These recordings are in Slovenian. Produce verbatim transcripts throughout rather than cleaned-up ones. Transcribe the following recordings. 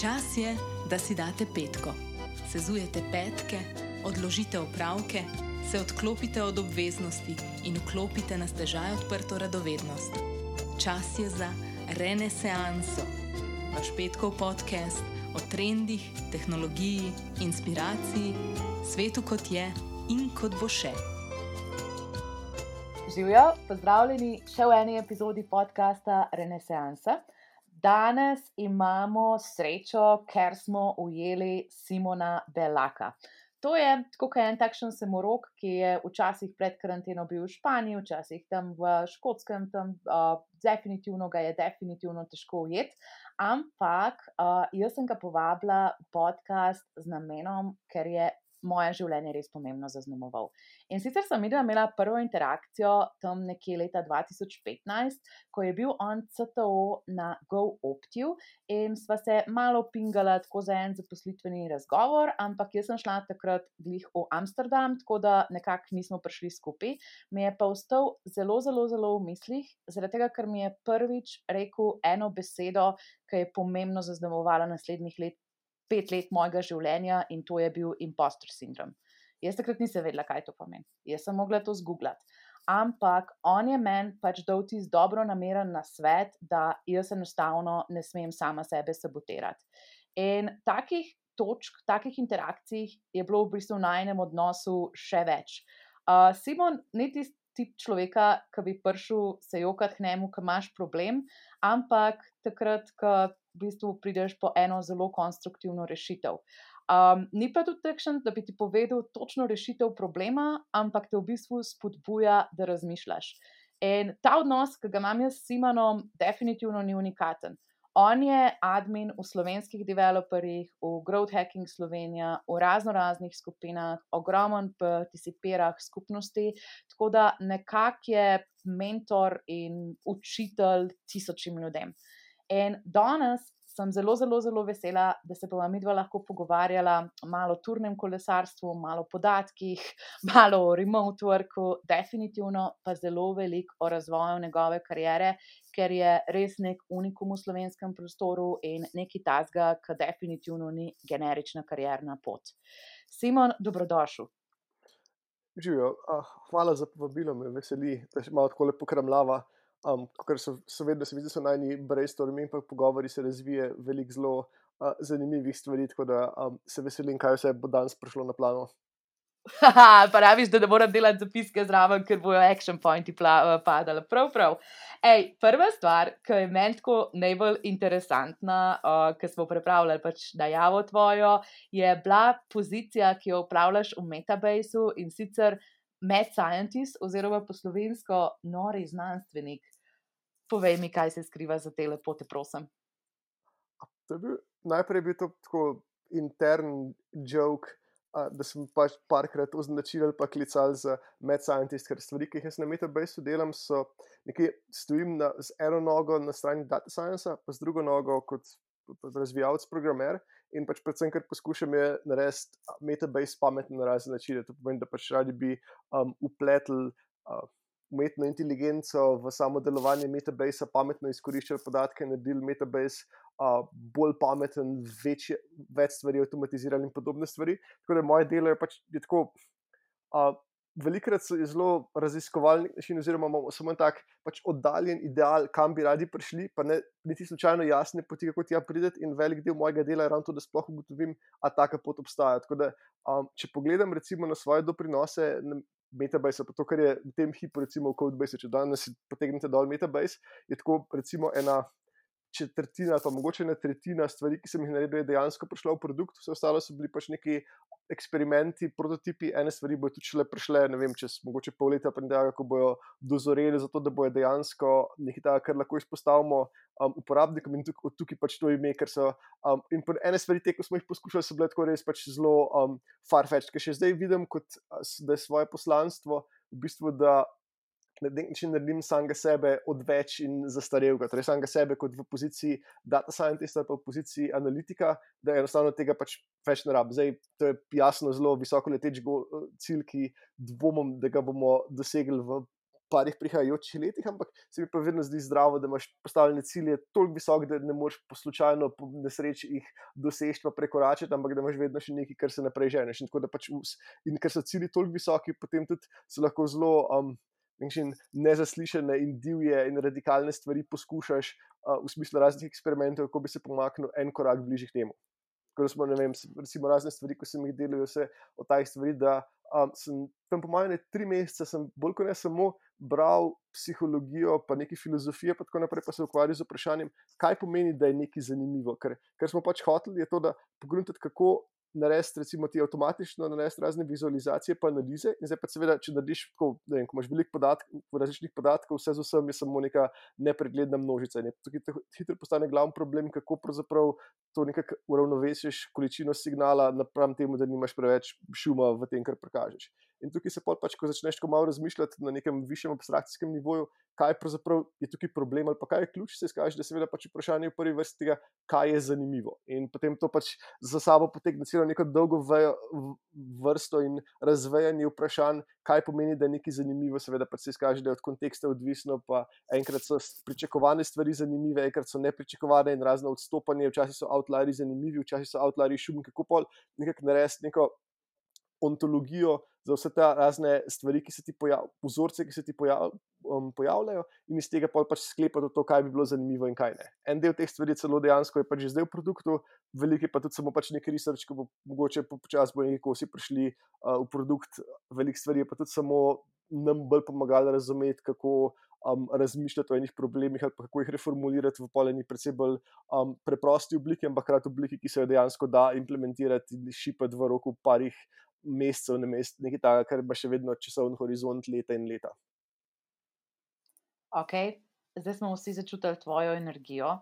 Čas je, da si date petko. Sezujete petke, odložite opravke, se odklopite od obveznosti in vklopite na stežaj odprto radovednost. Čas je za renesanso. Vaš petkov podcast o trendih, tehnologiji, inspiraciji, svetu kot je in kot bo še. Živijo, pozdravljeni še v eni epizodi podcasta Renesansa. Danes imamo srečo, ker smo ujeli Simona Belaka. To je tako kot en takšen samorok, ki je včasih pred karanteno bil v Španiji, včasih tam v Škotskem, tam uh, definitivno ga je definitivno težko ujeti, ampak uh, jaz sem ga povabila v podcast z namenom, ker je moje življenje res pomembno zaznamoval. In sicer sem imela prvo interakcijo tam nekje leta dva tisoč petnajst, ko je bil on C T O na GoOptiv in sva se malo pingala tako za en zaposlitveni razgovor, ampak jaz sem šla takrat glih v Amsterdam, tako da nekako nismo prišli skupaj. Mi je pa ostal zelo, zelo, zelo v mislih, zaradi tega, ker mi je prvič rekel eno besedo, ki je pomembno zaznamovala naslednjih let pet let mojega življenja in to je bil imposter sindrom. Jaz takrat nisem vedela, kaj to pomeni. Jaz sem mogla to zgooglati. Ampak on je meni pač dal tisti dobronameren nasvet, da jaz enostavno ne smem sama sebe sabotirati. In takih točk, takih interakcij je bilo v bistvu v najinem odnosu še več. Uh, Simon ni tisti tip človeka, ki bi prišel se jokati k njemu, ki imaš problem, ampak takrat, ko v bistvu prideš po eno zelo konstruktivno rešitev. Um, ni pa tudi takšen, da bi ti povedal točno rešitev problema, ampak te v bistvu spodbuja, da razmišljaš. In ta odnos, ki ga imam jaz s Simonom, definitivno ni unikaten. On je admin v slovenskih developerjih, v Growth Hacking Slovenija, v razno raznih skupinah, ogromen participira v skupnosti, tako da nekako je mentor in učitelj tisočim ljudem. In danes sem zelo, zelo, zelo vesela, da se bova midva lahko pogovarjala malo o turnem kolesarstvu, malo o podatkih, malo o remote worku, definitivno pa zelo veliko o razvoju njegove kariere, ker je res nek unikum v slovenskem prostoru in nekaj tazga, ki definitivno ni generična karierna pot. Simon, dobrodošel. Živijo, ah, hvala za povabilo, me veseli, da še malo tako lepo kramljava. Um, ker so, so vedno se vidi, da so najni brainstormi in pa pogovori se razvije veliko zelo uh, zanimivih stvari, tako da um, se veselim, kaj vse bo danes prišlo na plano. Haha, praviš, da ne moram delati zapiske zraven, ker bojo action pointi padali. Prav, prav. Ej, prva stvar, ki je meni tako najbolj interesantna, uh, ki smo pripravljali pač najavo tvojo, je bila pozicija, ki jo upravljaš v Metabaseu in sicer Mad Scientist oziroma po slovensko nori znanstvenik. Povej mi, kaj se skriva za te lepote, prosim. To je bil, najprej bil to tako intern joke, uh, da sem pač parkrat označil ali pa klical za Mad Scientist, ker stvari, ki jih jaz na Metabaseu delam, so nekaj, stojim na, z eno nogo na strani data science, pa z drugo nogo kot razvijalec programer in pač predvsem, ker poskušam je narediti Metabase pametno na razne načine. To pomeni, da pač radi bi um, upletli uh, umetno inteligenco v samo delovanje Metabasea, pametno izkoriščali podatke, naredili Metabase uh, bolj pameten, večje, več stvari avtomatizirali in podobne stvari. Tako da moje delo je pač je tako, uh, velikrat je zelo raziskovalni način oziroma imamo samo tak pač oddaljen ideal, kam bi radi prišli, pa ne niti slučajno jasne poti, kako tja prideti, in velik del mojega dela je ravno to, da sploh ugotovim, a taka pot obstaja. Tako da, um, če pogledam recimo na svoje doprinose na Metabase, pa to, kar je v tem hipu recimo v Codebase, če danes potegnete dol Metabase, je tako recimo ena četrtina, pa mogoče ena tretjina stvari, ki sem jih naredil, je dejansko prišla v produkt, vse ostalo so bili pač neki eksperimenti, prototipi, ene stvari bojo tudi šele prišle, ne vem, čez mogoče pol leta, pa ne da, kako bojo dozoreli za to, da bojo dejansko nekaj takega, kar lahko izpostavimo um, uporabnikom, in tukaj, tukaj pač to ime, ker so um, in ene stvari te, ko smo jih poskušali, so bile tako res pač zelo um, far-fetched, ker še zdaj vidim, kot, da je svoje poslanstvo v bistvu, da na nek način naredim samega sebe odveč in zastarelega, torej samega sebe kot v poziciji data scientista, pa v poziciji analitika, da enostavno tega pač več ne rabim. Zdaj, to je jasno zelo visoko leteč cilj, ki dvomim, da ga bomo dosegli v parih prihajajočih letih, ampak se mi pa vedno zdi zdravo, da imaš postavljene cilje toliko visoke, da ne moreš po slučajno po nesreči jih doseči pa prekoračiti, ampak da imaš vedno še nekaj, kar se naprej ženeš. In, tako, da pač, in ker so cilji toliko visoki, potem tudi se lahko zelo um, nezaslišane in divje in radikalne stvari poskušaš uh, v smislu raznih eksperimentov, kako bi se pomaknil en korak bližje k temu. Tako da smo, ne vem, recimo razne stvari, ko sem jih delal, vse o taj stvari, da um, sem tam po mojem tri mesece, sem bolj kot ne samo bral psihologijo, pa neki filozofije, pa tako naprej, pa se ukvarjal z vprašanjem, kaj pomeni, da je nekaj zanimivo. Ker, ker smo pač hoteli, je to, da pogruntati, kako narediti, recimo ti avtomatično narediti razne vizualizacije pa analize, in zdaj pa seveda, če narediš tako, ne vem, ko imaš veliko podatkov, različnih podatkov, vse z vsem je samo neka nepregledna množica. In tukaj hitro postane glavni problem, kako pravzaprav to nekako uravnovesiš količino signala napram temu, da nimaš preveč šuma v tem, kar prikažeš. In tukaj se pač, ko začneš tako malo razmišljati na nekem višjem abstrakcijskem nivoju, kaj pravzaprav je tukaj problem ali pa kaj je ključ, se izkaže, da seveda pač vprašanje v prvi vrsti tega, kaj je zanimivo. In potem to pač za sabo potegne celo neko dolgo vejo, vrsto in razvejanje vprašanj, kaj pomeni, da je nekaj zanimivo, seveda pač se izkaže, da je od konteksta odvisno, pa enkrat so pričakovane stvari zanimive, enkrat so nepričakovane in razne odstopanje, včasih so outlieri zanimivi, včasih so outlieri šumi, kako pol nekako narediti neko ontologijo za vse te razne stvari, ki se ti pojavljajo, vzorce, ki se ti pojav, um, pojavljajo, in iz tega pač sklepati to, kaj bi bilo zanimivo in kaj ne. En del teh stvari celo dejansko je pač že zdaj v produktu, veliko je pa tudi samo pač neki research, ki bo mogoče počasi bo nekaj kosi prišli uh, v produkt, veliko stvari je pa tudi samo nam bolj pomagalo razumeti, kako um, razmišljati o enih problemih ali pa kako jih reformulirati v poleni predvsem bolj um, preprosti obliki, ampak hkrati obliki, ki se jo dejansko da implementirati in šipati v roku parih mesecev, na mest, nekaj takega, kar ima še vedno časovni horizont leta in leta. Ok, zdaj smo vsi začutili tvojo energijo.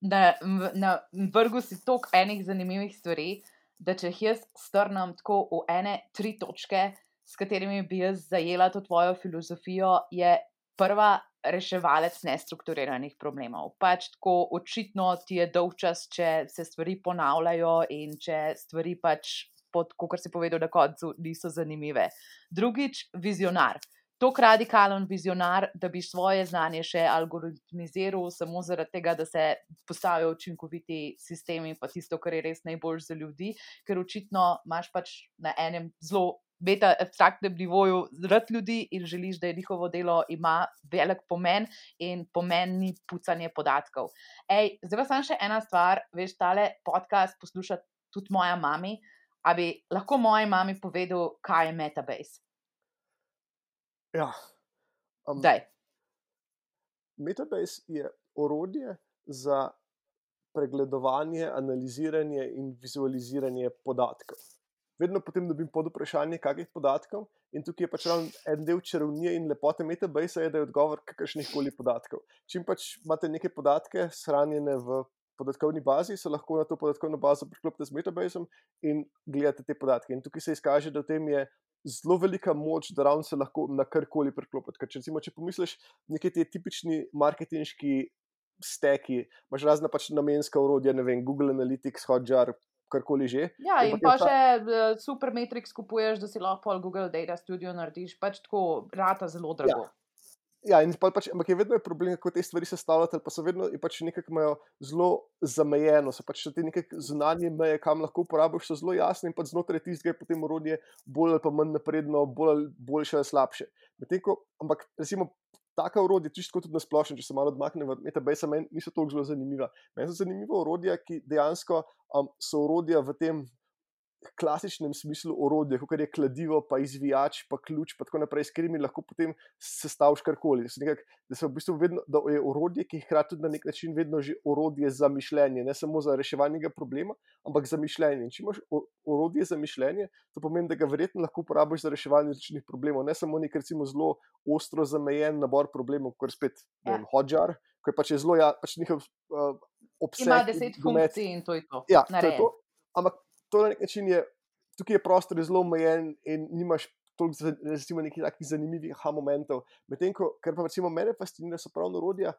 Na, na vrhu si toliko enih zanimivih stvari, da če jih jaz strnem tako v ene tri točke, s katerimi bi jaz zajela to tvojo filozofijo, je prva reševalec nestrukturiranih problemov. Pač tako očitno ti je dolgčas, če se stvari ponavljajo in če stvari pač pod, kot si povedal na koncu, niso zanimive. Drugič, vizionar. Tok radikalen vizionar, da bi svoje znanje še algoritmiziral samo zaradi tega, da se postavijo učinkoviti sistemi, pa tisto, kar je res najbolj za ljudi, ker očitno imaš pač na enem zelo beta abstraktnem nivoju rad ljudi in želiš, da je njihovo delo ima velik pomen in pomen ni pucanje podatkov. Ej, zdaj pa samo še ena stvar, veš, tale podcast posluša tudi moja mami. A bi lahko moji mami povedal, kaj je Metabase? Ja. Um, Metabase je orodje za pregledovanje, analiziranje in vizualiziranje podatkov. Vedno potem dobim pod vprašanje, kakih podatkov, in tukaj je pač en del čarovnije in lepote Metabase, je, da je odgovor kakršnih koli podatkov. Čim pač imate neke podatke shranjene v podatkovni bazi, se lahko na to podatkovno bazo priklopite z Metabaseom in gledate te podatke. In tukaj se izkaže, da v tem je zelo velika moč, da ravno se lahko na karkoli priklopiti. Ker če, recimo, če pomisliš, nekaj te tipični marketinški steki, imaš razna pač namenska orodja, ne vem, Google Analytics, Hotjar, karkoli že. Ja, in, in pa še ta... Supermetrics kupuješ, da si lahko Google Data Studio narediš, pač tako rata zelo drago. Ja. Ja, in pač, ampak je vedno je problem, kako te stvari sestavljati, pa so vedno pač nekako imajo zelo zamejeno, so pač te neke zunanje meje, kam lahko uporabiš, so zelo jasne in pač znotraj tistega je potem orodje bolj ali pa manj napredno, bolj, boljše ali slabše. Ko, ampak recimo taka orodja, čisto tudi na splošno, če se malo odmakne v Metabase, meni niso toliko zelo zanimiva. Meni so zanimiva orodja, ki dejansko um, so orodja v tem klasičnem smislu orodja, kot je kladivo, pa izvijač, pa ključ, pa tako naprej, s katerimi lahko potem sestaviš karkoli. Da, da, v bistvu vedno, da je orodje, ki je hkrati tudi na nek način vedno že orodje za mišljenje, ne samo za reševanje problema, ampak za mišljenje. In če imaš orodje za mišljenje, to pomeni, da ga verjetno lahko uporabiš za reševanje različnih problemov, ne samo nek recimo zelo ostro zamejen nabor problemov, kot je spet ja. Hotjar, ki je pač je zelo ja, pač njihov uh, obseg. Ima deset funkcij in to je to. Ja, to je to. Ampak to na nek način je, tukaj je prostor zelo omejen in nimaš toliko recimo nekih takih zanimivih aha momentov. Medtem ko, kar pa recimo mene fascinira, so pravno orodja,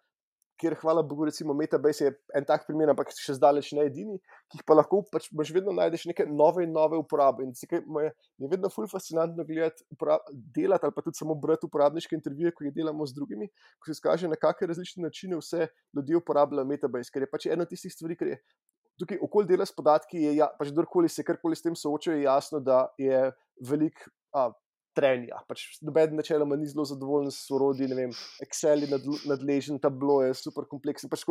kjer hvala Bogu, recimo Metabase je en tak primer, ampak še zdaleč ne edini, ki jih pa lahko pač boš vedno najdeš neke nove in nove uporabe. In zakaj me je vedno ful fascinantno gledati, delati ali pa tudi samo brati uporabniške intervjuje, ko jih delamo z drugimi, ko se izkaže, na kakšne različne načine vse ljudje uporabljajo Metabase, ker je pač ena od tistih stvari, ker je tukaj okoli dela s podatki, je ja, pač kdorkoli se karkoli s tem soočajo, je jasno, da je velik a, trenja. Pač noben načeloma ni zelo zadovoljen s orodji, ne vem, Excel je nadležen, Tableau je super kompleksen, pač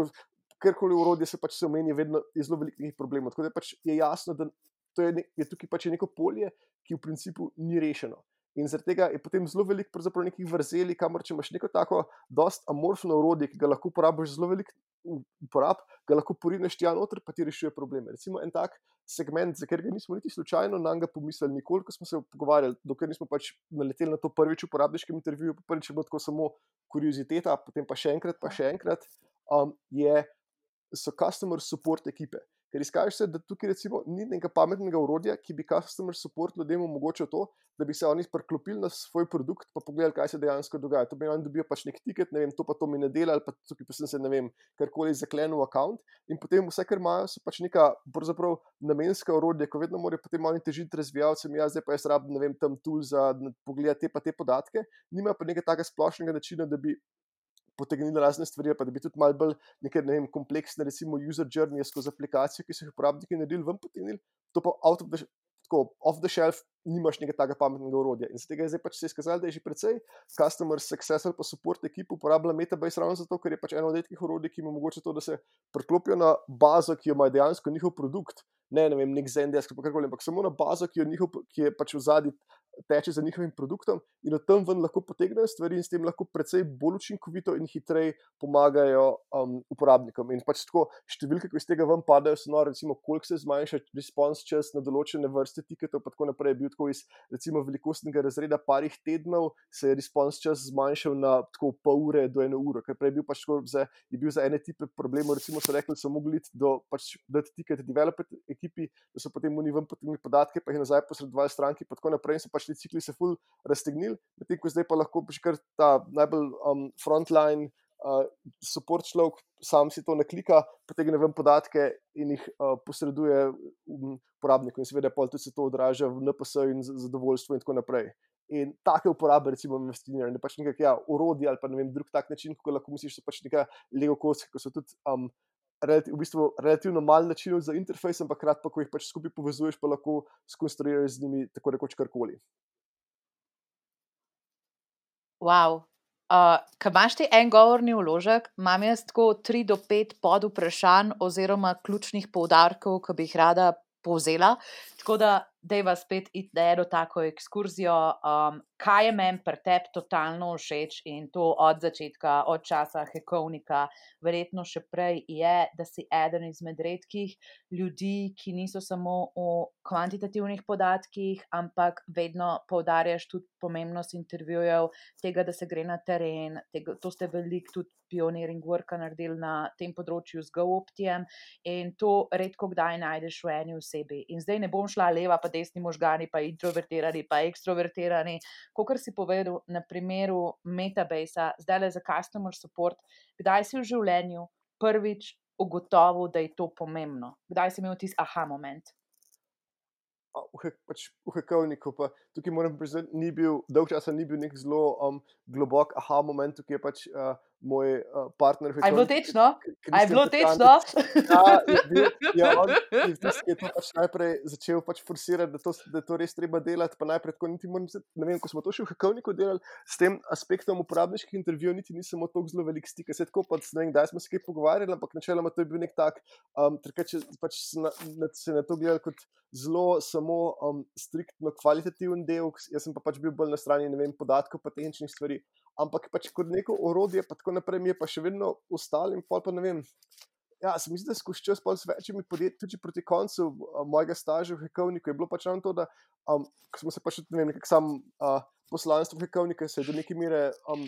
karkoli orodje se pač se omeni, vedno je zelo velikih problemov. Tako da pač je jasno, da to je, ne, je tukaj pač neko polje, ki v principu ni rešeno. In zaradi tega je potem zelo veliko pravzaprav nekih vrzeli, kamor če imaš neko tako dost amorfno orodje, ki ga lahko uporabiš zelo veliko uporab, ga lahko porineš tja noter, pa ti rešuje probleme. Recimo en tak segment, za katerega nismo niti slučajno nanj pomislili nikoli, ko smo se pogovarjali, dokler nismo pač naleteli na to prvič v uporabniškem intervjuju, pa prvič je bilo tako samo kurioziteta, potem pa še enkrat, pa še enkrat, um, je, so customer support ekipe. Ker izkaže se, da tukaj recimo ni nekega pametnega orodja, ki bi customer support ljudem omogočil to, da bi se oni priklopili na svoj produkt pa pogledali, kaj se dejansko dogaja. To bi oni dobijo pač nek tiket, ne vem, to pa to mi ne dela, ali pa tukaj pa sem se, ne vem, karkoli zaklenil account in potem vse, kar imajo, so pač neka pravzaprav namenska orodja, ko vedno morajo potem oni težiti razvijalcem, ja, zdaj pa jaz rabim, ne vem, tam tool za pogledati te pa te podatke, nima pa nekega takega splošnega načina, da bi potegnili razne stvari, pa da bi tudi malo bolj neke, ne vem, kompleksne, recimo user journey skozi aplikacijo, ki so jih uporabniki naredili, ven potegnili, to pa out of the, tako, off the shelf nimaš nekega takega pametnega orodja. In z tega je zdaj pač se izkazalo, da je že precej customer success ali pa support ekip uporablja Metabase ravno zato, ker je pač eno od redkih orodij, ki jim omogoča to, da se priklopijo na bazo, ki jo ima dejansko njihov produkt, ne, ne vem, nek Zendesk, pa karkoli, ampak samo na bazo, ki, jo njihov, ki je pač v zadnji teče za njihovim produktom in od tam ven lahko potegnejo stvari in s tem lahko precej bolj učinkovito in hitreje pomagajo um, uporabnikom. In pač tako številke, ko iz tega ven padajo, so nore, recimo, koliko se zmanjša response čas na določene vrste tiketov, pa tako naprej, je bil tako iz, recimo, velikostnega razreda parih tednov, se je response čas zmanjšal na tako pol ure do eno uro, ker prej je bil pač tako, za, je bil za ene tipe problemov, recimo so rekli, so mogli do, pač, dati tiket developer ekipi, da so potem oni ven potegnili podatke, pa jih nazaj posredovali stranki, pa tako naprej, in so pač ti cikli se ful raztegnili, medtem ko zdaj pa lahko pač kar ta najbolj um, frontline uh, support človek sam si to naklika, potegne ven podatke in jih uh, posreduje um, uporabniku in seveda pol tudi se to odraža v N P S in zadovoljstvu in tako naprej. In take uporabe, recimo, investiranje, pač nekak, ja, orodje ali pa ne vem, drug tak način, kako lahko misliš, so pač neka Lego kocke, ko so tudi um, relativ, v bistvu relativno malo načinov za interfejs, ampak krat pa, ko jih pač skupaj povezuješ, pa lahko skonstruiraš z njimi tako rekoč karkoli. Wow. Uh, Ko imaš ti en govorni vložek, imam jaz tako tri do pet pod vprašanj oziroma ključnih poudarkov, ki bi jih rada povzela. Tako da dejva spet iti na eno tako ekskurzijo, um, kaj je meni pri tebi totalno všeč in to od začetka, od časa hekovnika, verjetno še prej je, da si eden izmed redkih ljudi, ki niso samo o kvantitativnih podatkih, ampak vedno poudarjaš tudi pomembnost intervjujev, tega, da se gre na teren, tega, to ste veliko tudi pioneering worka naredili na tem področju z GoOptijem in to redko kdaj najdeš v eni osebi. In zdaj ne bom šla leva pa desni možgani, pa introvertirani, pa ekstrovertirani. Kakor si povedal na primeru Metabasea, zdaj le za customer support, kdaj si v življenju prvič ugotovil, da je to pomembno? Kdaj si imel tisti aha moment? V, pač, v hekovniku pa tukaj moram priznati, ni bil, dolg časa ni bil nek zelo um, globok aha moment, tukaj je pač uh, moj uh, partner v A je bilo hekovniku. tečno? A je bilo tečno? Ja, je bil, ja, on je tisti, ki je to pač najprej začel pač forsirati, da, to, da je to res treba delati, pa najprej tako niti moram, ne vem, ko smo to še v hekovniku delali, s tem aspektom uporabniških intervjujev niti nisem imel toliko zelo velik stik, se tako pa, ne vem, kdaj smo se kaj pogovarjali, ampak načeloma to je bil nek tak, um, trkač, pač se na, na, se na to gledali kot zelo samo um, striktno kvalitativen del, jaz sem pa pač bil bolj na strani, ne vem, podatkov pa tehničnih stvari, ampak pač kot neko orodje, pa tako naprej mi je pa še vedno ostalo in pol pa ne vem, ja, se mi zdi, da skozi čas pol s večjimi podjetji, tudi proti koncu uh, mojega staža v hekovniku je bilo pač ravno to, da um, ko smo se pač, ne vem, nekak sam uh, poslanstvo hekovnika se je do neke mere um,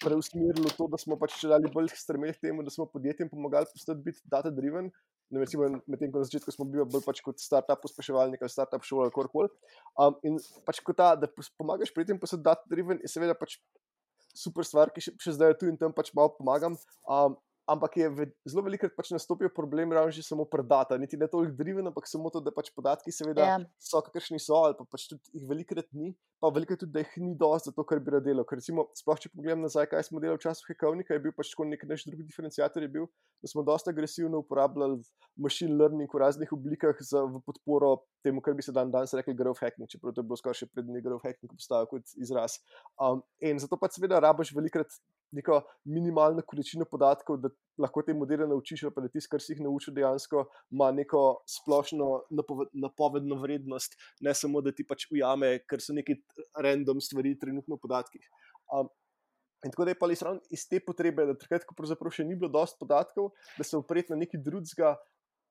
preusmerilo to, da smo pač če dali bolj stremeli k temu, da smo podjetjem pomagali postati biti data driven. Ne, recimo, medtem ko na začetku smo bili bolj pač kot startup pospeševalnik ali startup šola ali karkoli. Um, in pač kot ta, da pomagaš pri tem postati data driven, je seveda pač super stvar, ki še, še zdaj je tu in tam pač malo pomagam. Um, ampak je ve, zelo velikokrat pač nastopil problem ravno že samo pri data, niti ne toliko driven, ampak samo to, da pač podatki seveda Ja. so, kakršni so, ali pa pač tudi jih velikokrat ni, pa velikokrat tudi, da jih ni dosti za to, kar bi rad delal. Ker recimo, sploh če pogledam nazaj, kaj smo delali v času Hekovnika, je bil pač tako nek naš drugi diferenciator je bil, da smo dosti agresivno uporabljali machine learning v raznih oblikah za, v podporo temu, kar bi se dan danes rekli growth hacking, čeprav to je bilo skoraj še prednji growth hacking obstajal kot izraz. Um, in zato pač seveda rabiš velikokrat neko minimalno količino podatkov, da lahko te modele naučiš, ali pa da tisto, kar si jih naučil, dejansko ima neko splošno napoved, napovedno vrednost, ne samo, da ti pač ujame, ker so neki random stvari trenutno v podatkih. Um, in tako da je pa iz, iz te potrebe, da takrat, ko pravzaprav še ni bilo dosti podatkov, da se opreti na nekaj drugega,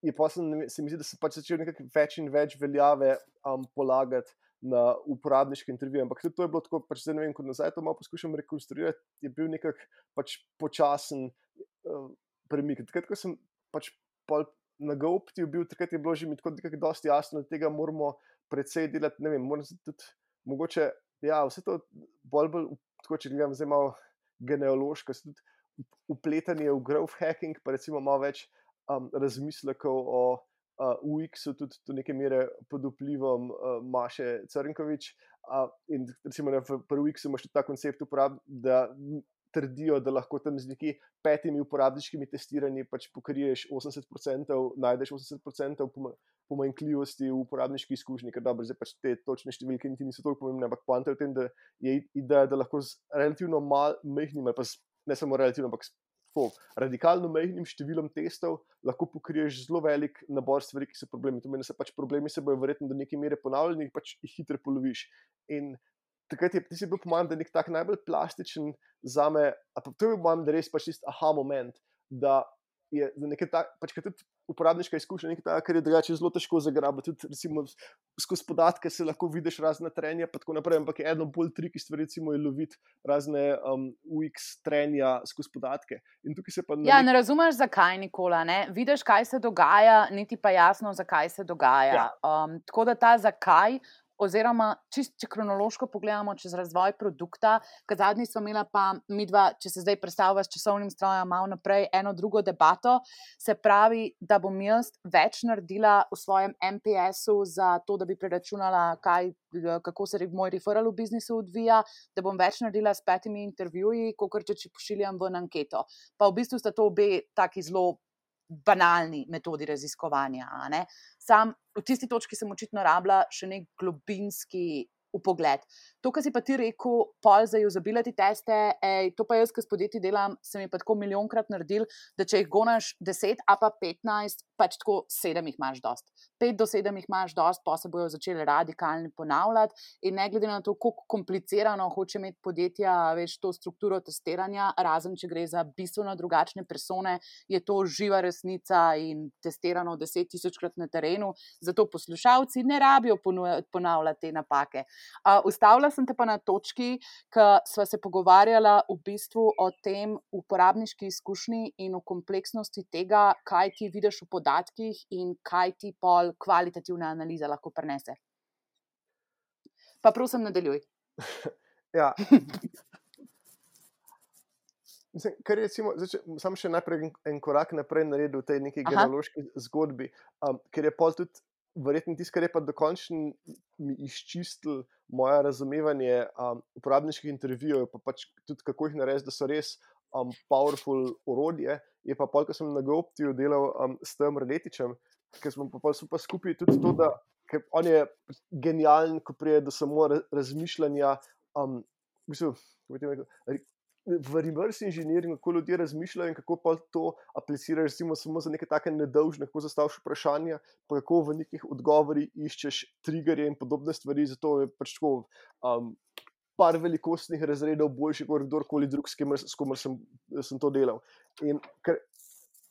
je pa se, se mi zdi, da se pač začel nekako več in več veljave um, polagati na uporabniške intervjuje, ampak tudi to je bilo tako, pač zdaj ne vem, ko nazaj to malo poskušam rekonstruirati, je bil nekak pač počasen uh, premik. Takrat, ko sem pač pol na GoOptiju bil, takrat je bilo že mi tako nekako dosti jasno, da tega moramo precej delati, ne vem, moram se tudi, mogoče, ja, vse to bolj bolj, tako če gledam zdaj malo genealoško, se tudi upletanje v growth hacking, pa recimo malo več um, razmislekov o Uh, U X-u tudi do neke mere pod vplivom uh, Maše Crnkovič uh, in recimo ne, pri U X-u imaš tudi ta koncept uporab, da trdijo, da lahko tam z neki petimi uporabniškimi testiranji pač pokriješ osemdeset procentov, najdeš osemdeset procentov pomanjkljivosti v uporabniški izkušnji, ker dobro, zdaj pač te točne številke niti niso toliko pomembne, ampak poanta je v tem, da je ideja, da lahko z relativno mal, majhnim, ali pa z, ne samo relativno, ampak po radikalno majhnim številom testov lahko pokriješ zelo velik nabor stvari, ki so problemi. To meni, da se pač problemi se bojo verjetno do neke mere ponavljali in pač jih hitro poloviš. In takrat je, ti si bil po mojem, da nek tak najbolj plastičen zame, a pa to je po mojem, da res pač tist aha moment, da je za nekaj tak, pač kad tudi uporabniška izkušnja nekaj taka, kar je drugače zelo težko zagrabiti, tudi recimo skozi podatke se lahko vidiš razne trenja, pa tako naprej, ampak je eno bolj triki stvari, recimo je loviti razne um, U X trenja skozi podatke. In tukaj se pa... Ja, nek... ne razumeš, zakaj, Nikola, ne? Vidiš, kaj se dogaja, niti pa jasno, zakaj se dogaja. Ja. Um, tako da ta zakaj, oziroma čist, če kronološko pogledamo čez razvoj produkta, ker zadnji smo imela pa midva, če se zdaj predstavlja s časovnim strojem malo naprej, eno drugo debato, se pravi, da bom jaz več naredila v svojem M P S-u za to, da bi preračunala, kaj, kako se moj referral v biznisu odvija, da bom več naredila s petimi intervjuji, kakor če, če pošiljam ven anketo. Pa v bistvu sta to obe taki zelo banalni metodi raziskovanja. Ne? Sam v tisti točki sem očitno rabila še nek globinski upogled. To, kar si pa ti rekel, pol za usability teste, ej, to pa jaz, ki s podjetji delam, sem je pa tako milijonkrat naredil, da če jih gonaš deset, a pa petnajst, pač tako sedem jih imaš dost. Pet do sedem jih imaš dost, pa se bojo začeli radikalno ponavljati in ne glede na to, koliko komplicirano hoče imeti podjetja, veš, to strukturo testiranja, razen če gre za bistveno drugačne persone, je to živa resnica in testirano deset tisočkrat na terenu, zato poslušalci ne rabijo ponavljati te napake. Uh, ustavila sem te pa na točki, ko sva se pogovarjala v bistvu o tem uporabniški izkušnji in o kompleksnosti tega, kaj ti vidiš v podatkih in kaj ti pol kvalitativna analiza lahko prinese. Pa prosim, nadaljuj. Ja. Mislim, kar je recimo, zdaj, sam še najprej en korak naprej naredil v tej neki genealoški zgodbi, um, ker je pol tudi verjetno tisto, kar je pa dokončno mi izčistil moje razumevanje um, uporabniških intervjujev, pa pač tudi kako jih narediti, da so res um, powerful orodje, je pa pol, ko sem na GoOptiju delal um, s tem Reletičem, ker smo pa, pa skupaj tudi to, da ker on je genijalen, ko prije do samo razmišljanja um, v bistvu, v reverse engineering, kako ljudje razmišljajo in kako pa to apliciraš recimo samo za neke take nedolžne, kako zastaviš vprašanja, pa kako v nekih odgovorih iščeš triggerje in podobne stvari, zato je pač tako um, par velikostnih razredov boljši kot kdorkoli drug, s komer, s komer sem, sem to delal. In ker,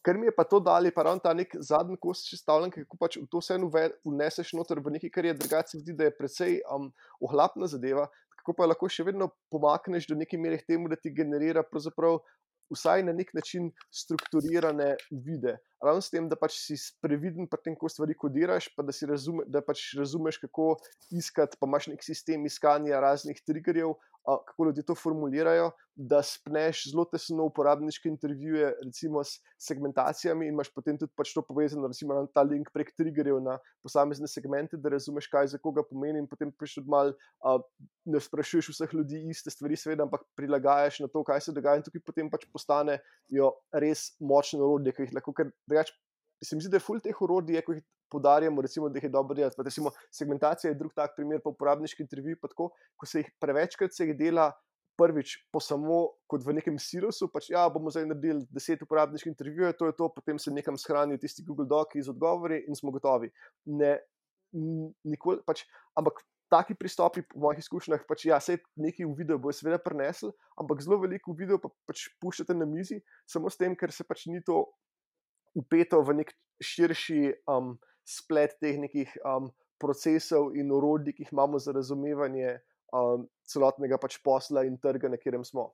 ker mi je pa to dali, pa ravno ta nek zadnji kost sestavljen, kako pač v to vse vneseš noter v nekaj, kar je drugače zdi, da je precej um, ohlapna zadeva, kako pa lahko še vedno pomakneš do neke mere k temu, da ti generira pravzaprav vsaj na nek način strukturirane vide. ravno s tem, da pač si previden pri tem, ko stvari kodiraš, pa da, si razume, da pač razumeš, kako iskati, pa imaš nek sistem iskanja raznih triggerjev, a, kako ljudje to formulirajo, da spneš zelo tesno uporabniške intervjuje, recimo s segmentacijami, in imaš potem tudi pač to povezano, recimo na ta link prek triggerjev na posamezne segmente, da razumeš, kaj za koga pomeni, in potem pač tudi malo a, ne sprašuješ vseh ljudi iste stvari, seveda, ampak prilagajaš na to, kaj se dogaja, in tukaj potem pač postanejo res močne orodje, ki jih lahko, ker drugače se mi zdi, da je ful teh orodij, ko jih podarjamo, recimo, da jih je dobro delati. Pa recimo segmentacija je drug tak primer, pa uporabniški intervjuji, pa tako, ko se jih prevečkrat se jih dela prvič po samo kot v nekem silosu, pač ja, bomo zdaj naredili deset uporabniških intervjujev, to je to, potem se nekam shranijo tisti Google Doci z odgovori in smo gotovi. Ne, nikoli, pač, ampak taki pristopi po mojih izkušnjah, pač ja, sej nekaj v videu bo seveda prinesel, ampak zelo veliko v videu pa pač puščate na mizi, samo s tem, ker se pač ni to upeto v nek širši um, splet teh nekih um, procesov in orodij, ki jih imamo za razumevanje um, celotnega pač posla in trga, na katerem smo.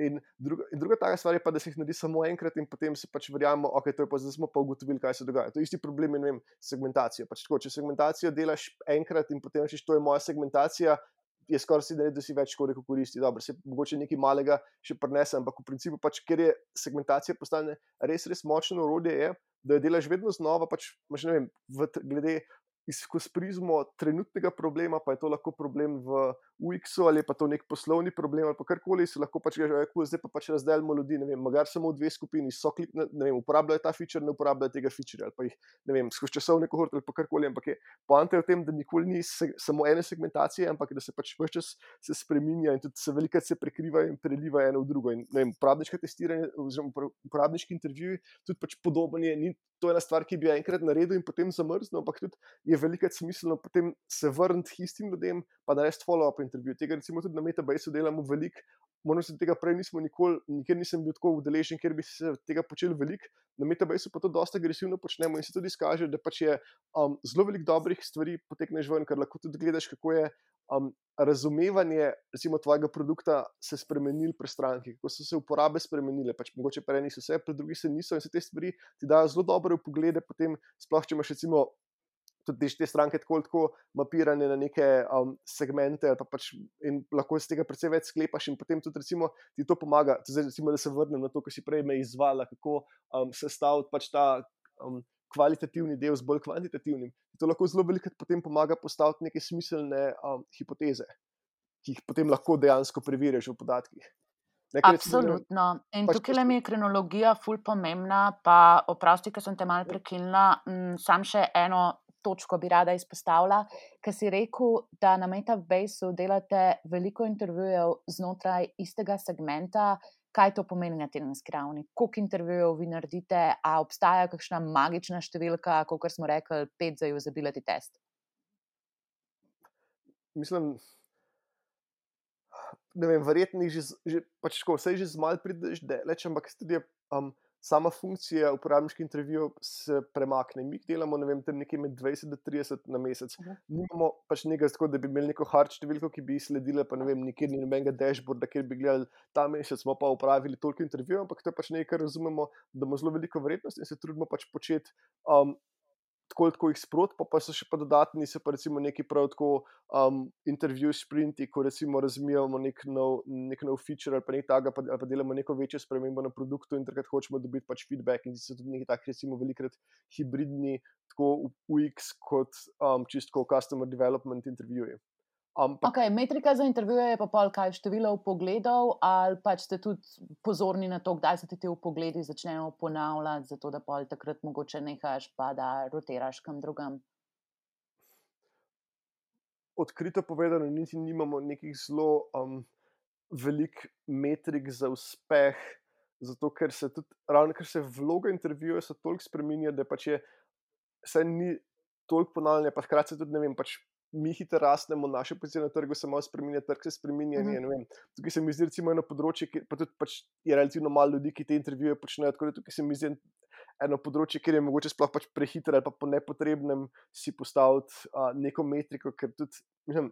In druga, in druga taka stvar je pa, da se jih naredi samo enkrat in potem se pač verjamemo, ok, to je pa zdaj smo pa ugotovili, kaj se dogaja. To je isti problem, ne vem, segmentacijo. Pač tako, če segmentacijo delaš enkrat in potem rečeš, to je moja segmentacija, je skoraj si da, da si več koliko koristi. Dobro, se mogoče nekaj malega še prinese, ampak v principu pač, ker je segmentacija postane res, res močno orodje, je, da jo delaš vedno znova, pač, ne vem, v, glede skozi prizmo trenutnega problema, pa je to lahko problem v U X-u ali pa to nek poslovni problem ali pa karkoli, se lahko pač reče, zdaj pa pač razdelimo ljudi, ne vem, magar samo v dve skupini, so klik, ne vem, uporabljajo ta feature, ne uporabljajo tega feature ali pa jih, ne vem, skozi časovne kohorte ali pa karkoli, ampak je poanta je v tem, da nikoli ni se, samo ene segmentacije, ampak da se pač ves čas se spreminja in tudi se velikokrat se prekriva in preliva eno v drugo. In ne vem, uporabniško testiranje oziroma uporabniški intervjuji tudi pač podoben je, ni to ena stvar, ki bi jo enkrat naredil in potem zamrznil, ampak tudi je velikokrat smiselno potem se vrniti istim ljudem, pa narediti follow-up intervju. Tega recimo tudi na Metabaseu delamo veliko, moram se tega prej nismo nikoli, nikjer nisem bil tako udeležen, ker bi se tega počeli veliko, na Metabaseu pa to dosta agresivno počnemo in se tudi izkaže, da pač je um, zelo veliko dobrih stvari potekneš ven, ker lahko tudi gledaš, kako je um, razumevanje recimo tvojega produkta se spremenil pri stranki, kako so se uporabe spremenile, pač mogoče pri enih so se, pri drugih se niso in se te stvari ti dajo zelo dobre vpoglede, potem sploh, če imaš recimo tudi te stranke tako, tako mapirane na neke um, segmente pa pač, in lahko iz tega precej več sklepaš in potem tudi recimo ti to pomaga, zdaj recimo, da se vrnem na to, ko si prej me izvala, kako um, sestaviti pač ta um, kvalitativni del z bolj kvantitativnim. To lahko zelo veliko potem pomaga postaviti neke smiselne um, hipoteze, ki jih potem lahko dejansko preveriš v podatkih. Nekaj, Absolutno. In pač tukaj mi je kronologija ful pomembna, pa oprosti, ker sem te malo prekinila, sam še eno točko bi rada izpostavila, ker si rekel, da na Metabaseu delate veliko intervjujev znotraj istega segmenta. Kaj to pomeni na tedenski ravni? Koliko intervjujev vi naredite? A obstaja kakšna magična številka, kot smo rekli, pet za usability test? Mislim, ne vem, verjetno že, že pač tako, vse že z malo prideš deleč, ampak tudi um, sama funkcija uporabniških intervjujev se premakne. Mi delamo, ne vem, tam nekje med dvajset do trideset na mesec. Uh-huh. Nimamo pač nekaj tako, da bi imeli neko hard številko, ki bi sledila, pa ne vem, nikjer ni nobenega dashboarda, kjer bi gledali, ta mesec smo pa upravili toliko intervjujev, ampak to je pač nekaj, kar razumemo, da ima zelo veliko vrednost in se trudimo pač početi um, tako, tako jih sprot, pa, pa so še pa dodatni, so pa recimo neki prav tako um, intervju sprinti, ko recimo razmijamo nek nov, nek nov feature ali pa nekaj taga, pa, ali pa delamo neko večjo spremembo na produktu in takrat hočemo dobiti pač feedback in so tudi neki tak recimo velikrat hibridni, tako U X kot um, čisto customer development intervjuji. Ampak, ok, metrika za intervjuje je pa pol kaj število vpogledov ali pač ste tudi pozorni na to, kdaj se ti te vpogledi začnejo ponavljati, zato da pol takrat mogoče nehaš pa da rotiraš kam drugam? Odkrito povedano, niti nimamo nekih zelo um, velik metrik za uspeh, zato ker se tudi, ravno ker se vloga intervjuja so toliko spreminja, da pač je, se ni toliko ponavljanja, pa hkrati se tudi, ne vem, pač mi hitro rastemo, naše pozicije na trgu se malo spreminja, trg se spreminja, uh-huh. ne vem, tukaj se mi zdi recimo eno področje, ki, pa tudi pač je relativno malo ljudi, ki te intervjuje počnejo, tako da tukaj se mi zdi eno področje, kjer je mogoče sploh pač prehitro ali pa po nepotrebnem si postaviti uh, neko metriko, ker tudi, mislim,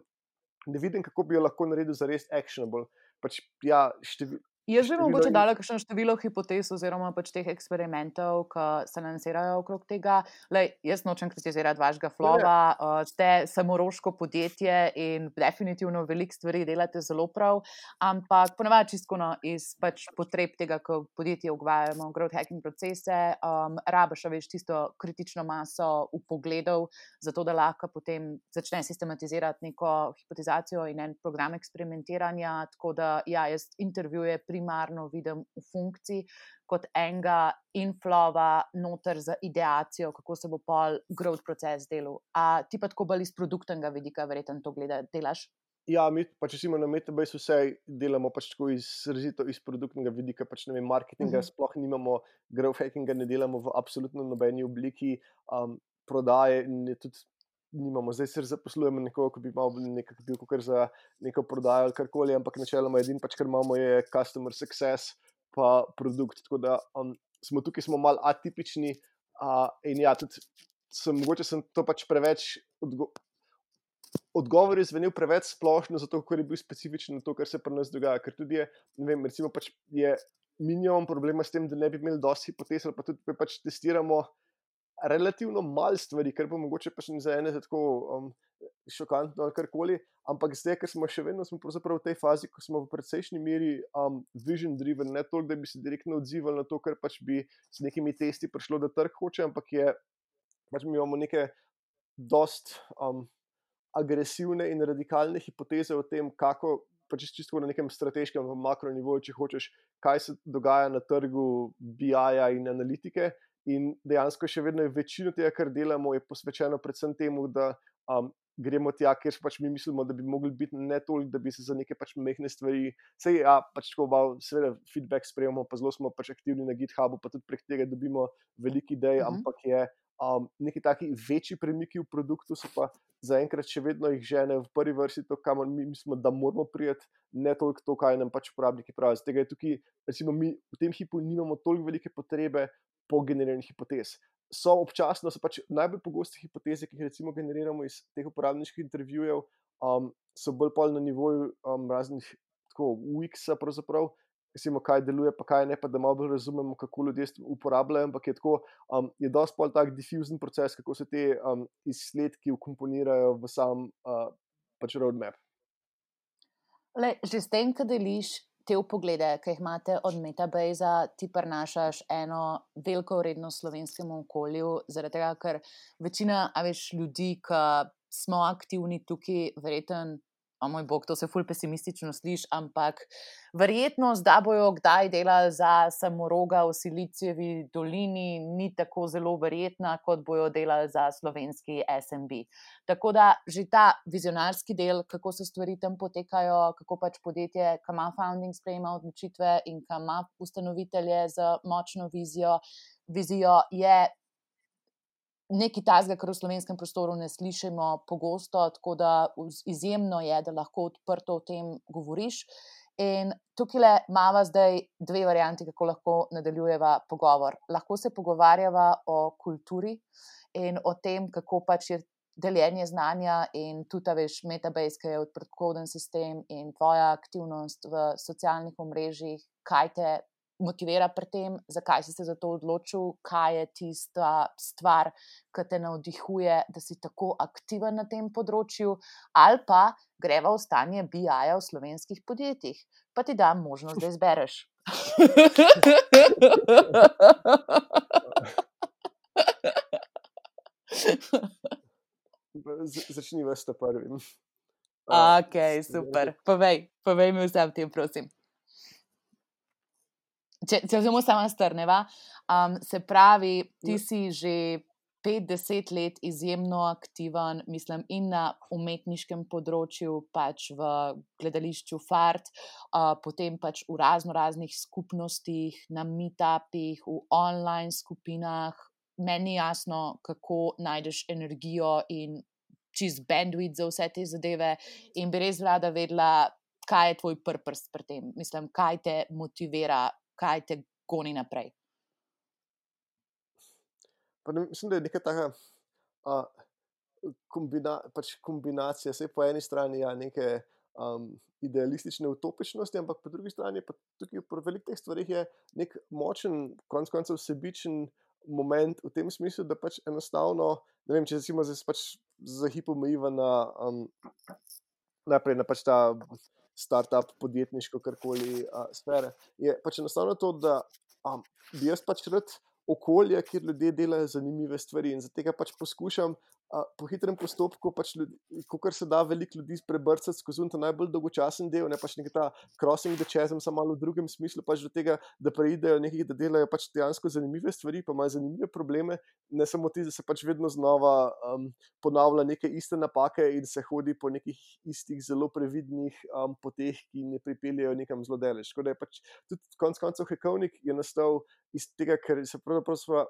ne vidim, kako bi jo lahko naredil za res actionable. Pač, ja, števil, Jaz bi število mogoče in dala kakšno število hipotez oziroma pač teh eksperimentov, ki se lansirajo okrog tega. Lej, jaz nočem kritizirati vašega ne, ne, flova, uh, ste samoroško podjetje in definitivno veliko stvari delate zelo prav, ampak ponavadi čisto no, iz pač potreb tega, ko podjetje ugvajamo growth hacking procese, um, rabiš, a veš, tisto kritično maso vpogledov, zato da lahko potem začne sistematizirati neko hipotezacijo in en program eksperimentiranja, tako da ja, jaz intervjuje primarno vidim v funkciji kot enega inflova noter za ideacijo, kako se bo pol growth proces delal. A ti pa tako bolj iz produktnega vidika verjetno to gleda, delaš? Ja, mi pač recimo na Metabase vse delamo pač tako izrazito iz produktnega vidika, pač ne vem, marketinga Mhm. sploh nimamo, growth hackinga ne delamo v absolutno nobeni obliki, um, prodaje in je tudi nimamo. Zdaj se zaposlujemo nekoga, ki bi malo nekako bil kakor za neko prodajo ali karkoli, ampak načeloma edino pač, kar imamo, je customer success pa produkt, tako da um, smo tukaj smo malo atipični, uh, in ja, tudi sem, mogoče sem to pač preveč odgo odgovor je zvenel preveč splošno, zato ker je bil specifičen na to, kar se pri nas dogaja. Ker tudi je, ne vem, recimo pač je minimum problema s tem, da ne bi imeli dosti hipotez, ali pa tudi pa pač testiramo relativno malo stvari, kar bo mogoče pač za ene tako um, šokantno ali karkoli, ampak zdaj, ker smo še vedno smo pravzaprav v tej fazi, ko smo v precejšnji meri um, vision driven, ne toliko, da bi se direktno odzivali na to, kar pač bi s nekimi testi prišlo, da trg hoče, ampak je, pač mi imamo neke dost um, agresivne in radikalne hipoteze o tem, kako, pač čisto na nekem strateškem, makronivoju, če hočeš, kaj se dogaja na trgu B I-ja in analitike. In dejansko še vedno je večino tega, kar delamo, je posvečeno predvsem temu, da um, gremo tja, kjer pač mi mislimo, da bi mogli biti, ne toliko, da bi se za neke pač mehne stvari, sej ja, pač tako malo, seveda feedback sprejemamo, pa zelo smo pač aktivni na GitHubu, pa tudi prek tega dobimo veliko idej, Mhm. ampak je um, neki taki večji premiki v produktu so pa zaenkrat še vedno jih žene v prvi vrsti to, kamor mi mislimo, da moramo priti, ne toliko to, kaj nam pač uporabniki pravijo. Zato je tukaj, recimo, mi v tem hipu nimamo toliko velike potrebe po generiranju hipotez. So občasno, so pač najbolj pogoste hipoteze, ki jih recimo generiramo iz teh uporabniških intervjujev, um, so bolj pol na nivoju um, raznih tako U X-a pravzaprav, recimo, kaj deluje, pa kaj ne, pa da malo bolj razumemo, kako ljudje uporabljajo, ampak je tako, um, je dosti pol tak difuzen proces, kako se te um, izsledki vkomponirajo v sam uh, pač roadmap. Lej, že s tem, ko deliš te vpoglede, ki jih imate od Metabase, ti prinašaš eno veliko vrednost slovenskemu okolju, zaradi tega, ker večina, a veš, ljudi, ki smo aktivni tukaj, verjetno, o moj bog, to se ful pesimistično sliši, ampak verjetnost, da bojo kdaj delali za samoroga v Silicijevi dolini, ni tako zelo verjetna, kot bojo delali za slovenski S M B. Tako da že ta vizionarski del, kako se stvari tam potekajo, kako pač podjetje, ki ima founding, sprejema odločitve in ki ima ustanovitelje z močno vizijo, vizijo je nekaj takega, kar v slovenskem prostoru ne slišimo pogosto, tako da izjemno je, da lahko odprto o tem govoriš. In tukaj imamo zdaj dve varianti, kako lahko nadaljujeva pogovor. Lahko se pogovarjava o kulturi in o tem, kako pač je deljenje znanja in tudi, veš, Metabase, ki je odprtokoden sistem in tvoja aktivnost v socialnih omrežjih, kaj te motivira pri tem, zakaj si se za to odločil, kaj je tista stvar, ki te navdihuje, da si tako aktiven na tem področju, ali pa greva v stanje B I-ja v slovenskih podjetjih. Pa ti dam možnost, da izbereš. Začni vas ta prvim. Ok, super. Povej, povej mi vse o tem, prosim. Če, če vzemo samo strneva, um, se pravi, ti si že pet, deset let izjemno aktiven, mislim, in na umetniškem področju, pač v gledališču Fart, uh, potem pač v razno raznih skupnostih, na meetupih, v online skupinah. Meni je jasno, kako najdeš energijo in čist bandwidth za vse te zadeve in bi res rada vedela, kaj je tvoj purpose pri tem. Mislim, kaj te motivira, kaj te goni naprej. Pa ne, mislim, da je neka taka uh, kombina, pač kombinacija, vse po eni strani ja, neke um, idealistične utopičnosti, ampak po drugi strani pa tukaj pri velikih teh stvarih je nek močen, konec koncev sebičen moment v tem smislu, da pač enostavno, ne vem, če recimo zdaj se pač za hip omejiva na um, najprej na pač ta startup, podjetniško, karkoli uh, sfere, je pač enostavno to, da um, bi jaz pač rad okolje, kjer ljudje delajo zanimive stvari in zato tega pač poskušam uh, po hitrem postopku, pač kakor se da veliko ljudi prebrcati skozi ta najbolj dolgočasen del, ne pač nekaj ta crossing the chasm, samo malo v drugem smislu, pač do tega, da preidejo nekaj, da delajo pač dejansko zanimive stvari, pa imajo zanimive probleme, ne samo ti, da se pač vedno znova um, ponavlja neke iste napake in se hodi po nekih istih zelo previdnih um, poteh, ki ne pripeljejo nekam zelo daleč. Tako da je pač tudi konec koncev Hekovnik je nastal iz tega, ker se pravzaprav sva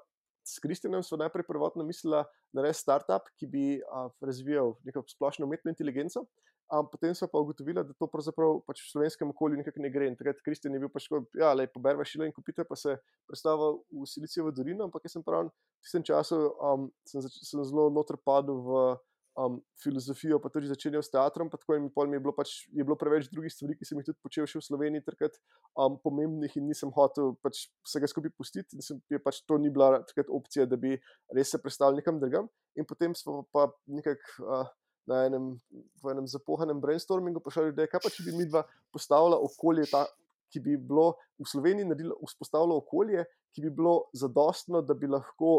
s Kristjanom sva najprej prvotno mislila narediti startup, ki bi uh, razvijal neko splošno umetno inteligenco, um, potem sva pa ugotovila, da to pravzaprav pač v slovenskem okolju nekako ne gre. In takrat Kristjan je bil pač tako, ja, lej, poberva šila in kupite, pa se predstavil v Silicijevo dolino, ampak jaz sem prav v tistem času um, sem, zač- sem zelo noter padel v um, filozofijo, pa tudi začenjal s teatrom, pa tako in pol mi je bilo pač, je bilo preveč drugih stvari, ki sem jih tudi počel še v Sloveniji takrat um, pomembnih in nisem hotel pač vsega skupaj pustiti in sem, je pač to ni bila takrat opcija, da bi res se predstavil nekam drugam. In potem smo pa nekako uh, na enem, v enem zapohanem brainstormingu prišli ljudje, kaj pa če bi midva postavila okolje, ta, ki bi bilo v Sloveniji naredilo, vzpostavilo okolje, ki bi bilo zadostno, da bi lahko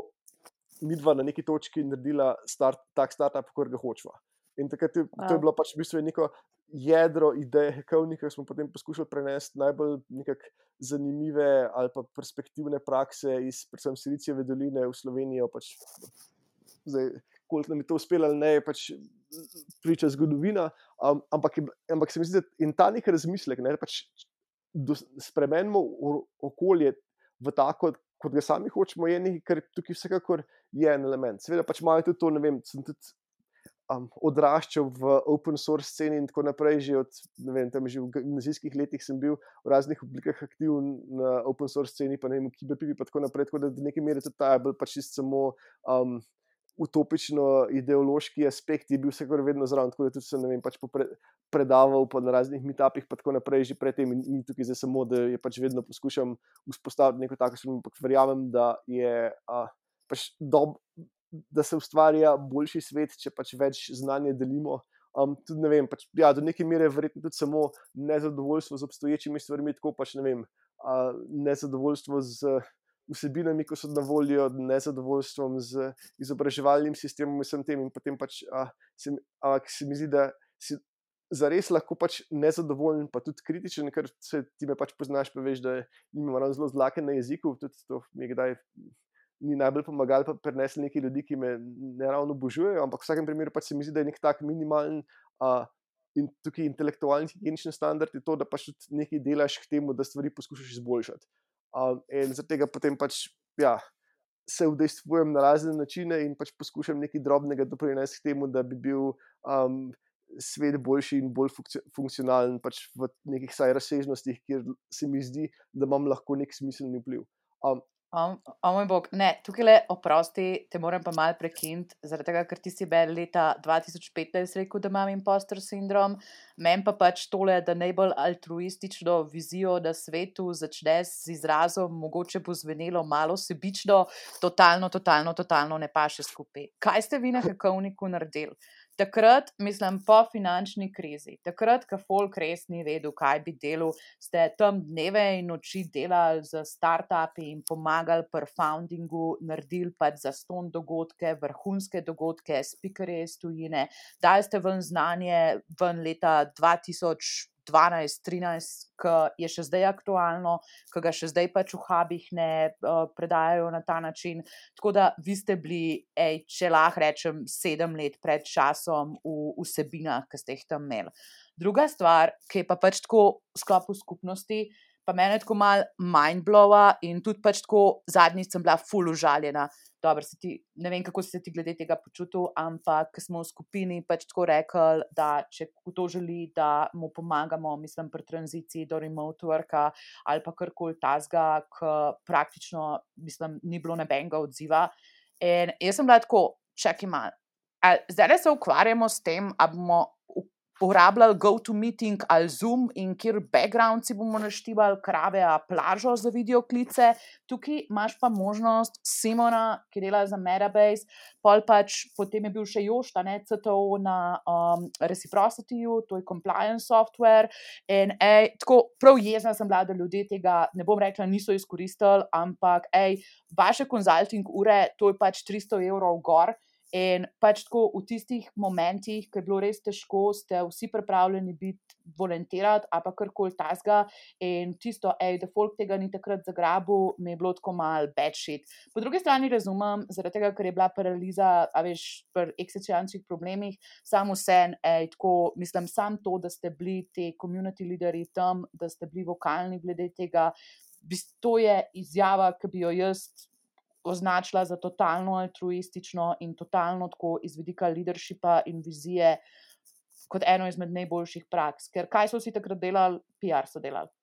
midva na neki točki naredila start, tak startup, kot ga hočeva. In takrat je, to je bilo pač v bistvu neko jedro ideje Hekovnika, smo potem poskušali prenesti najbolj nekako zanimive ali pa perspektivne prakse iz predvsem Silicijeve doline v Slovenijo. Pač, zdaj, koliko nam je to uspelo ali ne, je pač priča zgodovina, um, ampak, ampak se mi zdi, da in ta nek razmislek, ne, pač spremenimo okolje v tako, kot ga sami hočemo, je nekaj, kar tukaj vsekakor je en element. Seveda pač malo tudi to, ne vem, sem tudi um, odraščal v open source sceni in tako naprej, že od, ne vem, tam že v gimnazijskih letih sem bil v raznih oblikah aktiven na open source sceni, pa ne vem, v Kiberpipi, pa tako naprej, tako da do neke mere tudi ta je bil pač čisto samo um, utopično ideološki aspekt je bil vsekakor vedno zraven, tako da tudi sem, ne vem, pač popre, predaval pa na raznih meetupih, pa tako naprej, že predtem in ni tukaj zdaj samo, da je pač vedno poskušam vzpostaviti neko tako, ampak verjamem, da je a, pač dob, da se ustvarja boljši svet, če pač več znanja delimo. Um, tudi ne vem, pač, ja, do neke mere verjetno tudi samo nezadovoljstvo z obstoječimi stvarmi, tako pač ne vem, a, nezadovoljstvo z vsebinami, ko so na voljo, nezadovoljstvom z izobraževalnim sistemom in vsem tem in potem pač a, se, a, se mi zdi, da si zares lahko pač nezadovoljen, pa tudi kritičen, ker se ti me pač poznaš, pa veš, da nimam ravno zelo zlaken na jeziku, tudi to mi je kdaj ni najbolj pomagal, pa prenesli neki ljudi, ki me ne ravno obožujejo, ampak v vsakem primeru pač se mi zdi, da je nek tak minimalen a, in tukaj intelektualni higienični standard je to, da pač tudi nekaj delaš k temu, da stvari poskušaš izboljšati. Um, in zaradi tega potem pač ja, se udejstvujem na razne načine in pač poskušam nekaj drobnega doprinesti k temu, da bi bil um, svet boljši in bolj funkcionalen pač v nekih saj razsežnostih, kjer se mi zdi, da imam lahko nek smiselni vpliv. Um, O, o moj bog, ne, tukaj le oprosti, te moram pa malo prekiniti, zaradi tega, ker ti si bel leta dva tisoč petnajst rekel, da imam imposter sindrom, meni pa pač tole, da najbolj altruistično vizijo na svetu začne z izrazom, mogoče bo zvenelo malo sebično, totalno, totalno, totalno ne paše skupaj. Kaj ste vi na Hekovniku naredili? Takrat, mislim, po finančni krizi, takrat, ko folk res ni vedel, kaj bi delal, ste tam dneve in noči delali za startupi in pomagali pri foundingu, naredili pač zastonj dogodke, vrhunske dogodke, speakerje iz tujine, dali ste ven znanje ven leta dva tisoč dvanajst trinajst, ki je še zdaj aktualno, ki ga še zdaj pač v hubih ne uh, predajajo na ta način. Tako da vi ste bili, ej, če lahko rečem, sedem let pred časom v vsebinah, ki ste jih tam imeli. Druga stvar, ki je pa pač tako v sklopu skupnosti, pa mene tako malo mindblowa in tudi pač tako zadnjič sem bila ful užaljena. Dobro, se ti, ne vem, kako si se ti glede tega počutil, ampak smo v skupini pač tako rekli, da če kdo želi, da mu pomagamo, mislim, pri tranziciji do remote worka ali pa karkoli tazga, ki praktično, mislim, ni bilo nobenega odziva. In jaz sem bila tako, čakaj malo, zdaj se ukvarjamo s tem, a bomo uporabljali GoToMeeting ali Zoom in kjer background si bomo naštevali, krave, a plažo za videoklice. Tukaj imaš pa možnost Simona, ki dela za Metabase, pol pač potem je bil še Jošt, ne, C T O na um, Reciprocityju, to je compliance software. In ej, tako prav jezna sem bila, da ljudje tega, ne bom rekla, niso izkoristili, ampak ej, vaše konzulting ure, to je pač tristo evrov gor. In pač tako v tistih momentih, ko je bilo res težko, ste vsi pripravljeni biti volontirati ali pa karkoli tasga in tisto, ej, da folk tega ni takrat zagrabil, mi je bilo tako malo bad shit. Po drugi strani razumem, zaradi tega, ker je bila paraliza, a veš, pri eksistencialnih problemih, samo vsem, ej, tako, mislim, sam to, da ste bili te community leaderji tam, da ste bili vokalni glede tega, to je izjava, ki bi jo jaz označila za totalno altruistično in totalno tako iz vidika leadershipa in vizije kot eno izmed najboljših praks. Ker kaj so vsi takrat delali? P R so delali.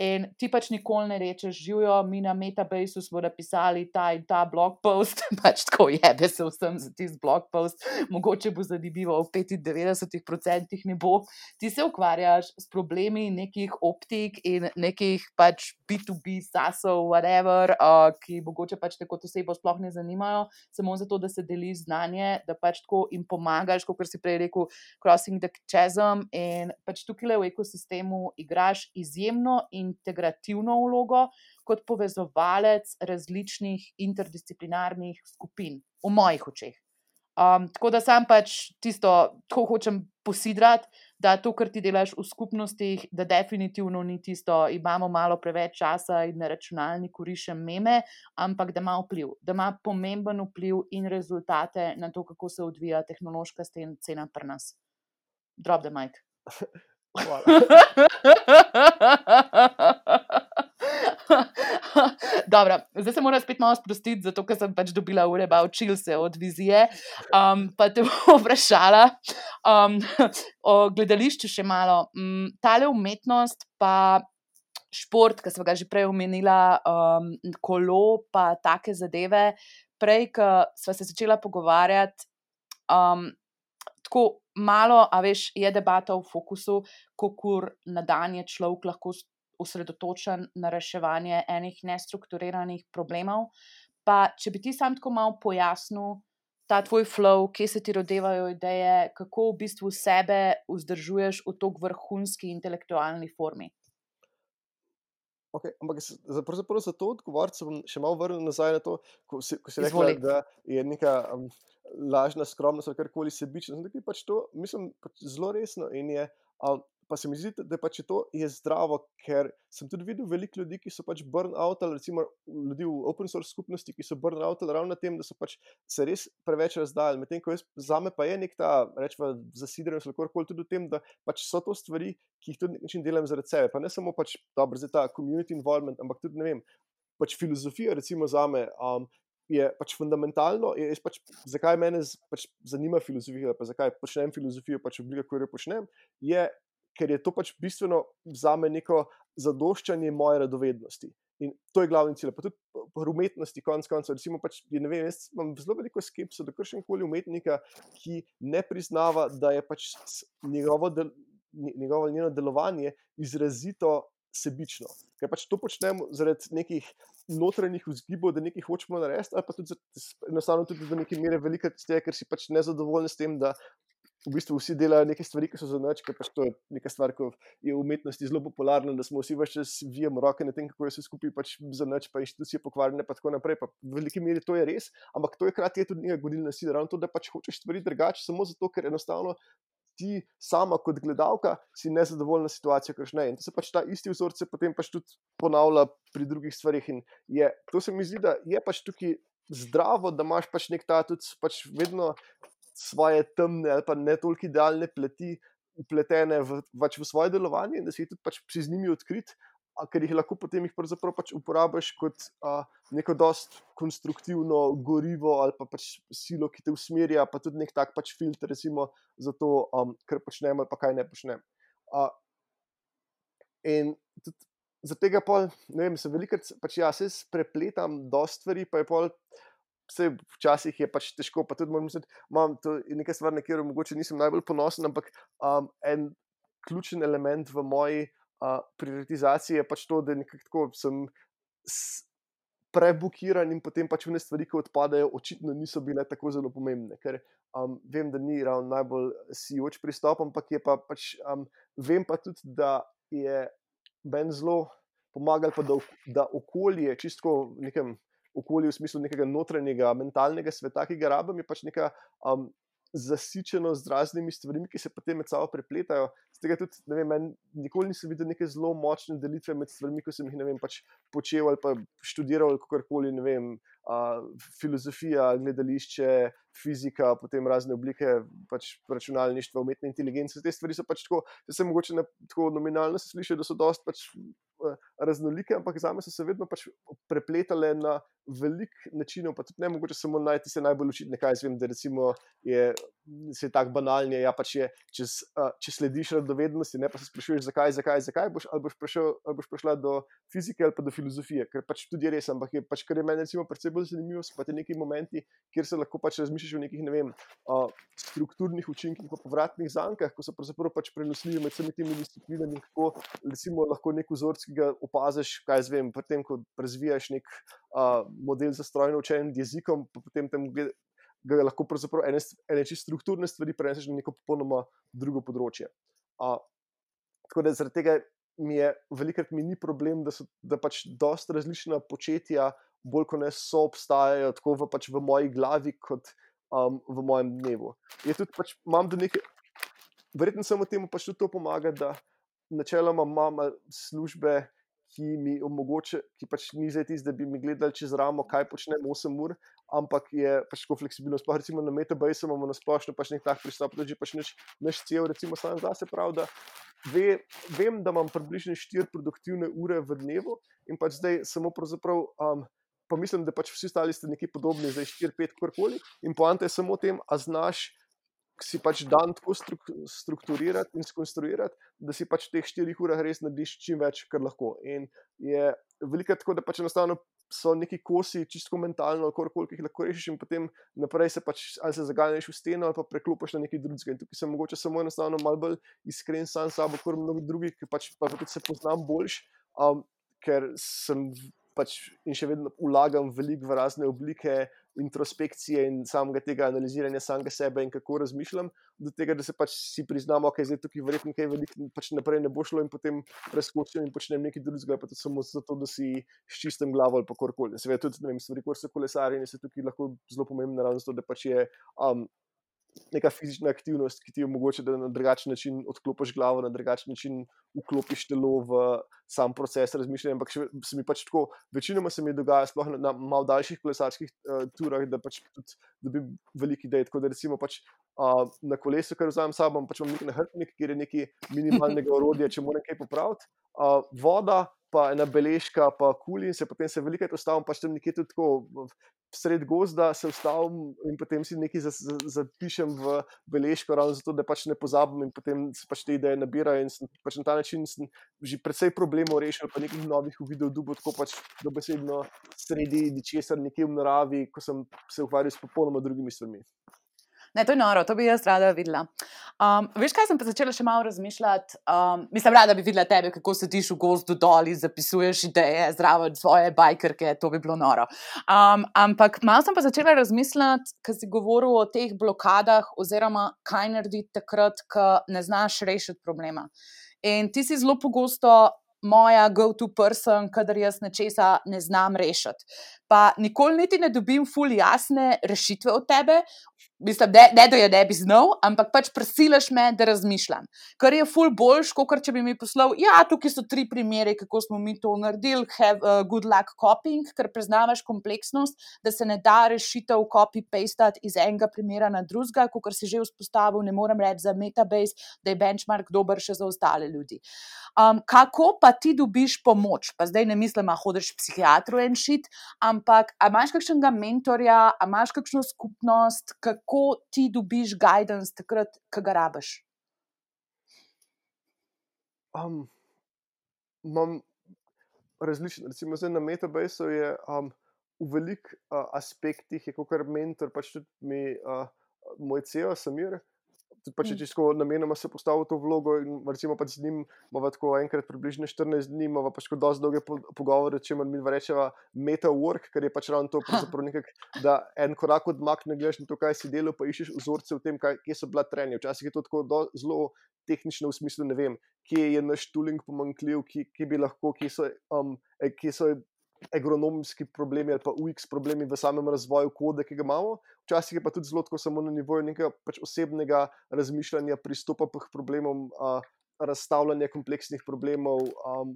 In ti pač nikoli ne rečeš, živijo, mi na Metabaseu smo napisali ta in ta blog post, pač tako jebe se vsem za tisti blog post, mogoče bo zanimivo, v devetindevetdeset procentih ne bo. Ti se ukvarjaš s problemi nekih optik in nekih pač B to B sasov, whatever, uh, ki mogoče pač te kot osebo sploh ne zanimajo, samo zato, da se deli znanje, da pač tako jim pomagaš, kot si prej rekel, crossing the chasm, in pač tukaj v ekosistemu igraš izjemno integrativno vlogo kot povezovalec različnih interdisciplinarnih skupin, v mojih očeh. Um, tako da sam pač tisto, tako hočem posidrati, da to, kar ti delaš v skupnostih, da definitivno ni tisto, imamo malo preveč časa in na računalniku rišem meme, ampak da ima vpliv, da ima pomemben vpliv in rezultate na to, kako se odvija tehnološka scena pri nas. Drop the mic. Hvala. Dobro, zdaj se moram spet malo sprostiti, zato ker sem pač dobila ure ba učil se od vizije, um, pa te bom vprašala um, o gledališču še malo. Um, tale umetnost pa šport, ki sva ga že prej omenila, um, kolo pa take zadeve, prej, ko sva se začela pogovarjati, um, tako malo, a veš, je debata v fokusu, kakor na dan je človek lahko osredotočen na reševanje enih nestrukturiranih problemov. Pa če bi ti sam tako malo pojasnil ta tvoj flow, kje se ti rodevajo ideje, kako v bistvu sebe vzdržuješ v tok vrhunski intelektualni formi. Ok, ampak pravzaprav za to odgovoriti se bom še malo vrnil nazaj na to, ko si, ko si rekla, Izvoli. da je neka um, lažna skromnost ali karkoli sebičnost. Zdaj, pač to mislim pač zelo resno in je, um, pa se mi zdi, da pač to je zdravo, ker sem tudi videl veliko ljudi, ki so pač burnout ali recimo ljudi v open source skupnosti, ki so burnout ali ravno na tem, da so pač se res preveč razdali. Medtem ko jaz, zame pa je nek ta, rečva, zasidrenost ali karkoli tudi v tem, da pač so to stvari, ki jih tudi nek način delam zaradi sebe. Pa ne samo pač, dobro, zdaj ta community involvement, ampak tudi, ne vem, pač filozofija recimo zame um, je pač fundamentalno, je, je pač, zakaj mene z, pač zanima filozofija, pa zakaj počnem filozofijo, pač oblika, ko jo počnem, je, ker je to pač bistveno zame neko zadoščanje moje radovednosti. In to je glavni cilj. Pa tudi v umetnosti, konec koncev, recimo pač, ne vem, jaz imam zelo veliko skepso do kakšnekoli umetnika, ki ne priznava, da je pač njegovo, del, njegovo njeno delovanje izrazito sebično. Ker pač to počnemo zaradi nekih notranjih vzgibov, da nekaj hočemo narediti, ali pa tudi enostavno tudi do neke mere velika tega, ker si pač nezadovoljni s tem, da v bistvu vsi delajo neke stvari, ki so za nič, ker pač to je neka stvar, ki je v umetnosti zelo popularna, da smo vsi več čas vijemo roke na tem, kako je vse skupaj pač za nič, pa inštitucije pokvarjene, pa tako naprej. Pa v veliki meri to je res, ampak to je hkrati je tudi neka gonilna sila, ravno to, da pač hočeš stvari drugače, samo zato, ker enostavno ti sama kot gledalka si nezadovoljna situacija, ker ne. In to se pač ta isti vzorec se potem pač tudi ponavlja pri drugih stvarih in je, to se mi zdi, da je pač tukaj zdravo, da imaš pač nek ta tudi pač vedno svoje temne ali pa ne toliko idealne pleti upletene v, pač v svoje delovanje in da si tudi pač si z njimi odkrit, a, ker jih lahko potem jih pravzaprav pač uporabiš kot a, neko dost konstruktivno gorivo ali pa pač silo, ki te usmerja, pa tudi nek tak pač filter, recimo, za to, um, kar počnem ali pa kaj ne počnem. A, in tudi za tega pol, ne vem, se velikrat pač ja, se prepletam dost stvari, pa je pol vse včasih je pač težko, pa tudi moram misliti, imam to je neka stvar, na katero mogoče nisem najbolj ponosen, ampak um, en ključen element v moji uh, prioritizaciji je pač to, da nekako tako sem s, prebukiran in potem pač vne stvari, ki odpadajo, očitno niso bile tako zelo pomembne, ker um, vem, da ni ravno najbolj sijoč pristop, ampak je pa pač, um, vem pa tudi, da je meni zelo pomagal, pa da, da okolje, čisto v nekem okolju v smislu nekega notranjega, mentalnega sveta, ki ga rabim, je pač neka um, zasičeno z raznimi stvarmi, ki se potem med sabo prepletajo. Z tega tudi, ne vem, meni nikoli nisem videl neke zelo močne delitve med stvarmi, ko sem jih, ne vem, pač počel ali pa študiral ali kakorkoli, ne vem, uh, filozofija, gledališče, fizika, potem razne oblike pač računalništva, umetne inteligence. Te stvari so pač tako, da se mogoče na, tako nominalno se sliši, da so dosti pač raznolike, ampak zame so se vedno pač prepletale na velik načinov, pa tudi ne mogoče samo najti se najbolj očitne, kaj jaz vem, da recimo je, se je tak banalnje, ja pač je, če, če slediš radovednosti, ne pa se sprašuješ zakaj, zakaj, zakaj boš, ali boš, prišel, ali boš prišla do fizike ali pa do filozofije, ker pač tudi je res, ampak je pač, kar je meni recimo predvsej bolj zanimivo, so pa te neki momenti, kjer se lahko pač razmišljaš o nekih, ne vem, uh, strukturnih učinkih pa povratnih zankah, ko so pravzaprav pač prenosljivi med vsemi temi disciplinami, kako recimo lahko nek vzorc, ki ga opaziš, kaj jaz vem, potem, ko razvijaš nek uh, model za strojno učenje jezikom, pa potem tem ga lahko pravzaprav ene, ene čisto strukturne stvari preneseš na neko popolnoma drugo področje. Uh, tako da zaradi tega mi je, velikrat mi ni problem, da so da pač dosti različna početja bolj kot ne so obstajajo tako v, pač v moji glavi kot um, v mojem dnevu. Je tudi pač, imam do neke, verjetno samo temu pač tudi to pomaga, da načeloma imam službe, ki mi omogoča, ki pač ni zdaj tisto, da bi mi gledali čez ramo, kaj počnem osem ur, ampak je pač tako fleksibilno. Sploh recimo na Metabase imamo na splošno pač nek tak pristop, da že pač naš, naš cel recimo sam zase prav, da ve, vem, da imam približno štiri produktivne ure v dnevu in pač zdaj samo pravzaprav, um, pa mislim, da pač vsi ostali ste nekaj podobni, zdaj štiri, pet, karkoli in poanta je samo o tem, a znaš si pač dan tako strukturirati in skonstruirati, da si pač v teh štirih urah res narediš čim več, kar lahko. In je veliko tako, da pač enostavno so neki kosi, čisto mentalno, koliko jih lahko rešiš in potem naprej se pač ali se zaganjaš v steno ali pa preklopiš na nekaj drugega. In tukaj sem mogoče samo enostavno malo bolj iskren sam s sabo, kot mnogi drugi, ki pač pa tudi se poznam boljš, um, ker sem pač in še vedno vlagam veliko v razne oblike introspekcije in samega tega analiziranja samega sebe in kako razmišljam, do tega, da se pač si priznamo, ok, zdaj tukaj verjetno kaj veliko pač naprej ne bo šlo in potem preskočim in počnem nekaj drugega, pa tudi samo zato, da si s čistem glavo ali pa korkoli. Seveda tudi, ne vem, stvari, kot so kolesarjenje, se tukaj lahko zelo pomembno, ravno zato, da pač je um, neka fizična aktivnost, ki ti omogoča, da na drugačen način odklopiš glavo, na drugačen način vklopiš telo v sam proces razmišljanja, ampak še, se mi pač tako, večinoma se mi dogaja, sploh na, na malo daljših kolesarskih uh, turah, da pač tudi dobim veliko idej, tako da recimo pač uh, na kolesu, kar vzamem sabo, pač imam nek nahrbtnik, kjer je nekaj minimalnega orodja, če moram kaj popraviti, uh, voda, pa ena beležka, pa kuli in se potem se velikrat ustavim, pač tam nekje tudi tako sred gozda se ustavim in potem si nekaj zapišem v beležko, ravno zato, da pač ne pozabim in potem se pač te ideje nabirajo in sem, pač na ta način sem že precej problemov rešil, pa nekih novih uvidel dubo, tako pač dobesedno sredi ničesar nekje v naravi, ko sem se ukvarjal s popolnoma drugimi stvarmi. Ne, to je noro, to bi jaz rada videla. Um, veš, kaj sem pa začela še malo razmišljati? Um, mislim, rada bi videla tebe, kako sediš v gozdu dol in zapisuješ ideje zraven svoje bajkerke, to bi bilo noro. Um, ampak malo sem pa začela razmišljati, ko si govoril o teh blokadah oziroma kaj narediti takrat, ko ne znaš rešiti problema. In ti si zelo pogosto moja go-to person, kadar jaz nečesa ne znam rešiti. Pa nikoli niti ne dobim ful jasne rešitve od tebe, mislim, ne, ne da je ne bi znal, ampak pač prisilaš me, da razmišljam. Kar je ful boljš, kot če bi mi poslal, ja, tukaj so tri primere, kako smo mi to naredili, have uh, good luck copying, ker preznavaš kompleksnost, da se ne da rešitev copy-pastati iz enega primera na drugega, kot si že vzpostavil, ne morem reči za Metabase, da je benchmark dober še za ostale ljudi. Um, kako pa ti dobiš pomoč? Pa zdaj ne mislim, a hodiš psihiatru en šit, ampak a imaš kakšnega mentorja, a imaš kakšno skupnost, kako ti dobiš guidance takrat, ko ga rabiš? Um, imam različno, recimo zdaj na Metabaseu je um, v velikih uh, aspektih je kot mentor, pač tudi mi, uh, moj C E O, Samir. Tudi pač je čisto namenoma se postavil v to vlogo in recimo pač z njim imamo tako enkrat približno štirinajst dni, imamo pač kot dosti dolge po, pogovore, če mi dva rečeva meta work, ker je pač ravno to pravzaprav nekak, da en korak odmakne, gledaš na to, kaj si delal, pa iščeš vzorce v tem, kaj, kje so bila trenja. Včasih je to tako do, zelo tehnično v smislu, ne vem, kje je naš tooling pomanjkljiv, kje, kje bi lahko, kje so, um, kje so agronomski problemi ali pa U X problemi v samem razvoju kode, ki ga imamo. Včasih je pa tudi zelo tako samo na nivoju nekega pač osebnega razmišljanja, pristopa k problemom, uh, razstavljanja kompleksnih problemov, um,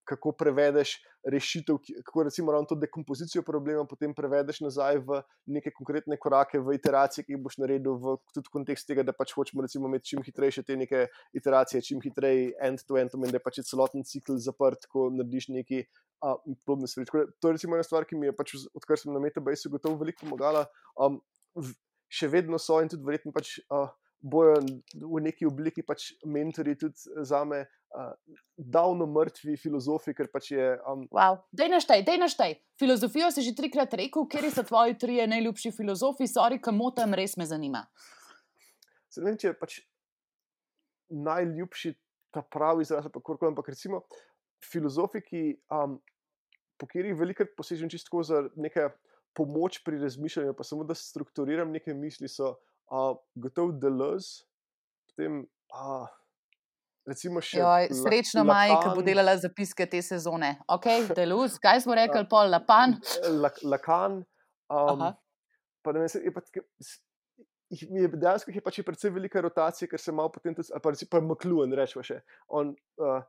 kako prevedeš rešitev, kako recimo ravno to dekompozicijo problema potem prevedeš nazaj v neke konkretne korake, v iteracije, ki jih boš naredil v tudi kontekst tega, da pač hočemo recimo imeti čim hitrejše te neke iteracije, čim hitrej end-to-end, da je pač celoten cikl zaprt, ko narediš neki Uh, podobne stvari. To je recimo ena stvar, ki mi je pač, odkar sem na Metabaseu gotovo veliko pomagala. Um, v, še vedno so in tudi verjetno pač uh, bojo v neki obliki pač mentori tudi zame uh, davno mrtvi filozofi, ker pač je... Um, wow. Dej naštaj, dej naštaj. Filozofijo si že trikrat rekel, kjer so tvoji trije najljubši filozofi, sorry, kamotam, res me zanima. Se ne vem, če je pač najljubši ta pravi izraz, pa korkoli, ampak recimo filozofi, ki, um, po katerih velikrat posežem čisto za nekaj pomoč pri razmišljanju, pa samo da strukturiram neke misli, so uh, gotovo Deleuze, potem uh, recimo še Joj, srečno Maji, ki bo delala zapiske te sezone. Ok, Deleuze, kaj smo rekli, pol Lacan? Lacan, um, pa ne vem, je pa tako, je dejansko je pač je predvsej velika rotacija, ker se malo potem tudi, pa recimo pa McLuhan, rečemo še, on... Uh,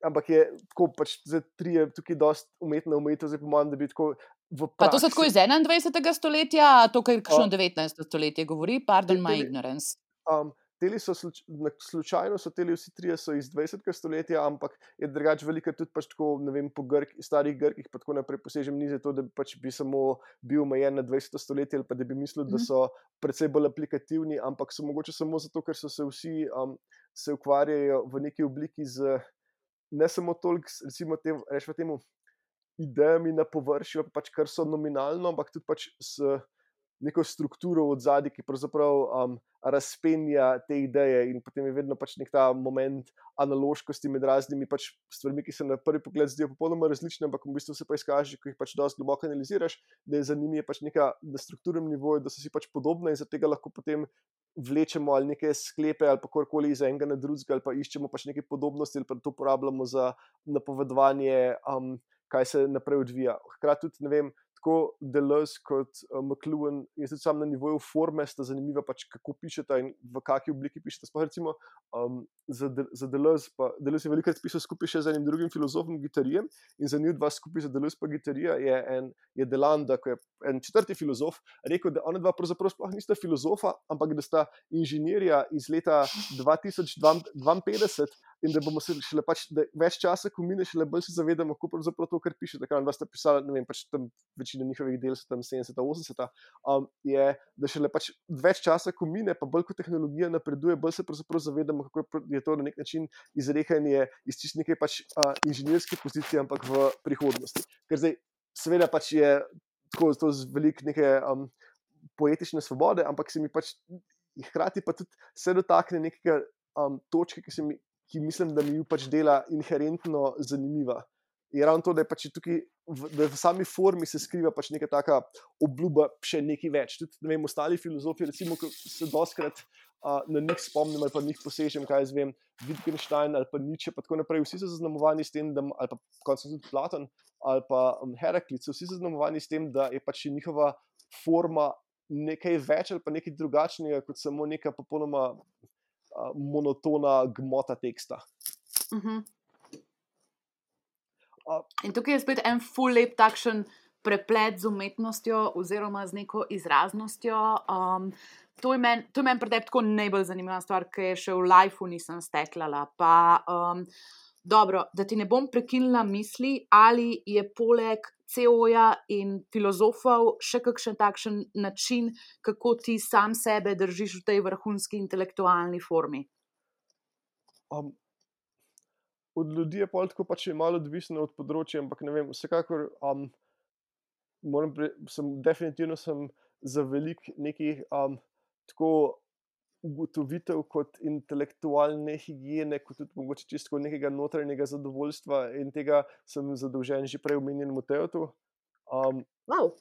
ampak je tako pač za trije tukaj dosti umetna umetnost, zdaj po mojem, da bi tako v praksi... Pa to so tako iz enaindvajsetega stoletja, to, kar kakšno devetnajsto stoletje govori, pardon my ignorance. Um, teli so, sluč, slučajno so teli vsi trije so iz dvajsetega stoletja, ampak je drugače velika tudi pač tako, ne vem, po Grk, starih Grkih pa tako naprej posežem ni za to, da pač bi samo bil omejen na dvajseto stoletje ali pa da bi mislil, da so precej bolj aplikativni, ampak so mogoče samo zato, ker so se vsi um, se ukvarjajo v neki obliki z ne samo toliko, recimo, tem, rečemo temu, idejami na površju, pač kar so nominalno, ampak tudi pač s neko strukturo od zadaj, ki pravzaprav um, razpenja te ideje in potem je vedno pač nek ta moment analoškosti med raznimi pač stvarmi, ki se na prvi pogled zdijo popolnoma različne, ampak v bistvu se pa izkaže, ko jih pač dosti globoko analiziraš, da je za njimi pač neka na strukturnem nivoju, da so si pač podobne in zaradi tega lahko potem vlečemo ali neke sklepe ali pa korkoli iz enega na drugega ali pa iščemo pač neke podobnosti ali pa to uporabljamo za napovedovanje, um, kaj se naprej odvija. Hkrati tudi, ne vem, tako Deleuze kot uh, McLuhan je tudi sam na nivoju forme sta zanimiva, pač kako pišeta in v kakšni obliki pišeta. Sploh recimo um, za, De, za Deleuze, pa Deleuze je velikrat pisal skupaj še z enim drugim filozofom Guattarijem in za njih dva skupaj za Deleuze pa Guattarija je, en, je Delanda, ko je en četrti filozof, rekel, da ona dva pravzaprav sploh nista filozofa, ampak da sta inženirja iz leta dva tisoč dvainpetdeset in da bomo se šele pač, da več časa, ko mine, šele bolj se zavedamo, kako pravzaprav to, kar piše, takrat dva sta pisala, ne vem, pač tam večina njihovih del so tam sedemdeseta, osemdeseta, um, je, da šele pač več časa, ko mine, pa bolj kot tehnologija napreduje, bolj se pravzaprav zavedamo, kako je to na nek način izrekanje iz čist neke pač uh, inženirske pozicije, ampak v prihodnosti. Ker zdaj, seveda pač je tako, to z veliko neke um, poetične svobode, ampak se mi pač hkrati pa tudi se dotakne nekega um, točke, ki se mi ki mislim, da mi jo pač dela inherentno zanimiva. Je ravno to, da je pač tukaj, v, da v sami formi se skriva pač neka taka obljuba še nekaj več. Tudi, ne vem, ostali filozofi, recimo, ko se doskrat uh, na njih spomnim ali pa njih posežem, kaj jaz vem, Wittgenstein ali pa Nietzsche, pa tako naprej, vsi so zaznamovani s tem, da, ali pa končno tudi Platon ali pa um, Heraklit, so vsi zaznamovani s tem, da je pač njihova forma nekaj več ali pa nekaj drugačnega, kot samo neka popolnoma monotona gmota teksta. Uh-huh. Uh, In tukaj je spet en ful lep takšen preplet z umetnostjo oziroma z neko izraznostjo. Um, to je meni men pri tebi tako najbolj zanimiva stvar, ki je še v lifeu nisem steklala. Pa, um, dobro, da ti ne bom prekinila misli, ali je poleg C E O-ja in filozofov še kakšen takšen način, kako ti sam sebe držiš v tej vrhunski intelektualni formi? Um, od ljudi je pol tako pač malo odvisno od področja, ampak ne vem, vsekakor um, moram pri, sem definitivno sem za velik nekih um, tako ugotovitev kot intelektualne higiene, kot tudi mogoče čisto nekega notranjega zadovoljstva in tega sem zadolžen že prej omenjenemu Teotu. Um, Wow.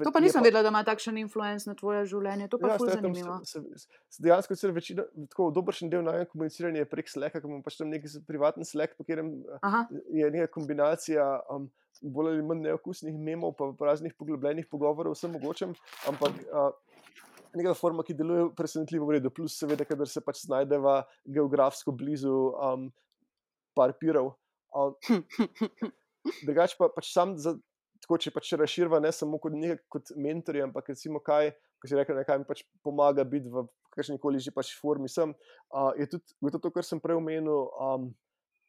To pa je nisem vedela, da ima takšen influenc na tvoje življenje. To pa Ja, je ful s Teotom zanimivo. se, se, se dejansko celo večina, tako dobršen del najmanj komuniciranja je prek Slacka, ker imam pač tam neki privaten Slack, po katerem uh, Aha. je neka kombinacija um, bolj ali manj neokusnih memov, pa raznih poglobljenih pogovorov, vsem mogočem, ampak uh, neka forma, ki deluje presenetljivo v redu, plus seveda, kadar se pač znajdeva geografsko blizu um, par pirov. Um, drugače pa pač sam, za, tako če pač razširva ne samo kot, nekaj, kot mentorje, ampak recimo kaj, ko si rekel, nekaj mi pač pomaga biti v kakšnikoli že pač formi sem, uh, je tudi gotovo to, kar sem prej omenil, um,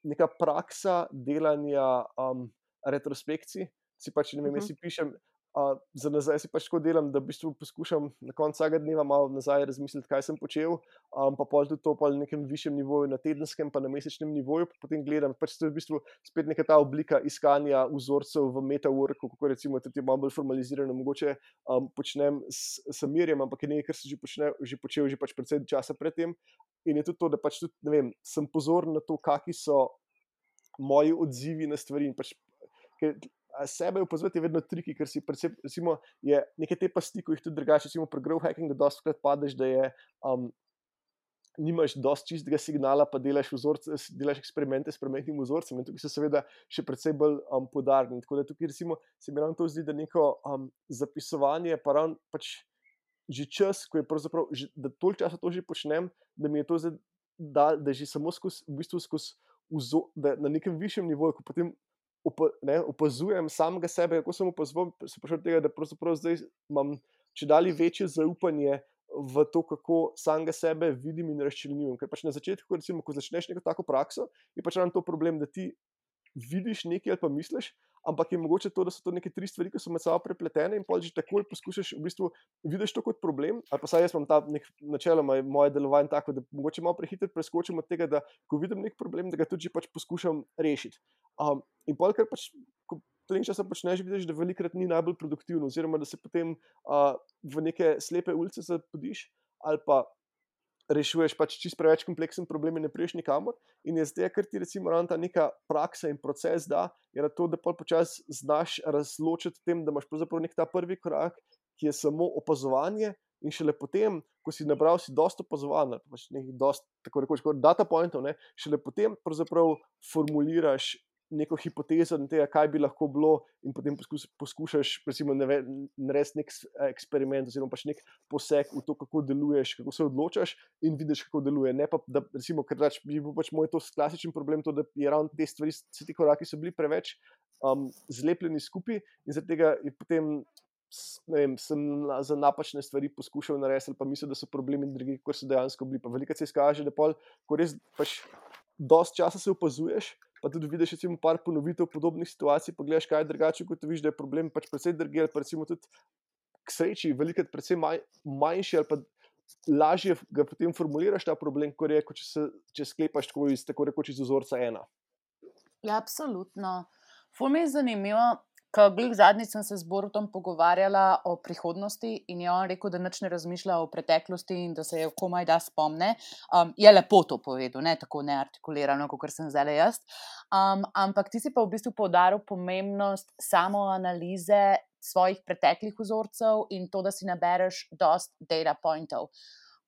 neka praksa delanja um, retrospekcij. Si pač, ne vem, jaz si pišem, uh, za nazaj si pač tako delam, da v bistvu poskušam na koncu vsakega dneva malo nazaj razmisliti, kaj sem počel, um, pa pol tudi to pol na nekem višjem nivoju, na tedenskem pa na mesečnem nivoju, pa potem gledam, pač to je v bistvu spet neka ta oblika iskanja vzorcev v metaworku, kako recimo tudi malo bolj formalizirano mogoče um, počnem s Samirjem, ampak je nekaj, kar sem že, počne, že počel že pač predvsej časa predtem. In je tudi to, da pač tudi, ne vem, sem pozoren na to, kakšni so moji odzivi na stvari. In pač, ker sebe opazovati je vedno triki, ker si predvsem, recimo, je neke te pasti, ko jih tudi drugače, recimo pri growth hackingu dostikrat padeš, da je, um, nimaš dosti čistega signala, pa delaš vzorce, delaš eksperimente s premetnim vzorcem in tukaj so seveda še predvsej bolj um, podarni. Tako da tukaj recimo se mi ravno to zdi, da neko um, zapisovanje, pa ravno pač že čas, ko je pravzaprav, že, da toliko časa to že počnem, da mi je to zdaj, da, da že samo skozi, v bistvu skozi vzo, da na nekem višjem nivoju, ko potem opa, ne, opazujem samega sebe, kako sem opazoval, se prišel do tega, da pravzaprav zdaj imam čedalje večje zaupanje v to, kako samega sebe vidim in razčlenjujem. Ker pač na začetku, recimo, ko začneš neko tako prakso, je pač ravno to problem, da ti vidiš nekaj ali pa misliš, ampak je mogoče to, da so to neke tri stvari, ki so med sabo prepletene in pol že takoj poskušaš, v bistvu vidiš to kot problem, ali pa saj jaz imam ta nek, načeloma moje delovanje tako, da mogoče malo prehitro preskočim od tega, da ko vidim nek problem, da ga tudi že pač poskušam rešiti. Um, in pol, ker pač, ko to nekaj časa počneš, vidiš, da velikrat ni najbolj produktivno, oziroma da se potem uh, v neke slepe ulice zapodiš, ali pa rešuješ pač čist preveč kompleksen problem in ne priješ nikamor. In je zdaj, ker ti recimo ravno ta neka praksa in proces da, je na to, da pol počasi znaš razločiti tem, da imaš pravzaprav nek ta prvi korak, ki je samo opazovanje, in šele potem, ko si nabral si dosto opazovanj, pač nekaj dosti, tako rekoč, data pointov, ne, šele potem pravzaprav formuliraš neko hipotezo na tega, kaj bi lahko bilo, in potem poskus, poskušaš recimo narediti nek eksperiment oziroma pač nek poseg v to, kako deluješ, kako se odločaš in vidiš, kako deluje. Ne pa, da recimo, ker pač, bi bil pač moj to klasičen problem, to, da je ravno te stvari, vsi ti koraki so bili preveč um, zlepljeni skupaj in zaradi tega je potem, ne vem, sem za napačne stvari poskušal narediti ali pa mislil, da so problemi drugi, kot so dejansko bili. Pa veliko se izkaže, da pol, ko res pač dosti časa se opazuješ, pa tudi vidiš recimo par ponovitev podobnih situacij, pa gledaš, kaj je drugače, kot vidiš, da je problem pač precej drugje, ali pa recimo tudi k sreči velikrat precej manj, manjši, ali pa lažje ga potem formuliraš ta problem, kot je, kot če, se, če sklepaš tako, iz, tako rekoč iz vzorca ena. Ja, absolutno. Ful mi je zanimivo, ker glih zadnjič sem se z Borutom pogovarjala o prihodnosti in je on rekel, da nič ne razmišlja o preteklosti in da se je komaj da spomne. Um, je lepo to povedal, ne tako neartikulirano, kot sem zdaj jaz. Um, ampak ti si pa v bistvu poudaril pomembnost samoanalize svojih preteklih vzorcev in to, da si nabereš dost data pointov.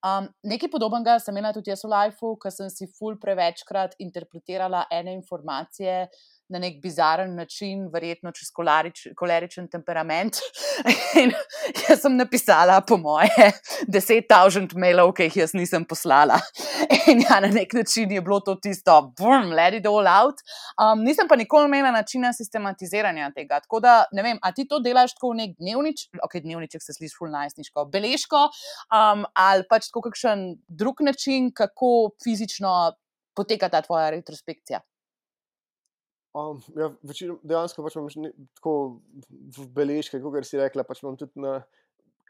Um, nekaj podobnega sem imela tudi jaz v lifeu, ker sem si ful prevečkrat interpretirala ene informacije na nek bizaren način, verjetno čez kolarič, koleričen temperament. In jaz sem napisala po moje deset tisoč mailov, ki jih jaz nisem poslala. In ja, na nek način je bilo to tisto, boom, let it all out. Um, nisem pa nikoli imela načina sistematiziranja tega. Tako da, ne vem, a ti to delaš tako v nek dnevnič, ok, dnevniček se sliši ful najstniško, beležko, um, ali pač tako kakšen drug način, kako fizično poteka ta tvoja retrospekcija? Um, ja, večino, dejansko pač imam ne, tako v beležke, kot si rekla, pač imam tudi na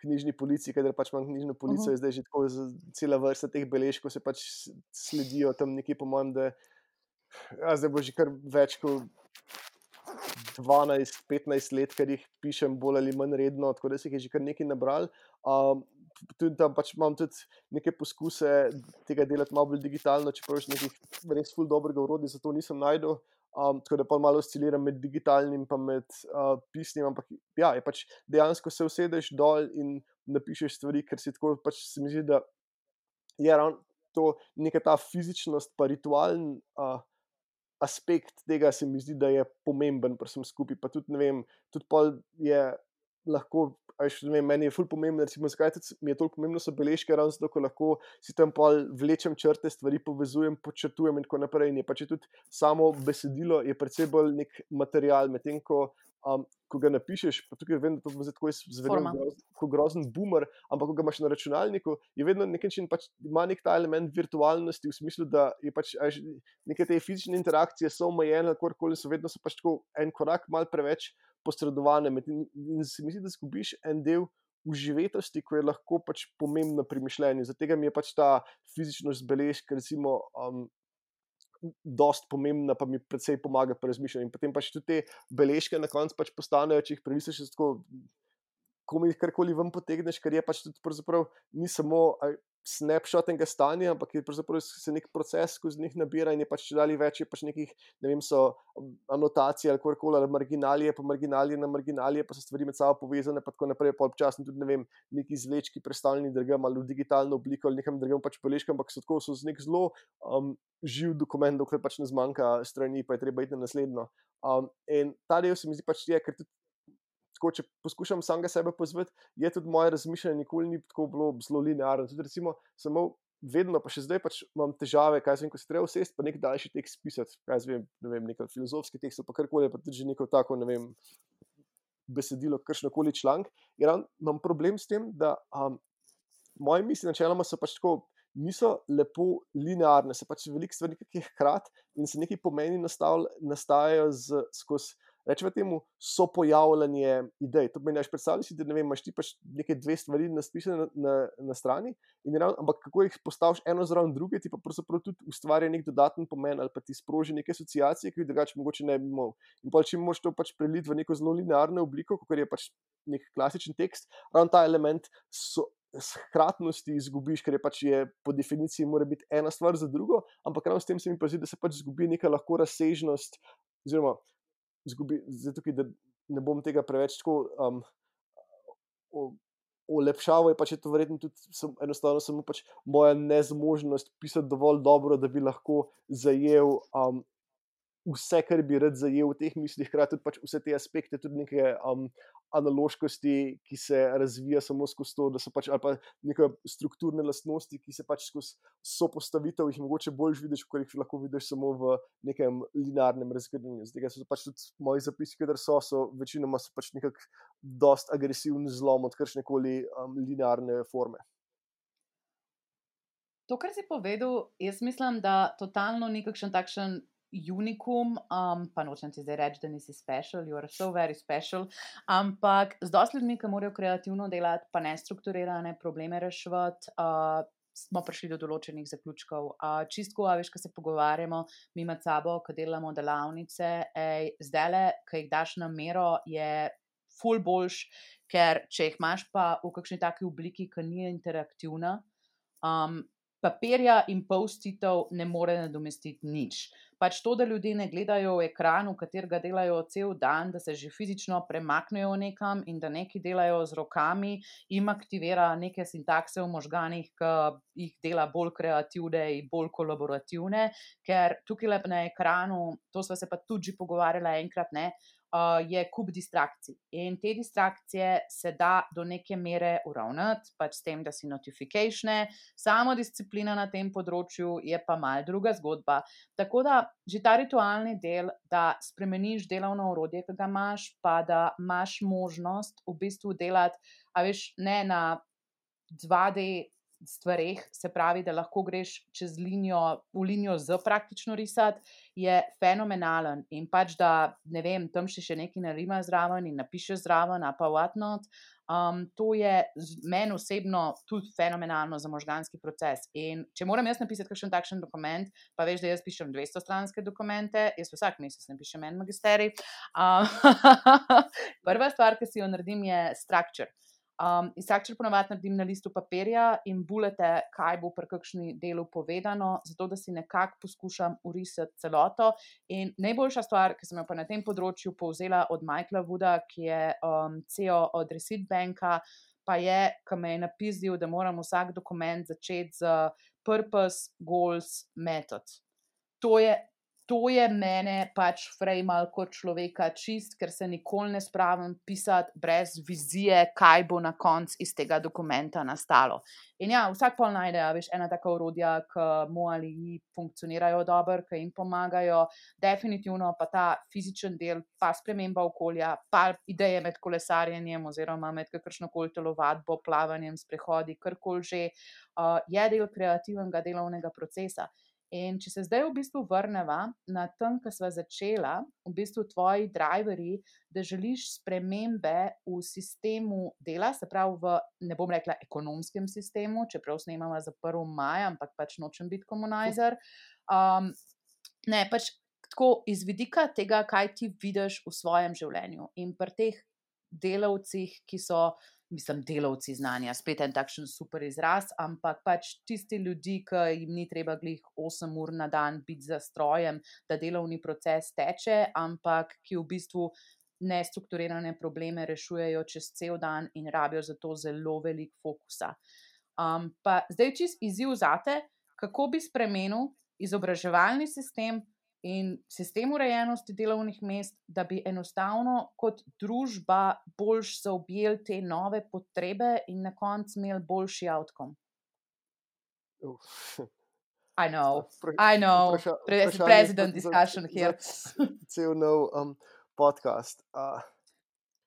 knjižni polici, kadar pač imam knjižno policijo, uh -huh. Zdaj že tako cela vrsta teh beležkov se pač sledijo tam nekje, po mojem, da ja, zdaj bo že kar več kot dvanajst petnajst let, ker jih pišem bolj ali manj redno, tako da se jih je že kar nekaj nabral. Um, tudi tam pač imam tudi neke poskuse tega delati malo bolj digitalno, čeprav še nekih res ful dobrega orodja za to nisem našel. Um, tako da pa malo osciliram med digitalnim pa med uh, pisnim, ampak ja, je pač dejansko se usedeš dol in napišeš stvari, ker si tako pač se mi zdi, da je ravno to neka ta fizičnost pa ritualen uh, aspekt tega se mi zdi, da je pomemben pri vsem skupaj, pa tudi ne vem, tudi pol je lahko, a veš, ne vem, meni je ful pomembno, recimo, zakaj tudi mi je toliko pomembno so beležke, ravno zato, ko lahko si tam pol vlečem črte, stvari povezujem, podčrtujem in tako naprej, in je pač tudi samo besedilo je precej bolj nek material, medtem ko um, ko ga napišeš, pa tukaj vem, da to bo zdaj tako zvenel Forma. groz, ko grozen boomer, ampak ko ga imaš na računalniku, je vedno nek način pač ima nek ta element virtualnosti v smislu, da je pač a veš, neke te fizične interakcije so omejene, kakorkoli so, vedno so pač tako en korak malo preveč posredovane med, in, in se mi zdi, da zgubiš en del uživetosti, ko je lahko pač pomembno pri mišljenju. Zato mi je pač ta fizičnost beležk recimo um, dost pomembna, pa mi precej pomaga pri razmišljanju. In potem pač tudi te beležke na koncu pač postanejo, če jih prelistaš, tako komaj karkoli ven potegneš, ker je pač tudi pravzaprav ni samo a, snapshot enega stanja, ampak je pravzaprav se nek proces skozi njih nabira in je pač čedalje več, je pač nekih, ne vem, so anotacije ali kakorkoli, ali marginalije, pa marginalije na marginalije, pa so stvari med sabo povezane, pa tako naprej, pa občasno tudi, ne vem, neki izvlečki predstavljeni drugam ali v digitalno obliko ali nekam drugam pač beležkam, ampak so tako, so z nek zelo um, živ dokument, dokler pač ne zmanjka strani, pa je treba iti na naslednjo. Um, in ta del se mi zdi pač je, ker tudi tako, če poskušam samega sebe pozvati, je tudi moje razmišljanje nikoli ni tako bilo zelo linearno. Tudi recimo, samo vedno, pa še zdaj pač imam težave, kaj zvem, ko se treba usesti, pa nek daljši tekst pisati, kaj zvem, ne vem, nek filozofski tekst, pa karkoli, pa tudi že neko tako, ne vem, besedilo, kakšnokoli članek. In ravno imam problem s tem, da um, moje misli načeloma so pač tako, niso lepo linearne, se pač veliko stvari nekaj hkrati in se neki pomeni nastajajo z, skozi, rečemo temu, so pojavljanje idej. To pomeni, predstavljaj si, da ne vem, imaš ti pač neke dve stvari naspisane na, na, na strani, in ravno, ampak kako jih postaviš eno zraven druge, ti pa pravzaprav tudi ustvarja nek dodaten pomen ali pa ti sproži neke asociacije, ki jih drugače mogoče ne bi imel. In pa če moraš to pač preliti v neko zelo linearno obliko, kot je pač nek klasičen tekst, ravno ta element so hkratnosti izgubiš, ker je pač je po definiciji mora biti ena stvar za drugo, ampak ravno s tem se mi pa zdi, da se pač zgubi neka lahko razsežnost, oziroma zgubi, zdaj tukaj, da ne bom tega preveč tako um, olepšaval, je pač je to verjetno tudi sem, enostavno samo pač moja nezmožnost pisati dovolj dobro, da bi lahko zajel um, vse, kar bi rad zajel v teh mislih, hkrati tudi pač vse te aspekte, tudi neke um, analoškosti, ki se razvija samo skozi to, da so pač, ali pa neke strukturne lastnosti, ki se pač skozi sopostavitev jih mogoče bolj vidiš, kot jih lahko vidiš samo v nekem linearnem razgledanju. Zdaj so pač tudi moji zapisi, kadar so, so večinoma so pač nekak dost agresivni zlom od kakšnekoli um, linearne forme. To, kar si povedal, jaz mislim, da totalno ni kakšen takšen unikum, um, pa nočem ti zdaj reči, da nisi special, you are so very special, ampak z dosti ljudmi, ki morajo kreativno delati, pa nestrukturirane probleme reševati, uh, smo prišli do določenih zaključkov. Uh, čistko, a veš, ko se pogovarjamo, mi med sabo, ko delamo delavnice, ej, zdajle, ko jih daš na mero, je ful boljš, ker če jih imaš pa v kakšni taki obliki, ki ni interaktivna, um, papirja in post-itov ne more nadomestiti nič. Pač to, da ljudje ne gledajo v ekran, v katerega delajo cel dan, da se že fizično premaknejo nekam in da nekaj delajo z rokami, jim aktivira neke sintakse v možganih, ki jih dela bolj kreativne in bolj kolaborativne, ker tukaj na ekranu, to sva se pa tudi že pogovarjala enkrat, ne, Uh, je kup distrakcij. In te distrakcije se da do neke mere uravnati, pač s tem, da si notifikatione, samo disciplina na tem področju je pa mal druga zgodba. Tako da že ta ritualni del, da spremeniš delovno orodje, ki ga imaš, pa da imaš možnost v bistvu delati, a veš, ne na dva D stvareh, se pravi, da lahko greš čez linijo, v linijo z praktično risati, je fenomenalen in pač, da ne vem, tam še še nekaj narimaš zraven in napišeš zraven, a pa whatnot. Um, to je meni osebno tudi fenomenalno za možganski proces. In če moram jaz napisati kakšen takšen dokument, pa veš, da jaz pišem dvestostranske dokumente, jaz vsak mesec napišem en magisterij. Um, prva stvar, ki si jo naredim, je structure. Um, in structure ponavadi naredim na listu papirja in bulete, kaj bo pri kakšni delu povedano, zato da si nekako poskušam urisati celoto. In najboljša stvar, ki sem jo pa na tem področju povzela od Michaela Wooda, ki je um, C E O od Receipt Banka, pa je, ki me je napisal, da moram vsak dokument začeti z purpose, goals, method. To je, to je mene pač frejmal kot človeka čist, ker se nikoli ne spravim pisati brez vizije, kaj bo na koncu iz tega dokumenta nastalo. In ja, vsak pol najde, a veš, ena taka orodja, ki mu ali ji funkcionirajo dobro, ki jim pomagajo, definitivno pa ta fizičen del, pa sprememba okolja, pa ideje med kolesarjenjem oziroma med kakršnokoli telovadbo, plavanjem, sprehodi, karkoli že, uh, je del kreativnega delovnega procesa. In če se zdaj v bistvu vrneva na tem, ko sva začela, v bistvu tvoji driverji, da želiš spremembe v sistemu dela, se pravi v, ne bom rekla ekonomskem sistemu, čeprav snemava za prvi maj, ampak pač nočem biti komunizer. Um, ne, pač tako iz vidika tega, kaj ti vidiš v svojem življenju. In pri teh delavcih, ki so, mislim, delavci znanja, spet en takšen super izraz, ampak pač tisti ljudi, ki jim ni treba glih osem ur na dan biti za strojem, da delovni proces teče, ampak ki v bistvu nestrukturirane probleme rešujejo čez cel dan in rabijo za to zelo veliko fokusa. Um, pa zdaj čist izziv zate, kako bi spremenil izobraževalni sistem in sistem urejenosti delovnih mest, da bi enostavno kot družba boljš zaobjeli te nove potrebe in na koncu imeli boljši outcome. Uf. I know, Vpra- I know, vpraša- Pre- vprašanje president za- discussion za- here. za cel nov um, podcast. Uh,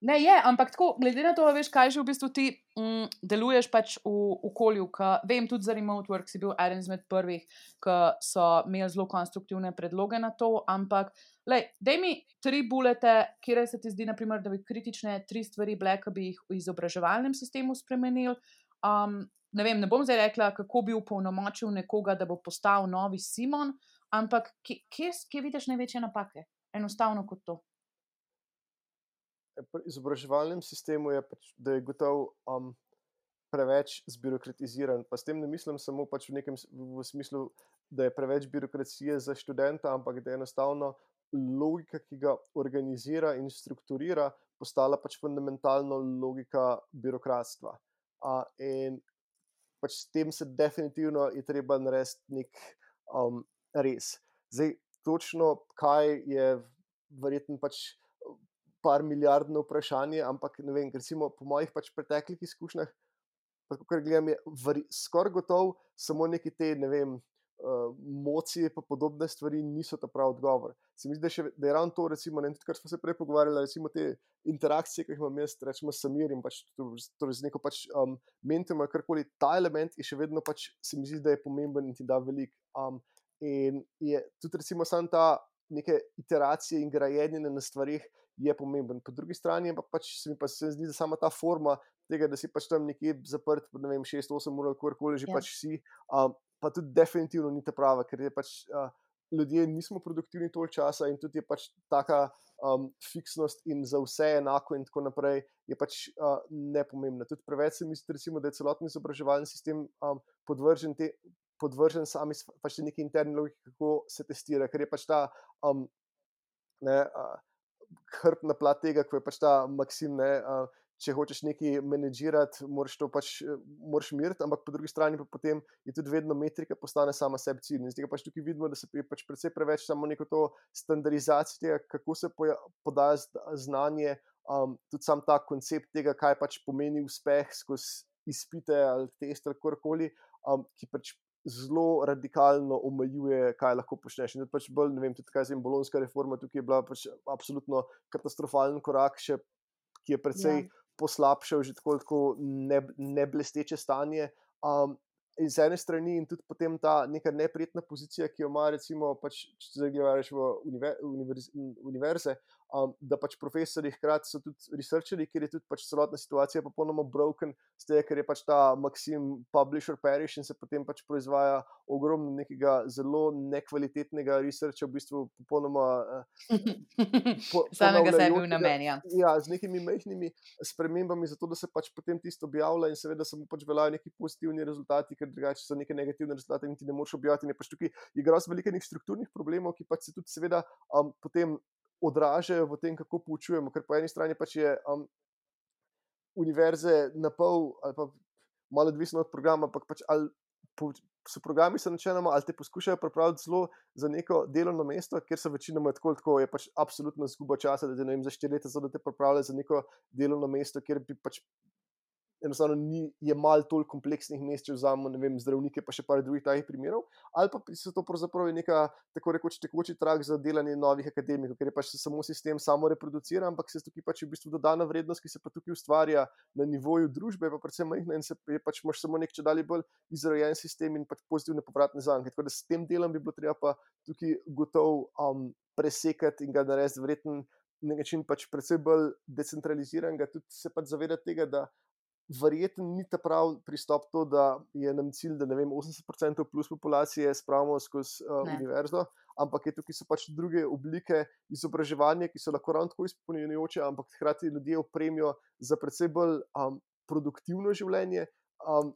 Ne, je, ampak tako, glede na to, veš, kaj že v bistvu ti mm, deluješ pač v okolju, ki vem, tudi za remote work si bil eden izmed prvih, ki so imeli zelo konstruktivne predloge na to, ampak lej, daj mi tri bulete, kjer se ti zdi, naprimer, da bi kritične tri stvari bile, ki bi jih v izobraževalnem sistemu spremenili. Um, ne vem, ne bom zdaj rekla, kako bi upolnomočil nekoga, da bo postal novi Simon, ampak kje, kje, kje vidiš največje napake? Enostavno kot to. Pri izobraževalnem sistemu je, pač, da je gotov um, preveč zbirokratiziran. Pa s tem ne mislim samo pač v nekem v smislu, da je preveč birokracije za študenta, ampak da je enostavno logika, ki ga organizira in strukturira, postala pač fundamentalno logika birokratstva. Uh, in pač s tem se definitivno je treba narediti nek um, res. Zdaj, točno kaj je verjetno pač par milijardno vprašanje, ampak ne vem, recimo po mojih pač preteklih izkušnjah, pa kakor gledam, je skoraj gotov samo neki te, ne vem, uh, mocije pa podobne stvari niso ta prav odgovor. Se mi zdi, da, še, da je ravno to, recimo, ne, tudi kar smo se prej pogovarjali, recimo te interakcije, ki jih imam jaz, rečemo s Samirjem, pač torej z neko pač um, mentom ali karkoli, ta element je še vedno pač, se mi zdi, da je pomemben in ti da veliko. Um, in je tudi recimo sam ta neke iteracije in grajenje na stvarih je pomemben. Po drugi strani pa pač se mi pa se zdi, da sama ta forma tega, da si pač tam nekje zaprt, ne vem, šest osem ur ali kakorkoli že Ja. pač si, um, pa tudi definitivno ni ta prava, ker je pač uh, ljudje nismo produktivni toliko časa in tudi je pač taka um, fiksnost in za vse enako in tako naprej je pač uh, nepomembna. Tudi preveč se mi zdi, recimo, da je celotni izobraževalni sistem um, podvržen te podvržen sami pač neki interni logiki, kako se testira, ker je pač ta um, ne, uh, hrbtna plat tega, ko je pač ta maksim, ne, uh, če hočeš nekaj menedžirati, moraš to pač moraš miriti, ampak po drugi strani pa potem je tudi vedno metrika postane sama sebi cilj. In zdaj pač tukaj vidimo, da se je pač precej preveč samo neko to standardizacijo tega, kako se poja, podaja znanje, um, tudi sam ta koncept tega, kaj pač pomeni uspeh skozi izpite ali test ali karkoli, um, ki pač zelo radikalno omejuje, kaj lahko počneš. In tudi pač bolj, ne vem, tudi kaj zem, bolonska reforma tukaj je bila pač absolutno katastrofalen korak, še, ki je precej Ja. poslabšal že tako, tako ne, neblesteče stanje. Um, iz ene strani in tudi potem ta neka neprijetna pozicija, ki jo ima recimo, pač, če zdaj gledaš v univer, univerz, univerze, um, da pač profesori hkrati so tudi researcherji, ker je tudi pač celotna situacija popolnoma broken, z tega, ker je pač ta maksim publish or perish in se potem pač proizvaja ogromno nekega zelo nekvalitetnega researcha, v bistvu popolnoma uh, po, Samega sebi v ponavljajočega, namen, ja. ja, z nekimi majhnimi spremembami, zato da se pač potem tisto objavlja in seveda samo pač veljajo neki pozitivni rezultati, ker drugače so neke negativne rezultate in ti ne moreš objaviti. In je pač tukaj igra veliko nekih strukturnih problemov, ki pač se tudi seveda um, potem odražajo v tem, kako poučujemo, ker po eni strani pač je um, univerze na pol ali pa malo odvisno od programa, ampak pač ali po, so programi so načeloma ali te poskušajo pripraviti zelo za neko delovno mesto, ker so večinoma tako, tako je pač absolutno izguba časa, da te, ne vem, za štiri leta so, da te pripravljajo za neko delovno mesto, kjer bi pač enostavno ni, je malo toliko kompleksnih mest, če vzamemo, ne vem, zdravnike, pa še par drugih takih primerov, ali pa so to pravzaprav neka tako rekoč tekoči trak za delanje novih akademikov, ker je pač samo sistem samo reproducira, ampak se tukaj pač v bistvu dodana vrednost, ki se pa tukaj ustvarja na nivoju družbe, pa predvsem majhna in se je pač imaš samo nek čedalje bolj izrojen sistem in pač pozitivne povratne zanke. Tako da s tem delom bi bilo treba pa tukaj gotov um, presekati in ga narediti verjetno na način pač predvsem bolj decentraliziranega, tudi se pač zavedati tega, da verjetno ni ta prav pristop to, da je nam cilj, da ne vem, osemdeset procentov plus populacije spravimo skozi uh, univerzo, ampak je tukaj so pač druge oblike izobraževanja, ki so lahko ravno tako izpolnjujoče, ampak hkrati ljudje opremijo za predvsem bolj um, produktivno življenje um,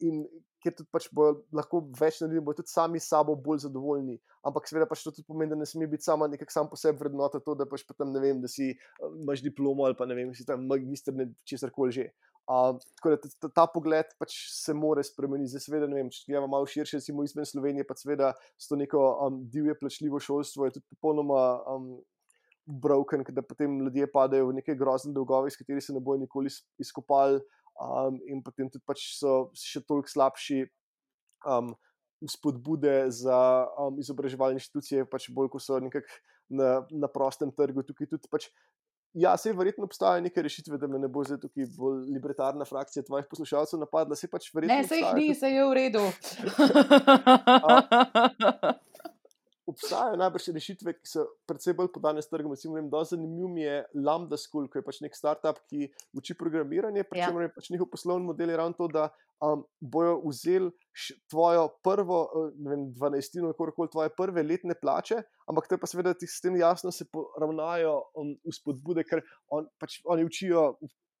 in ker tudi pač bo lahko več naredili, bo tudi sami s sabo bolj zadovoljni. Ampak seveda pač to tudi pomeni, da ne sme biti sama nekak sam po sebi vrednota to, da pač potem, ne vem, da si uh, imaš diplomo ali pa ne vem, si tam magister, ne česarkoli že. Uh, tako da ta, ta pogled pač se more spremeniti. Zdaj seveda, ne vem, če gledamo malo širše, recimo izven Slovenije, pa seveda s to neko um, divje plačljivo šolstvo je tudi popolnoma um, broken, da potem ljudje padajo v neke grozne dolgove, iz katerih se ne bojo nikoli izkopali. Um, in potem tudi pač so še toliko slabši um, spodbude za um, izobraževalne inštitucije, pač bolj, ko so nekako na, na prostem trgu. Tukaj tudi pač, ja, sej verjetno obstajajo neke rešitve, da me ne bo zdaj tukaj bolj libertarna frakcija tvojih poslušalcev napadla, sej pač verjetno ne, sej jih ni, tudi... sej je v redu. uh, Obstajajo najbrž rešitve, ki so predvsem bolj podane s trgom. Recimo, vem, dosti zanimiv mi je Lambda School, ki je pač nek startup, ki uči programiranje, pri čemer je pač njihov poslovni model je ravno to, da um, bojo vzeli tvojo prvo, ne vem, dvanajstino, kakorkoli tvoje prve letne plače, ampak to je pa seveda s tem jasno se poravnajo um, v spodbude, ker on, pač, oni učijo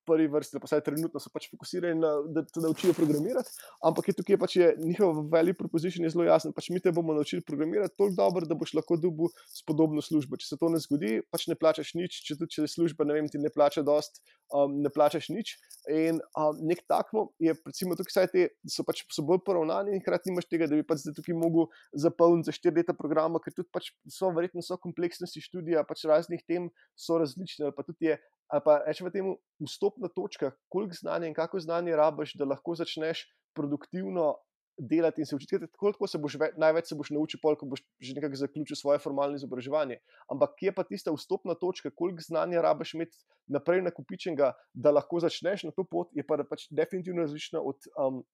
prvi vrsti, pa vsaj trenutno so pač fokusirani na, da te naučijo programirati, ampak je tukaj pač je njihov value proposition je zelo jasen, pač mi te bomo naučili programirati toliko dobro, da boš lahko dobil spodobno službo. Če se to ne zgodi, pač ne plačaš nič, če tudi če služba, ne vem, ti ne plača dost, um, ne plačaš nič. In um, nek takmo je, recimo tukaj vsaj te, so pač so bolj poravnani in hkrati nimaš tega, da bi pač zdaj tukaj mogel zapolniti za štiri leta programa, ker tudi pač so verjetno so kompleksnosti študija, pač raznih tem so različne, ali pa tudi je ali pa rečemo temu vstopna točka, koliko znanja in kako znanje rabiš, da lahko začneš produktivno delati in se učiti. Koliko se boš, največ se boš naučil, ko boš že nekako zaključil svoje formalno izobraževanje. Ampak kje pa tista vstopna točka, koliko znanja rabiš imeti naprej nakupičenega, da lahko začneš na to pot, je pa pač definitivno različna od um,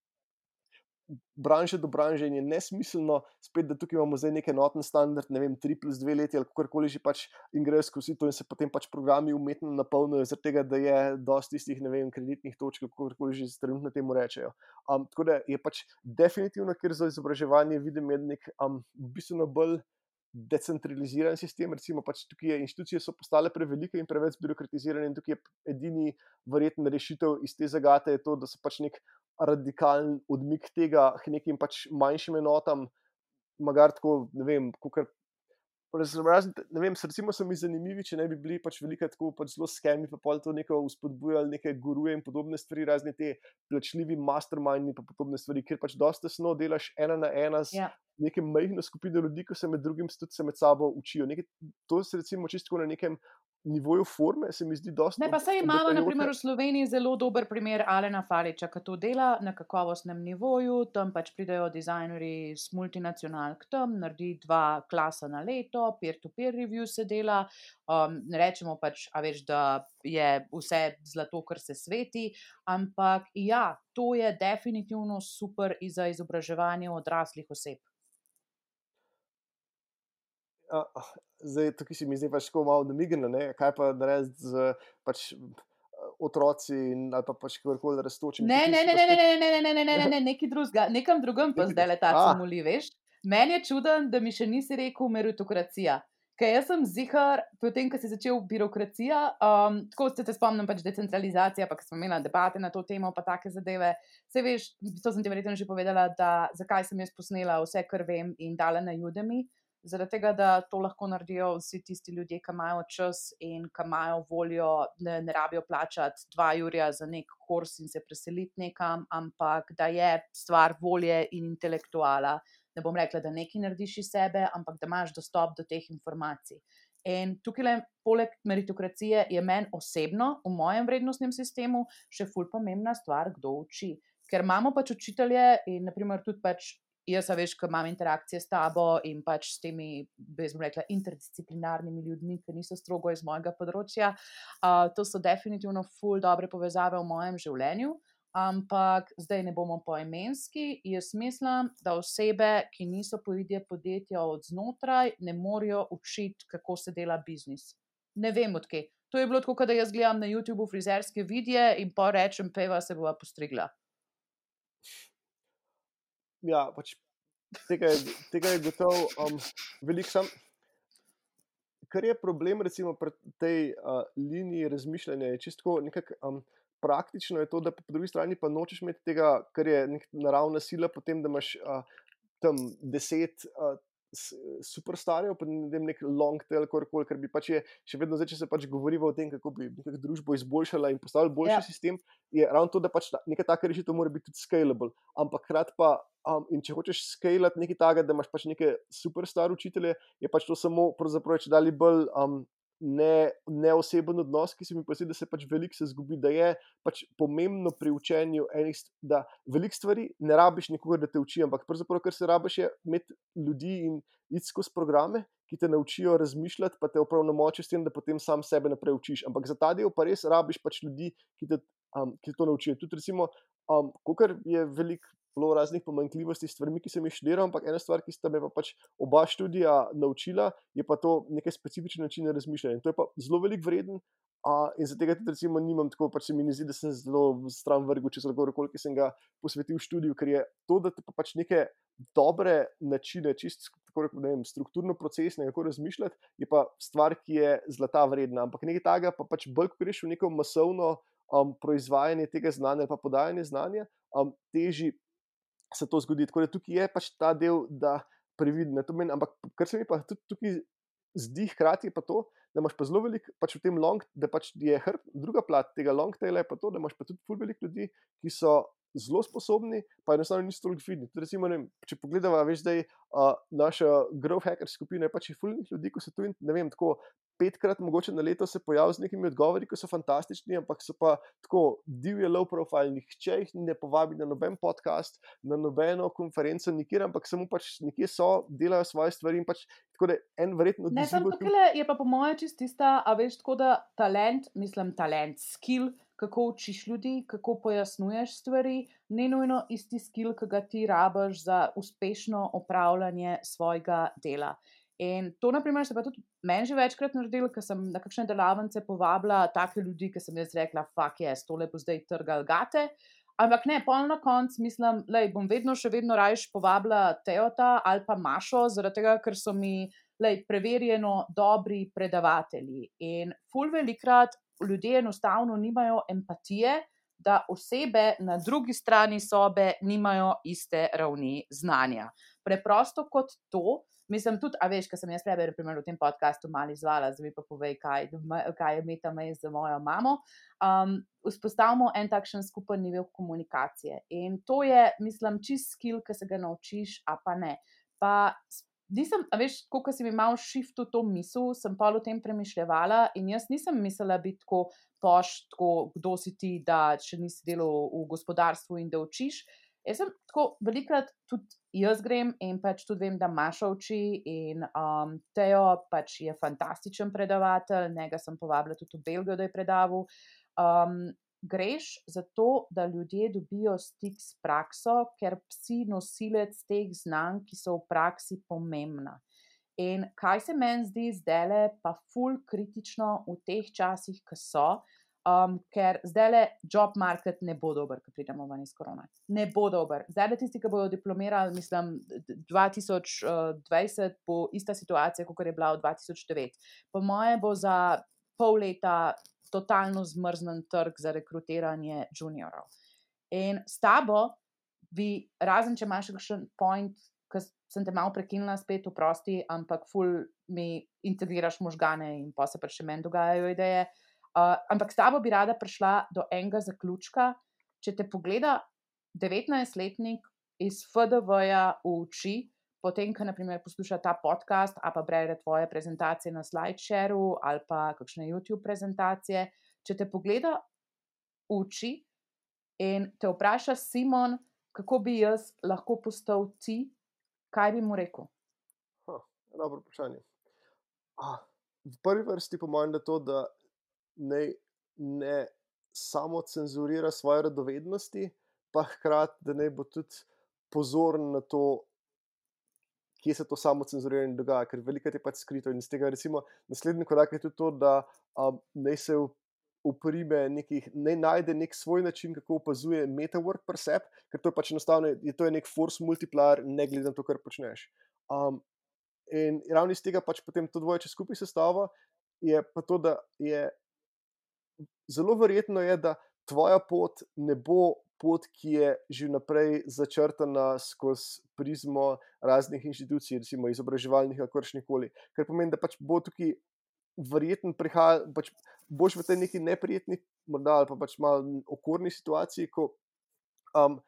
branže do branže in je nesmiselno spet, da tukaj imamo zdaj nek enoten standard, ne vem, tri plus dve leti ali kakorkoli že pač in grejo skozi to in se potem pač programi umetno napolnijo zaradi tega, da je dosti tistih, ne vem, kreditnih točk, kakorkoli že trenutno temu rečejo. Um, tako da je pač definitivno, ker za izobraževanje vidim je nek um, bistveno bolj decentraliziran sistem, recimo pač tukaj je, inštitucije so postale prevelike in preveč birokratizirane in tukaj je edini verjetna rešitev iz te zagate je to, da so pač nek radikalen odmik tega k nekim pač manjšim enotam, magar tako, ne vem, kakor razen, ne vem, recimo so mi zanimivi, če ne bi bili pač velika tako pač zelo skemi, pa pol to neko vzpodbujali neke guruje in podobne stvari, razne te plačljivi mastermindi pa podobne stvari, kjer pač dosti tesno delaš ena na ena z Ja. neke majhne skupine ljudi, ko se med drugim tudi se med sabo učijo. Nekaj, to se recimo čisto na nekem nivoju forme se mi zdi dosti Ne, pa saj imamo na primer v obetajoče. Sloveniji zelo dober primer Alena Faliča, ki to dela na kakovostnem nivoju, tam pač pridejo dizajnerji iz multinacionalk tam, naredi dva klasa na leto, peer-to-peer review se dela, um, ne rečemo pač, a veš, da je vse zlato, kar se sveti, ampak ja, to je definitivno super i za izobraževanje odraslih oseb. A, ah, zdaj, tukaj si mi zdi pač tako malo namignjeno, ne, kaj pa narediti z pač otroci in ali pa pač kakorkoli rastočimi. Ne, Tukaj ne, si ne, pa ne, ne, spet ne, ne, ne, ne, ne, ne, ne, nekaj drugega, nekam drugam pa nekaj zdajle ta a, cimuli, veš. Meni je čuden, da mi še nisi rekel meritokracija. Ker jaz sem ziher, potem, ko si začel birokracija, um, tako se te spomnim pač decentralizacija, pa ko smo imeli debate na to temo, pa take zadeve. Saj veš, to sem ti verjetno že povedala, da zakaj sem jaz posnela vse, kar vem in dala na Udemy. Zaradi tega, da to lahko naredijo vsi tisti ljudje, ki imajo čas in ki imajo voljo, ne, ne rabijo plačati dva jurja za nek kurs in se preseliti nekam, ampak da je stvar volje in intelektuala. Ne bom rekla, da nekaj narediš iz sebe, ampak da imaš dostop do teh informacij. In tukaj, poleg meritokracije, je meni osebno v mojem vrednostnem sistemu še ful pomembna stvar, kdo uči. Ker imamo pač učitelje in naprimer tudi pač jaz, a veš, ko imam interakcije s tabo in pač s temi, jaz bom rekla, interdisciplinarnimi ljudmi, ki niso strogo iz mojega področja, uh, to so definitivno ful dobre povezave v mojem življenju, ampak zdaj ne bomo poimenski. Jaz mislim, da osebe, ki niso poidje podjetja od znotraj, ne morejo učiti, kako se dela biznis. Ne vem odkje. To je bilo tako, da jaz gledam na YouTubeu frizerske videe in pa rečem, peva se bova postrigla. Ja, pač tega je, tega je gotovo um, veliko sam. Kar je problem recimo pri tej uh, liniji razmišljanja, je čisto nekako um, praktično je to, da po drugi strani pa nočeš imeti tega, kar je nek naravna sila, potem, da imaš uh, tam deset uh, superstarjev, pa ne vem, nek long tail, korkoli, ker bi pač je še vedno zdaj, če se pač govoriva o tem, kako bi nekako družbo izboljšala in postavili boljši Ja. sistem, je ravno to, da pač ta, neka taka rešitev mora biti tudi scalable, ampak hkrati pa, um, in če hočeš scalati nekaj takega, da imaš pač neke superstar učitelje, je pač to samo pravzaprav če dali bolj um, ne, neoseben odnos, ki se mi pa zdi, da se pač veliko se zgubi, da je pač pomembno pri učenju enih, st- da veliko stvari ne rabiš nikogar, da te uči, ampak pravzaprav, kar se rabiš, je imeti ljudi in iti skozi programe, ki te naučijo razmišljati, pa te opravnomočijo s tem, da potem sam sebe naprej učiš. Ampak za ta del pa res rabiš pač ljudi, ki te, um, ki te to naučijo. Tudi recimo, um, kakor je veliko bilo raznih pomanjkljivosti s stvarmi, ki sem jih študiral, ampak ena stvar, ki sta me pa pač oba študija naučila, je pa to neke specifične načine razmišljanja. In to je pa zelo veliko vreden. A, in zaradi tega tudi recimo nimam tako, pač se mi ne zdi, da sem zelo stran vrgel čez alkohol, ki sem ga posvetil študiju, ker je to, da te pa pač neke dobre načine, čist tako rekel, ne vem, strukturno procesne, kako razmišljati, je pa stvar, ki je zlata vredna. Ampak nekaj takega pa pač bolj, ko greš v neko masovno um, proizvajanje tega znanja ali pa podajanje znanja, um, teži se to zgodi. Tako da tukaj je pač ta del, da previdno. To meni, ampak kar se mi pa tudi tukaj zdi hkrati je pa to, da imaš pa zelo veliko pač v tem long, da pač je hrb, druga plat tega long taila je pa to, da imaš pa tudi ful veliko ljudi, ki so zelo sposobni, pa enostavno niso toliko vidni. Tudi recimo, ne vem, če pogledava, veš, zdaj uh, naša growth hacker skupina je pač je ful ljudi, ko se tu, ne vem, tako petkrat mogoče na leto se pojavijo z nekimi odgovori, ki so fantastični, ampak so pa tako divje low profile, nihče jih ne povabi na noben podcast, na nobeno konferenco, nikjer, ampak samo pač nekje so, delajo svoje stvari in pač tako da en verjetno Ne, samo odizziv tukaj je pa po mojem čist tista, a veš, tako da talent, mislim talent, skill, kako učiš ljudi, kako pojasnjuješ stvari, ne nujno isti skill, ki ga ti rabiš za uspešno opravljanje svojega dela. In to, na primer, se pa tudi meni že večkrat naredilo, ker sem na kakšne delavnice povabila take ljudi, ki sem jaz rekla, fuck yes, tole bo zdaj trgal gate. Ampak ne, pol na koncu mislim, lej, bom vedno še vedno rajš povabila Teota ali pa Mašo, zaradi tega, ker so mi lej, preverjeno dobri predavatelji. In ful velikrat ljudje enostavno nimajo empatije, da osebe na drugi strani sobe nimajo iste ravni znanja. Preprosto kot to, mislim tudi, a veš, ker sem jaz tebe v tem podcastu malo izvala, zdaj mi pa povej, kaj, kaj je Meta Maze za mojo mamo. Um, vzpostavimo en takšen skupen nivel komunikacije. In to je, mislim, čist skill, ki se ga naučiš, a pa ne. Pa nisem, a veš, kot si mi malo shiftu to misel, sem pa o tem premišljevala in jaz nisem mislila biti tako poš, tako kdo si ti, da še nisi delal v gospodarstvu in da učiš. Jaz sem tako velikrat tudi jaz grem in pač tudi vem, da Maša uči in um, Teo pač je fantastičen predavatelj, njega sem povabila tudi v Belgijo, da je predaval. Um, greš zato, da ljudje dobijo stik s prakso, ker si nosilec teh znanj, ki so v praksi pomembna. In kaj se meni zdi zdajle pa ful kritično v teh časih, ki so, um, ker zdajle job market ne bo dober, ko pridemo ven iz korona. Ne bo dober. Zdajle tisti, ki bodo diplomirali, mislim, dva tisoč dvajset bo ista situacija, kot je bila v dva tisoč devet. Po moje bo za pol leta totalno zmrznen trg za rekrutiranje juniorov. In s tabo bi, razen če imaš kakšen point, ki sem te malo prekinila spet, oprosti, ampak ful mi integriraš možgane in pa se pa še meni dogajajo ideje. Uh, ampak s tabo bi rada prišla do enega zaključka, če te pogleda devetnajstletnik iz F D V-ja uči, potem, ko naprimer posluša ta podcast, ali pa bere tvoje prezentacije na SlideShareu, ali pa kakšne YouTube prezentacije, če te pogleda uči in te vpraša Simon, kako bi jaz lahko postal ti, kaj bi mu rekel? Ha, dobro vprašanje. Ah, v prvi vrsti po mojem, da to, da ne, ne samo cenzurira svoje radovednosti, pa hkrati, da ne bo tudi pozoren na to, kje se to samo cenzuriranje dogaja, ker veliko je pač skrito in z tega recimo naslednji korak je tudi to, da um, ne se uprime nekih, ne najde nek svoj način, kako opazuje metawork pri sebi, ker to je pač enostavno, je to je nek force multiplier, ne glede na to, kar počneš. Um, in ravno iz tega pač potem to dvoje, če skupaj sestava, je pa to, da je zelo verjetno je, da tvoja pot ne bo pot, ki je že naprej začrtana skozi prizmo raznih inštitucij, recimo izobraževalnih ali kakršnihkoli. Ker pomeni, da pač bo tukaj verjetno prihaja, pač boš v tej neki neprijetni, morda ali pa pač malo okorni situaciji, ko um,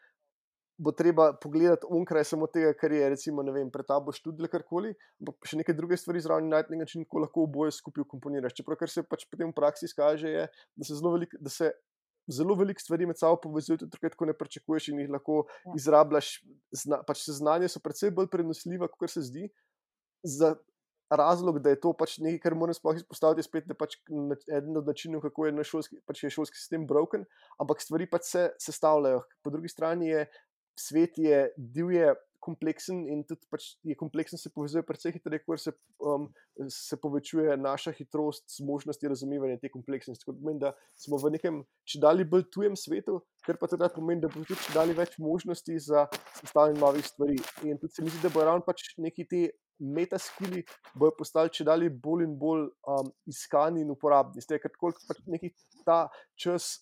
bo treba pogledati onkraj samo tega, kar je recimo, ne vem, pred tabo študij ali karkoli, ampak še neke druge stvari zraven najti nekaj način, ko lahko oboje skupaj komponiraš. Čeprav kar se pač potem v praksi izkaže, je, da se zelo veliko, da se zelo veliko stvari med sabo povezujejo, tudi takrat, ko ne pričakuješ in jih lahko Ja. izrabljaš. Zna, pač se znanje so precej bolj prenosljiva, kot se zdi. Za razlog, da je to pač nekaj, kar moram sploh izpostaviti, je spet, da pač eden od načinov, kako je naš šolski, pač je šolski sistem broken, ampak stvari pač se sestavljajo. Po drugi strani je svet je divje, kompleksen in tudi pač je kompleksen, se povezuje precej hitreje, kot se, um, se povečuje naša hitrost, zmožnosti razumevanja te kompleksnosti. Tako pomeni, da smo v nekem čedalje bolj tujem svetu, kar pa tudi pomeni, da bo tudi čedalje več možnosti za sestavljanje novih stvari. In tudi se mi zdi, da bo ravno pač neki te metaskili bojo postali čedalje bolj in bolj um, iskani in uporabni. Zdaj, ker koliko pač neki ta čas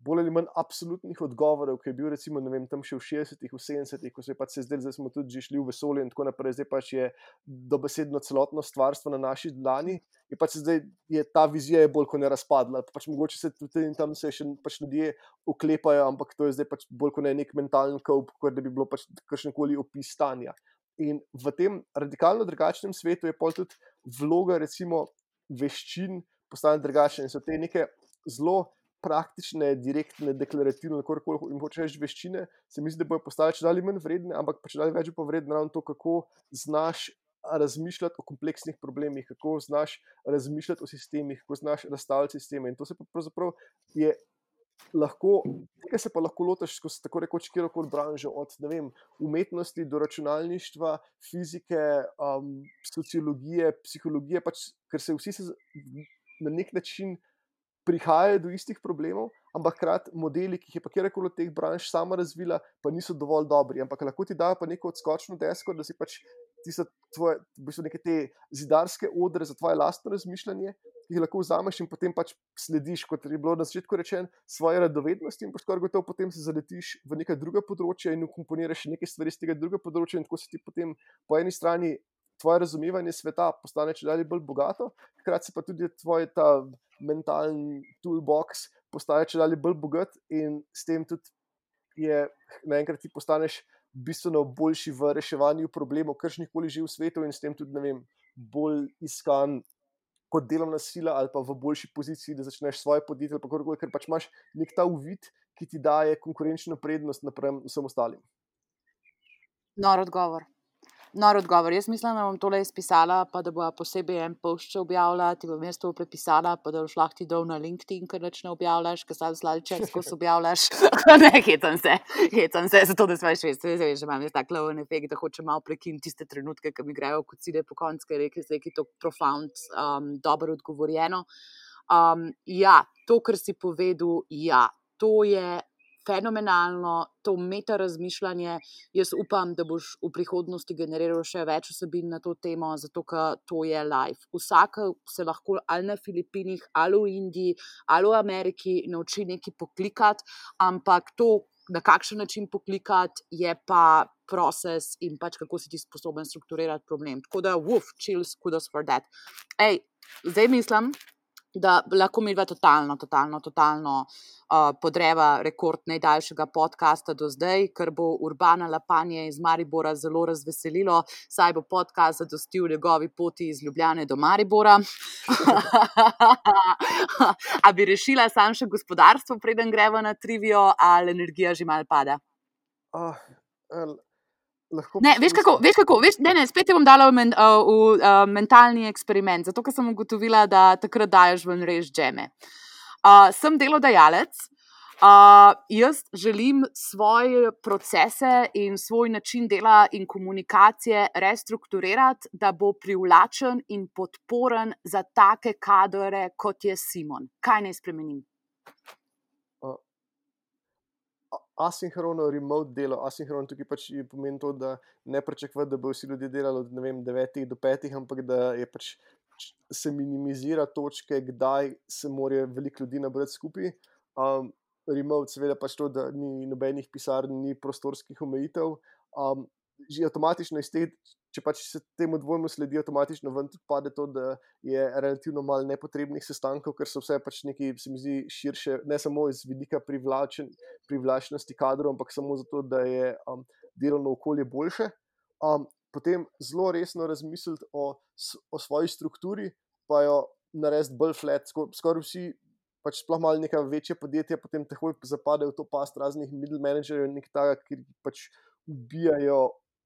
bolj ali manj absolutnih odgovorov, ki je bil recimo, ne vem, tam še v šestdesetih, v sedemdesetih, ko se je pač se zdelo, da smo tudi že šli v vesolje in tako naprej, zdaj pač je dobesedno celotno stvarstvo na naši dlani, je pač zdaj je ta vizija je bolj kot ne razpadla, pač mogoče se tudi in tam se še pač ljudje oklepajo, ampak to je zdaj pač bolj kot ne nek mentalen koup, kot da bi bilo pač kakšenkoli opis stanja. In v tem radikalno drugačnem svetu je pol tudi vloga recimo veščin postane drugačna in so te neke zelo praktične, direktne, deklarativne, kakorkoli jim hočeš reči veščine, se mi zdi, da bojo postale čedalje manj vredne, ampak pa čedalje več bo vredno ravno to, kako znaš razmišljati o kompleksnih problemih, kako znaš razmišljati o sistemih, kako znaš razstavljati sisteme. In to se pa pravzaprav je lahko, tega se pa lahko lotiš skozi tako rekoč kjerokoli branžo, od ne vem, umetnosti do računalništva, fizike, um, sociologije, psihologije, pač, ker se vsi se na nek način prihajajo do istih problemov, ampak hkrati modeli, ki jih je pa kjerkoli od teh branž sama razvila, pa niso dovolj dobri, ampak lahko ti dajo pa neko odskočno desko, da si pač ti so tvoje, v bistvu neke te zidarske odre za tvoje lastno razmišljanje, ki jih lahko vzameš in potem pač slediš, kot je bilo na začetku rečeno, svoje radovednosti in skoraj gotovo potem se zaletiš v neka druga področja in ukomponiraš nekaj stvari z tega druga področja in tako se ti potem po eni strani tvoje razumevanje sveta postane čedalje bolj bogato, hkrati se pa tudi tvoj ta mentalni toolbox postaje čedalje bolj bogat in s tem tudi je naenkrat ti postaneš bistveno boljši v reševanju problemov, kakršnikoli že v svetu, in s tem tudi, ne vem, bolj iskan kot delovna sila ali pa v boljši poziciji, da začneš svoje podjetje ali pa karkoli, ker pač imaš nek ta uvid, ki ti daje konkurenčno prednost napram vsem ostalim. Nor odgovor. Nor odgovor. Jaz mislim, da bom tole izpisala, pa da bo posebej en post objavila, ti bom jaz to prepisala, pa da boš lahko ti dol na LinkedIn, ker nič ne objavljaš, ker sam slalček skozi objavljaš. Ne, hetam se, hetam se, zato da svaj švest. Zdaj, že imam jaz tak loven efekt, da hočem malo prekiniti tiste trenutke, ki mi grejo kocide po konc, ker je nekaj to profound, um, dobro odgovorjeno. Um, ja, to, kar si povedal, ja, to je fenomenalno, to meta razmišljanje. Jaz upam, da boš v prihodnosti generiral še več vsebin na to temo, zato ker to je live. Vsak se lahko ali na Filipinih, ali v Indiji, ali v Ameriki nauči nekaj poklikati, ampak to, na kakšen način poklikati, je pa proces in pač kako si ti sposoben strukturirati problem. Tako da, woof, chills, kudos for that. Ej, zdaj mislim, da lahko mi dva totalno, totalno, totalno uh, podreva rekord najdaljšega podcasta do zdaj, ker bo Urbana Lapanje iz Maribora zelo razveselilo, saj bo podcast zadostil njegovi poti iz Ljubljane do Maribora. A bi rešila sam še gospodarstvo, preden greva na trivijo, ali energija že malo pada? Uh, uh, lahko Ne, veš kako, veš kako, veš, ne, ne, spet te bom dala v, men, uh, v uh, mentalni eksperiment, zato ker sem ugotovila, da takrat daješ ven res džeme. Uh, sem delodajalec, uh, jaz želim svoje procese in svoj način dela in komunikacije restrukturirati, da bo privlačen in podporen za take kadre, kot je Simon. Kaj naj spremenim? Asinhrono remote delo, asinhrono tukaj pač pomeni to, da ne pričakovati, da bo vsi ljudje delali od, ne vem, devetih do petih, ampak da je pač se minimizira točke, kdaj se morajo veliko ljudi nabrati skupaj. Um, remote seveda pač to, da ni nobenih pisarn, ni prostorskih omejitev. Um, že avtomatično iz teh, če pač se temu dvojmu sledi, avtomatično ven tudi pade to, da je relativno malo nepotrebnih sestankov, ker so vse pač neki, se mi zdi, širše, ne samo iz vidika privlačen, privlačnosti kadrov, ampak samo zato, da je um, delovno okolje boljše. Um, potem zelo resno razmisliti o, o svoji strukturi, pa jo narediti bolj flat. Skor, skoraj vsi, pač sploh malo neka večja podjetja, potem takoj zapadejo v to past raznih middle managerjev, nekaj takega, ki pač ubijajo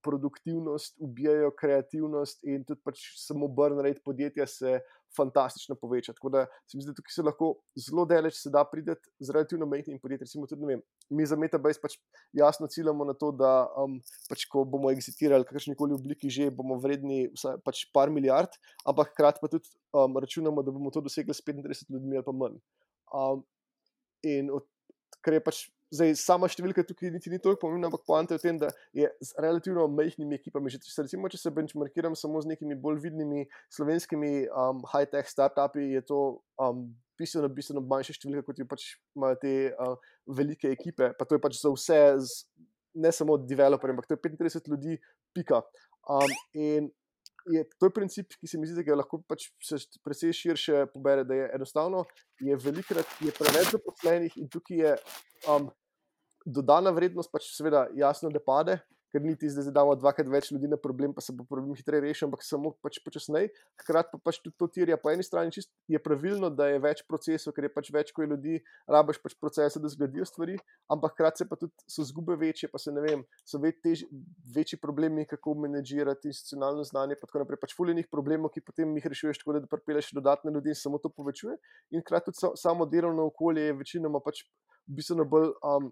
produktivnost, ubijajo kreativnost in tudi pač samo burn rate podjetja se fantastično poveča. Tako da se mi zdi, da tukaj se lahko zelo daleč se da prideti z relativno majhnim podjetjem. Recimo tudi, ne vem, mi za Metabase pač jasno ciljamo na to, da um, pač ko bomo exitirali kakršnikoli obliki že, bomo vredni vsaj pač par milijard, ampak hkrati pa tudi um, računamo, da bomo to dosegli s petintrideset ljudmi ali pa manj. Um, in od, ker je pač zdaj sama številka tukaj niti ni toliko pomembna, ampak poanta je v tem, da je z relativno majhnimi ekipami, že recimo, če se benchmarkiram samo z nekimi bolj vidnimi slovenskimi um, high-tech startupi, je to um, bistveno, bistveno manjša številka, kot jo pač imajo te uh, velike ekipe, pa to je pač za vse, z, ne samo developerje, ampak to je petintrideset ljudi, pika. Um, in je, to je princip, ki se mi zdi, da ga lahko pač se precej širše pobere, da je enostavno, je velikrat, je preveč zaposlenih in tukaj je um, dodana vrednost pač seveda jasno ne pade, ker niti zdaj damo dvakrat več ljudi na problem, pa se bo problem hitreje rešil, ampak samo pač počasneje. Hkrati pa pač tudi to tirja po eni strani čist je pravilno, da je več procesov, ker je pač več, ko je ljudi, rabiš pač procese, da zgledijo stvari, ampak hkrati se pa tudi so zgube večje, pa se ne vem, so več tež, večji problemi, kako menedžirati institucionalno znanje, pa tako naprej, pač fuljenih problemov, ki potem jih rešuješ tako, da pripeleš dodatne ljudi in samo to povečuje. In hkrati tudi samo delovno okolje je večinoma pač bistveno bolj um,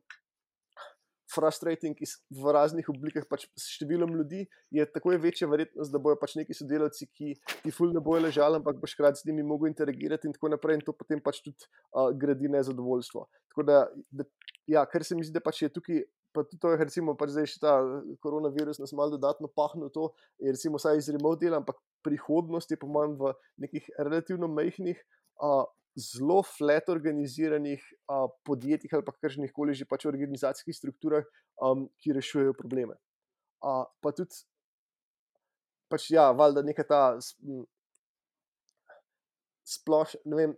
frustrating v raznih oblikah, pač s številom ljudi je tako je večja verjetnost, da bojo pač neki sodelavci, ki ti ful ne bojo ležali, ampak boš hkrati z njimi mogel interagirati in tako naprej in to potem pač tudi uh, gradi nezadovoljstvo. Tako da, da, ja, kar se mi zdi, da pač je tukaj, pa tudi to je recimo pač zdaj še ta koronavirus nas malo dodatno pahnil to, je recimo vsaj iz remote dela, ampak prihodnost je po mojem v nekih relativno majhnih uh, zelo flat organiziranih uh, podjetjih ali pa kakšnih koli že pač organizacijskih strukturah, um, ki rešujejo probleme. Uh, pa tudi pač ja, valjda neka ta sploš, ne vem,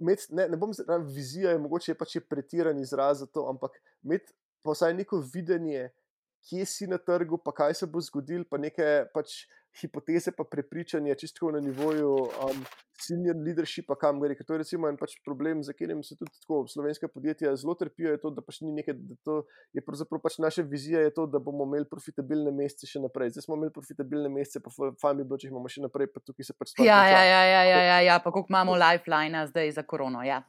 med, ne, ne bom zdaj, vizija je mogoče pač je pretiran izraz za to, ampak imeti pa vsaj neko videnje, kje si na trgu, pa kaj se bo zgodilo, pa neke pač hipoteze, pa prepričanje, čisto na nivoju um, senior leadershipa, kam gre. Ker to je recimo en pač problem, za katerim se tudi tako slovenska podjetja zelo trpijo, je to, da pač ni nekaj, da to je pravzaprav pač naša vizija, je to, da bomo imeli profitabilne mesece še naprej. Zdaj smo imeli profitabilne mesece, pa fajn bi bilo, če jih imamo še naprej, pa tukaj se pač stvar Ja, konča. ja, ja, ja, ja, ja, ja, pa koliko imamo lifelina zdaj za korono, ja.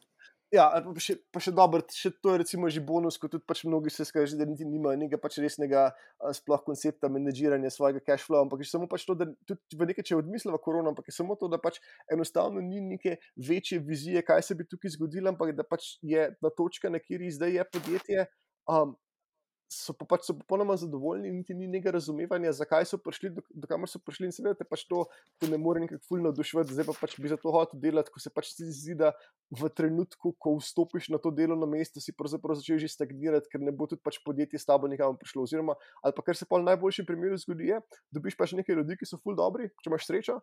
Ja, ali pa še, pa še dobro, še to je recimo že bonus, ko tudi pač mnogi se skaži, da niti nimajo nekega pač resnega a, sploh koncepta menedžiranja svojega cash flow, ampak je samo pač to, da tudi v nekaj, če je odmislila korona, ampak je samo to, da pač enostavno ni neke večje vizije, kaj se bi tukaj zgodilo, ampak da pač je na točka, na kjer zdaj je podjetje, um, so pa pač so popolnoma zadovoljni, niti ni nekega razumevanja, zakaj so prišli, do, do kamor so prišli, in seveda te pač to te ne more nekako ful navduševati, zdaj pa pač bi za to hotel delati, ko se pač ti zdi, da v trenutku, ko vstopiš na to delovno mesto, si pravzaprav začel že stagnirati, ker ne bo tudi pač podjetje s tabo nekam prišlo, oziroma, ali pa kar se pa v najboljšem primeru zgodi je, dobiš pač nekaj ljudi, ki so ful dobri, če imaš srečo,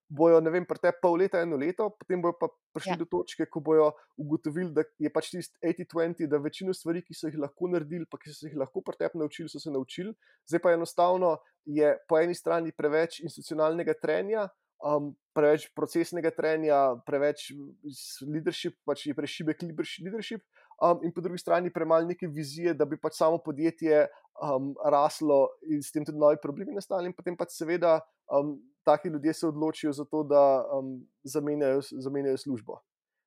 bojo, ne vem, pri tebi pol leta, eno leto, potem bojo pa prišli Ja. do točke, ko bojo ugotovili, da je pač tisti osemdeset dvajset, da večino stvari, ki so jih lahko naredili, pa ki so se jih lahko pri tebi naučili, so se naučili. Zdaj pa enostavno je po eni strani preveč institucionalnega trenja, um, preveč procesnega trenja, preveč s- leadership, pač je prešibek leadership, um, in po drugi strani premalo neke vizije, da bi pač samo podjetje um, raslo in s tem tudi novi problemi nastali, in potem pač seveda um, taki ljudje se odločijo za to, da um, zamenjajo, zamenjajo službo.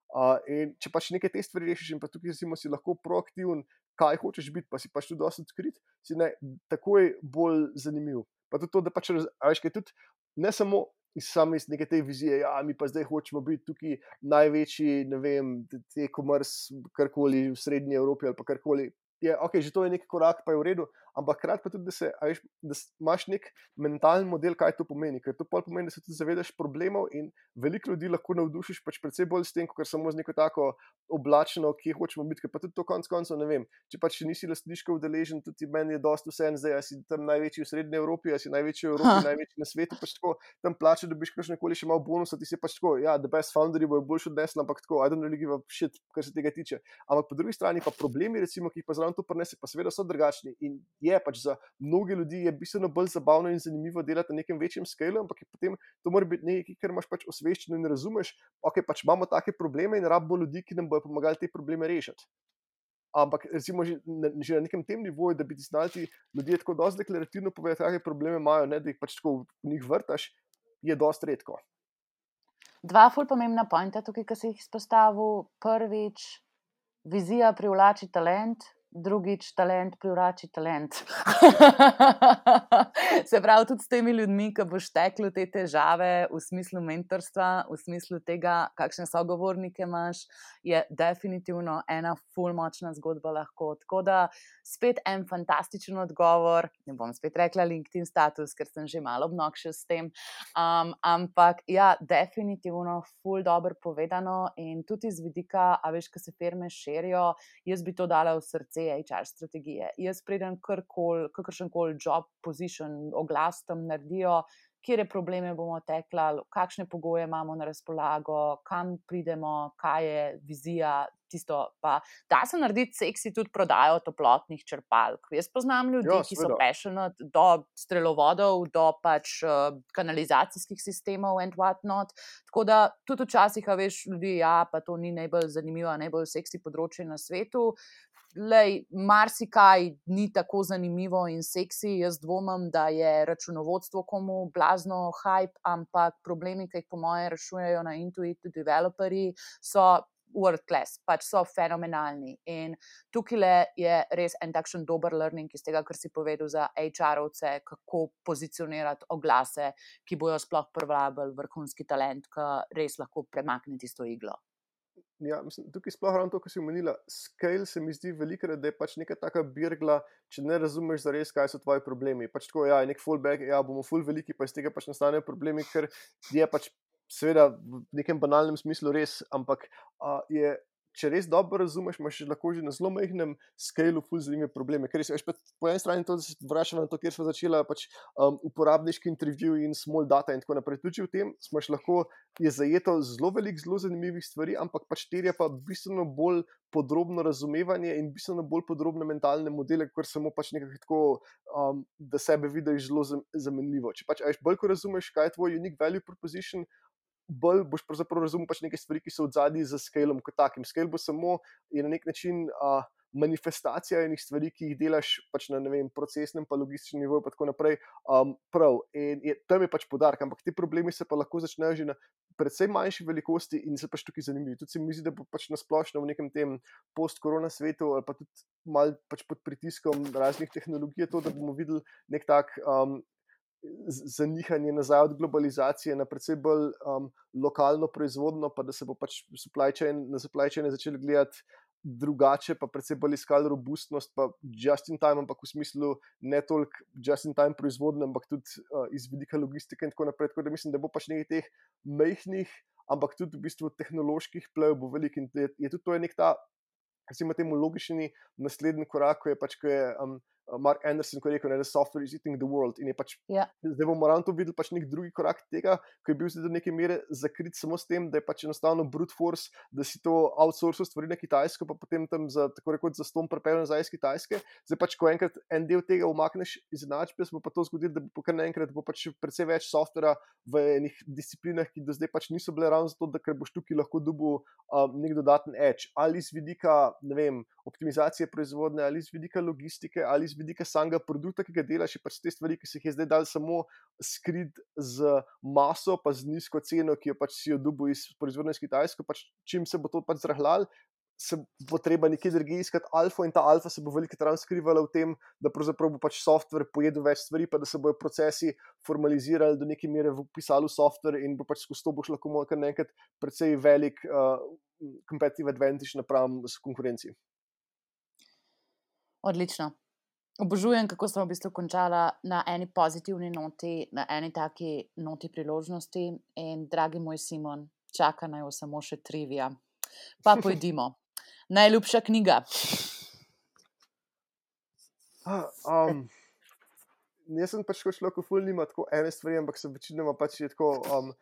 Uh, in če pač nekaj te stvari rešiš, in pa tukaj recimo, si lahko proaktiven, kaj hočeš biti, pa si pač tudi dosti odkrit, si ne, takoj bolj zanimiv. Pa tudi to, da pač, raz- a veš, kaj tudi ne samo iz same iz neke te vizije, ja, mi pa zdaj hočemo biti tukaj največji, ne vem, te- te e-commerce, karkoli v srednji Evropi ali pa karkoli. Je, ok, že to je nek korak, pa je v redu, ampak hkrati pa tudi, da, se, a veš, da s- imaš nek mentalen model, kaj to pomeni, ker to pol pomeni, da se tudi zavedaš problemov in veliko ljudi lahko navdušiš pač predvsej bolj s tem, kot samo z neko tako oblačno, kje hočemo biti, ker pa tudi to konc koncev ne vem, če pač nisi lastniško udeležen, tudi meni je dosti vseeno zdaj, a si tam največji v srednji Evropi, a si največji v Evropi, Ha. največji na svetu, pač tako, tam plače dobiš kakšnekoli še malo bonusa, ti si pač tako, ja, the best founderi bojo boljši odnesli, ampak tako, I don't really give a shit, kar se tega tiče. Ampak po drugi strani pa problemi, recimo, ki jih pa zraven to prinese, pa seveda so drugačni in je pač za mnoge ljudi je bistveno bolj zabavno in zanimivo delati na nekem večjem skalu, ampak je potem to mora biti nekaj, kar imaš pač osveščeno in razumeš, ok, pač imamo take probleme in rabimo ljudi, ki nam bodo pomagali te probleme rešiti. Ampak recimo že na, že na nekem tem nivoju, da bi ti znali ti ljudje tako dosti deklarativno povedati, kakšne probleme imajo, ne, da jih pač tako v njih vrtaš, je dosti redko. Dva ful pomembna pointa tukaj, ki si jih izpostavil. Prvič, vizija privlači talent, drugič, talent privlači talent. Se pravi, tudi s temi ljudmi, ki boš teklo te težave v smislu mentorstva, v smislu tega, kakšne sogovornike imaš, je definitivno ena ful močna zgodba lahko. Tako da spet en fantastičen odgovor, ne bom spet rekla LinkedIn status, ker sem že malo obnoxious s tem, um, ampak ja, definitivno ful dobro povedano in tudi z vidika, a veš, ko se firme širijo, jaz bi to dala v srce H R strategije. Jaz preden karkoli, kakršenkoli job position, oglas tam naredijo, kire probleme bomo teklali, kakšne pogoje imamo na razpolago, kam pridemo, kaj je vizija, tisto pa da se narediti seksi tudi prodajo toplotnih črpalk. Jaz poznam ljudi, Ja, ki so seveda. passionate do strelovodov, do pač uh, kanalizacijskih sistemov and what not. Tako da tudi včasih, a veš, ljudi, ja, pa to ni najbolj zanimivo, najbolj seksi področje na svetu. Lej, marsikaj ni tako zanimivo in seksi. Jaz dvomim, da je računovodstvo komu blazno hype, ampak problemi, ki jih po moje rešujejo na Intuitu developerji, so world class, pač so fenomenalni. In tukaj je res en takšen dober learning iz tega, kar si povedal za H R-ovce, kako pozicionirati oglase, ki bojo sploh privabili vrhunski talent, ki res lahko premakne tisto iglo. Ja, mislim, tukaj sploh ravno to, kar si omenila, scale se mi zdi velikokrat, da je pač neka taka birgla, če ne razumeš zares, kaj so tvoji problemi. Pač tako, ja, je nek fallback, ja, bomo full veliki, pa iz tega pač nastanejo problemi, ker je pač seveda v nekem banalnem smislu res, ampak a, je če res dobro razumeš, imaš lahko že na zelo majhnem skalu ful zanimive probleme. Ker res, veš, pa po eni strani to, da se vračamo na to, kjer smo začeli, pač um, uporabniški intervju in small data in tako naprej. Tudi v tem smo še lahko, je zajeto zelo veliko zelo zanimivih stvari, ampak pač terja pa bistveno bolj podrobno razumevanje in bistveno bolj podrobne mentalne modele, kot samo pač nekako tako, um, da sebe vidiš zelo zamenljivo. Če pač veš, bolj ko razumeš, kaj je tvoj unique value proposition, bolj boš pravzaprav razumel pač neke stvari, ki so v zadnji za scalom kot takim. Scale bo samo je na nek način uh, manifestacija enih stvari, ki jih delaš pač na, ne vem, procesnem pa logističnem nivoju pa tako naprej, um, prav. In je, tam je pač podarek, ampak ti problemi se pa lahko začnejo že na predvsej manjši velikosti in se pač tukaj zanimivi. Tudi se mi zdi, da bo pač nasplošno v nekem tem post-korona svetu ali pa tudi mal pač pod pritiskom raznih tehnologij to, da bomo videli nek tak um, zanihanje nazaj od globalizacije na predvsej bolj um, lokalno proizvodno, pa da se bo pač supply chain, na supply chaine začeli gledati drugače, pa predvsej bolj iskali robustnost, pa just in time, ampak v smislu ne toliko just in time proizvodne, ampak tudi uh, iz vidika logistike in tako naprej. Tako da mislim, da bo pač nekaj teh majhnih, ampak tudi v bistvu tehnoloških plev bo velik in je, je tudi to je nek ta, recimo temu logični naslednji korak, ko je pač, ko je um, Mark Anderson, ko je rekel, da software is eating the world in je pač, Ja. zdaj bomo ravno to videli pač nek drugi korak tega, ko je bil zdaj do neke mere zakrit samo s tem, da je pač enostavno brute force, da si to outsourcal stvari na Kitajsko, pa potem tam za, tako rekoč, za ston prepel nazaj iz Kitajske. Zdaj pač, ko enkrat en del tega umakneš iz enačbe, se bo pa to zgodilo, da bo kar naenkrat bo pač precej več softvera v enih disciplinah, ki do zdaj pač niso bile ravno zato, da ker boš tukaj lahko dobil um, nek dodaten edge, ali z vidika, ne vem, optimizacije proizvodne, ali z vidika logistike, ali z vidika samega produkta, ki ga delaš, je pač te stvari, ki se jih je zdaj dal samo skrit z maso, pa z nizko ceno, ki jo pač si jo dobil iz proizvodnje iz Kitajsko, pač čim se bo to pač zrahljal, se bo treba nekje drugje iskati alfo in ta alfa se bo veliko krat skrivala v tem, da pravzaprav bo pač software pojedel več stvari, pa da se bojo procesi formalizirali do neke mere v pisalu software in bo pač skozi to boš lahko kar nekaj precej velik uh, competitive advantage napram s konkurenci. Odlično. Obožujem, kako sem v bistvu končala na eni pozitivni noti, na eni taki noti priložnosti in dragi moj Simon, čaka naj jo samo še trivija. Pa pojdimo. Najljubša knjiga? Um, jaz sem pač človek, ki ful nima tako ene stvari, ampak se večinoma pač je tako um,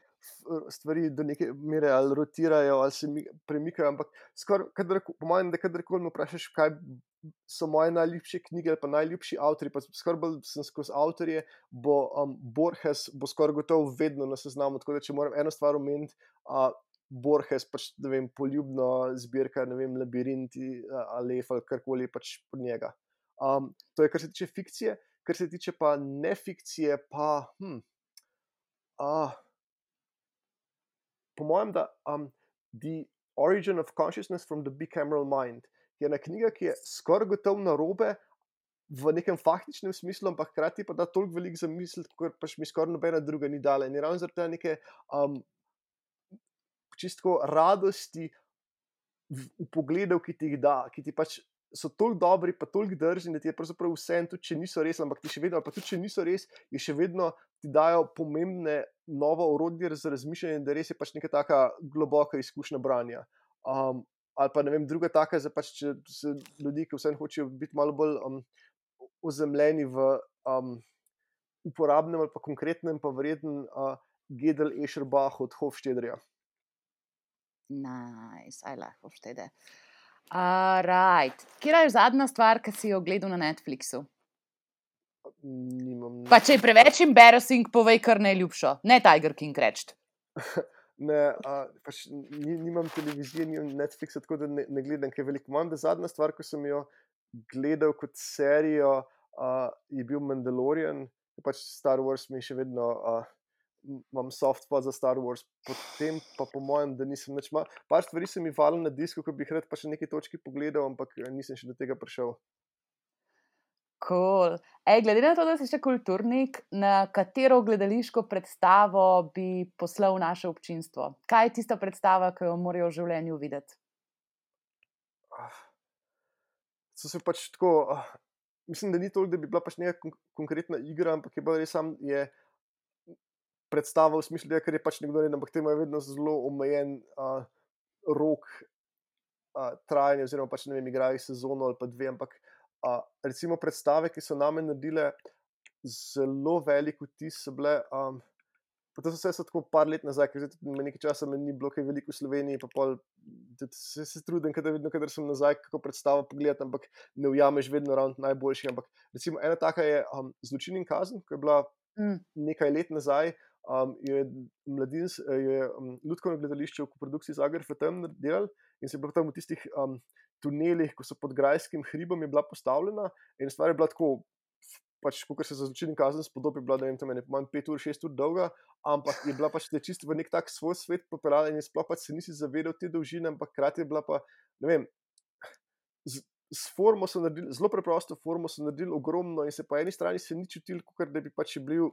stvari do neke mere ali rotirajo ali se mi, premikajo, ampak skoraj, kadar, po mojem, da kadarkoli me vprašaš, kaj so moje najljubše knjige ali pa najljubši avtorji, pa skoraj bolj sem skozi avtorje, bo um, Borges bo skoraj gotovo vedno na seznamu, tako da če moram eno stvar omeniti, uh, Borges, pač, ne vem, poljubno zbirka, ne vem, Labirinti, Aleph ali karkoli pač pod njega. Um, to je, kar se tiče fikcije, kar se tiče pa nefikcije, pa hm, uh, po mojem, da um, The Origin of Consciousness from the Bicameral Mind je ena knjiga, ki je skoraj gotovo narobe v nekem faktičnem smislu, ampak hkrati pa da toliko veliko zamisliti, kot pač mi skoraj nobena druga ni dala. In je ravno zaradi tega neke um, čisto radosti v, v pogledu, ki ti jih da, ki ti pač so toliko dobri, pa toliko drzni, da ti je pravzaprav vse, tudi če niso res, ampak ti še vedno, pa tudi če niso res, je še vedno ti dajo pomembne novo orodje za razmišljanje, da res je pač neka taka globoka izkušnja branja. Um, ali pa ne vem, druga taka, za pač če se ljudi, ki vseeno hočejo biti malo bolj um, ozemljeni v um, uporabnem ali pa konkretnem, pa verjetno uh, Gödel Escherbach od Hofstadterja. Nice, I like Hofstadter. Uh, right. Kera je zadnja stvar, ki si jo gledal na Netflixu? Nimam. Pa če je preveč embarrassing, povej kar najljubšo. Ne Tiger King reči. Ne, uh, pač nimam televizije, nimam Netflixa, tako da ne, ne gledam kaj veliko. Imam, da zadnja stvar, ko sem jo gledal kot serijo, uh, je bil Mandalorian, pač Star Wars mi še vedno, uh, imam soft spot za Star Wars, potem pa po mojem, da nisem nič mal. Par stvari se mi valilo na disku, ko bi jih rad pa še neki točki pogledal, ampak nisem še do tega prišel. Cool. Ej, glede na to, da si še kulturnik, na katero gledališko predstavo bi poslal naše občinstvo? Kaj je tista predstava, ki jo morajo v življenju videti? So se pač tako, uh, mislim, da ni toliko, da bi bila pač neka kon- konkretna igra, ampak je bolj res sam je predstava v smislu, da ker je pač nekdo reden, ampak te imajo vedno zelo omejen uh, rok uh, trajanje, oziroma pač ne vem, igrajo sezono ali pa dve, ampak uh, recimo predstave, ki so name naredile zelo velik vtis, so bile. Um, Pa to so vse so tako par let nazaj, ker zdaj tudi nekaj časa me ni bilo kaj veliko v Sloveniji, pa pol se, se trudim, kadar vedno, kadar sem nazaj, kako predstavo pogledati, ampak ne ujameš vedno ravno najboljših. Ampak recimo ena taka je um, Zločin in kazen, ko je bila Mm. nekaj let nazaj, um, je mladins, je um, Lutkovno gledališče v koprodukciji Zagreb F M delal in se je bilo tam v tistih um, tunelih, ko so pod Grajskim hribom je bila postavljena in stvar je bila tako, pač, kot se za Zločin in kazen spodobi, bila, ne vem, tam je manj pet ur, šest ur dolga, ampak je bila pač te čisto v nek tak svoj svet popeljala in sploh pač se nisi zavedal te dolžine, ampak hkrati je bila pa, ne vem, z, z formo so naredili, zelo preprosto formo so naredili ogromno in se po eni strani se ni čutil, kot da bi pač bil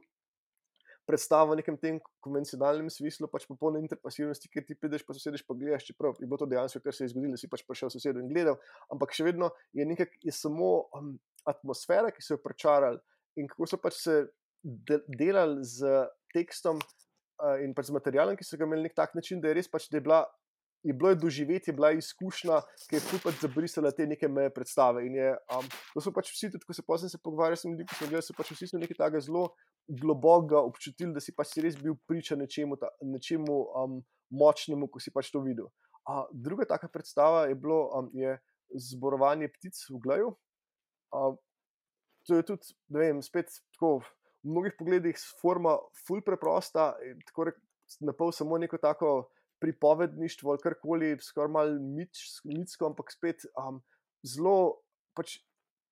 predstava v nekem tem konvencionalnem smislu, pač popolne interpasivnosti, ker ti prideš pa sosedeš pa gledaš, čeprav je bilo to dejansko, kar se je zgodilo, si pač prišel sosedu in gledal, ampak še vedno je nekaj, je samo um, atmosfera, ki so jo pričarali in kako so pač se de delali z tekstom uh, in pač z materialom, ki so ga imeli nek tak način, da je res pač, da je bila, je bilo je doživeti, je bila izkušnja, ki je ful pač zabrisala te neke meje predstave in je, um, to so pač vsi, tudi ko se potem se pogovarjali s ljudmi, ko smo gledali, so pač vsi so nekaj takega zelo globokega občutili, da si pač si res bil priča nečemu, ta, nečemu um, močnemu, ko si pač to videl. Uh, druga taka predstava je bilo, um, je Zborovanje ptic v Glaju. Uh, to je tudi, ne vem, spet tako v mnogih pogledih forma ful preprosta, tako napol samo neko tako pripovedništvo ali karkoli, skoraj malo mitsko, ampak spet um, zelo, pač,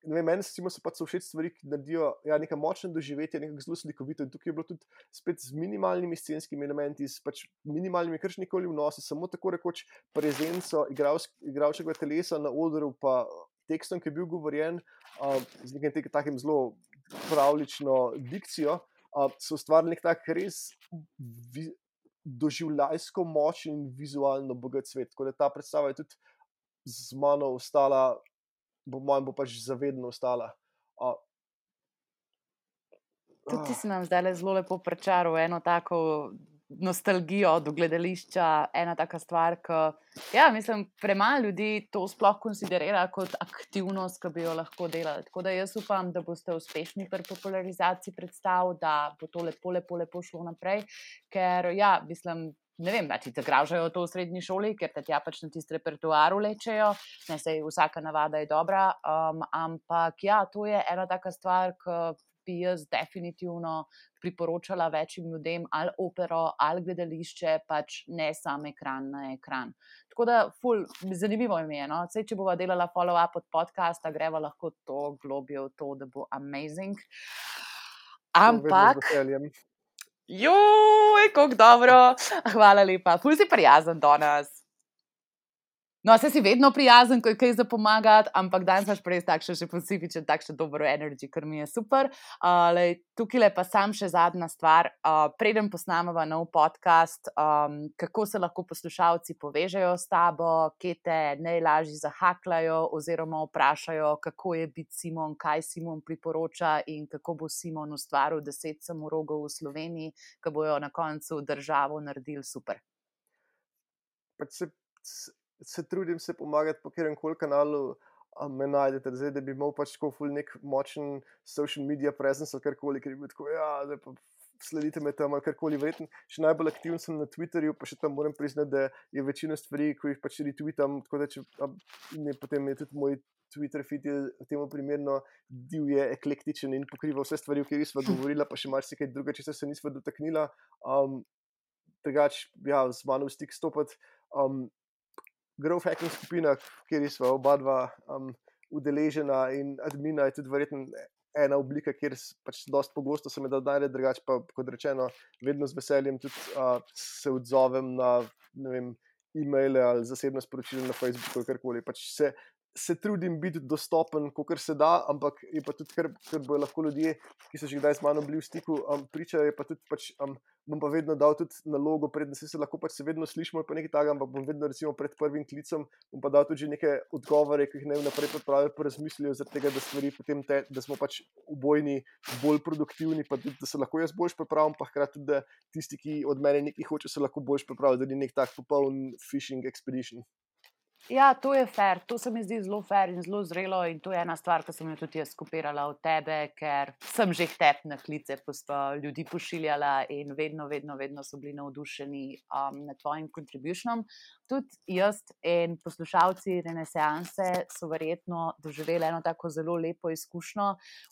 ne vem, meni so pač so všeč stvari, ki naredijo ja, nekaj močne doživetje, nekaj zelo slikovito in tukaj je bilo tudi spet z minimalnimi scenskimi elementi, s pač minimalnimi kršnikoli vnosi, samo tako rekoč prezenco igralčevega telesa na odru, pa tekstom, ki je bil govorjen, uh, z nekim takim zelo pravlično dikcijo, uh, so ustvarili nek tak res doživljajsko moč in vizualno bogat svet. Tako da ta predstava je tudi z mano ostala, bo mojem bo pač zavedno ostala. Uh, Tudi ti si nam zdaj zelo lepo pričaral eno tako nostalgijo do gledališča, ena taka stvar, ki, ja, mislim, premalo ljudi to sploh konsiderira kot aktivnost, ki bi jo lahko delali. Tako da jaz upam, da boste uspešni pri popularizaciji predstav, da bo to lepo, lepo, lepo šlo naprej, ker, ja, mislim, ne vem, da ti zagražajo to v srednji šoli, ker te tja pač na tisti repertoar vlečejo, ne, sej vsaka navada je dobra, um, ampak, ja, to je ena taka stvar, ki bi jaz definitivno priporočala večjim ljudem, ali opero, ali gledališče, pač ne sam ekran na ekran. Tako da, ful, zanimivo ime je, no? Sej, če bova delala follow-up od podcasta, greva lahko to globje v to, da bo amazing. Ampak, joj, kako dobro, hvala lepa, ful si prijazen danes. No, se si vedno prijazen, ko je kaj za pomagati, ampak danes imaš res takšen še specifičen, takšen dobro energy, kar mi je super. Uh, lej, tukaj pa sam še zadnja stvar. Uh, preden posnameva nov podcast, um, kako se lahko poslušalci povežejo s tabo, kje te najlažje zahaklajo oziroma vprašajo, kako je biti Simon, kaj Simon priporoča in kako bo Simon ustvaril deset samorogov v Sloveniji, ki bojo na koncu državo naredili super. Pač se... se trudim se pomagati po katerem koli kanalu um, me najdete, zdaj, da bi imel pač tako ful nek močen social media presence ali karkoli, ker bi tako, ja, zdaj pa sledite me tam ali karkoli, verjetno še najbolj aktiven sem na Twitterju, pa še tam moram priznati, da je večina stvari, ko jih pač retweetam, tako da če, a, ne, potem je tudi moj Twitter feed je temu primerno divje, eklektičen in pokriva vse stvari, o katerih sva govorila, pa še marsikaj druga, če se nisva dotaknila. Um, Drugač, ja, z mano v stik stopati. Um, Growth hacking skupina, kjer smo oba dva um, udeležena in admina je tudi verjetno ena oblika, kjer pač dosti pogosto se me da najde, drugače pa, kot rečeno, vedno z veseljem tudi uh, se odzovem na, ne vem, e-maile ali zasebno sporočilo na Facebooku ali karkoli. Pač se, se trudim biti dostopen, kolikor se da, ampak je pa tudi, ker, ker bojo lahko ljudje, ki so že kdaj z mano bili v stiku, um, pričajo, je pa tudi pač, um, bom pa vedno dal tudi nalogo, predtem se, se lahko pač se vedno slišimo ali pa nekaj takega, ampak bom vedno recimo pred prvim klicem, bom pa dal tudi že neke odgovore, ki jih ne vnaprej pripravili, pa razmislijo zaradi tega, da stvari potem te, da smo pač obojni bolj produktivni, pa tudi, da se lahko jaz boljš pripravim, pa hkrati tudi, da tisti, ki od mene nekaj hoče, se lahko boljš pripravi, da ni nek tak popoln fishing expedition. Ja, to je fair, to se mi zdi zelo fair in zelo zrelo in to je ena stvar, ki sem jo tudi jaz kopirala od tebe, ker sem že tep na klice posta ljudi pošiljala in vedno, vedno, vedno so bili navdušeni um, nad tvojim contributionom. Tudi jaz in poslušalci Renesanse so verjetno doživeli eno tako zelo lepo izkušnjo.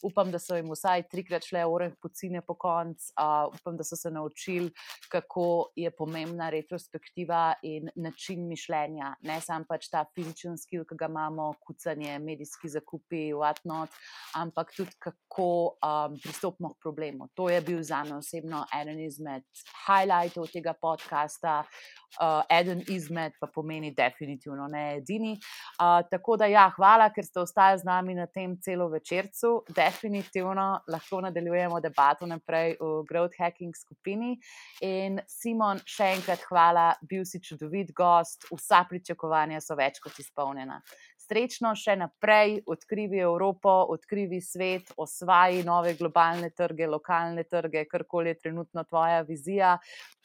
Upam, da so jim vsaj trikrat šle oreh pocine po konc, uh, upam, da so se naučili, kako je pomembna retrospektiva in način mišljenja, ne samo pač ta fizičen skill, ki ga imamo, kucanje, medijski zakupi, whatnot, ampak tudi kako um, pristopimo k problemu. To je bil zame osebno eden izmed highlightov tega podcasta, uh, eden izmed pa pomeni definitivno ne edini. Uh, tako da ja, hvala, ker ste ostali z nami na tem celo večercu. Definitivno lahko nadaljujemo debato naprej v growth hacking skupini. In Simon, še enkrat hvala, bil si čudovit gost, vsa pričakovanja so več kot izpolnjena. Srečno še naprej, odkrivi Evropo, odkrivi svet, osvaji nove globalne trge, lokalne trge, karkoli je trenutno tvoja vizija,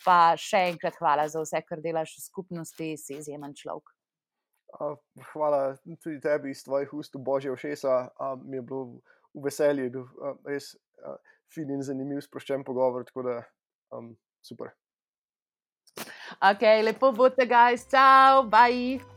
pa še enkrat hvala za vse, kar delaš v skupnosti, si izjemen človek. Uh, hvala tudi tebi iz tvojih ust v božje ušesa, uh, mi je bilo v veselje, bil uh, res uh, fin in zanimiv sproščen pogovor, tako da um, super. Ok, lepo bote, guys, ciao, bye!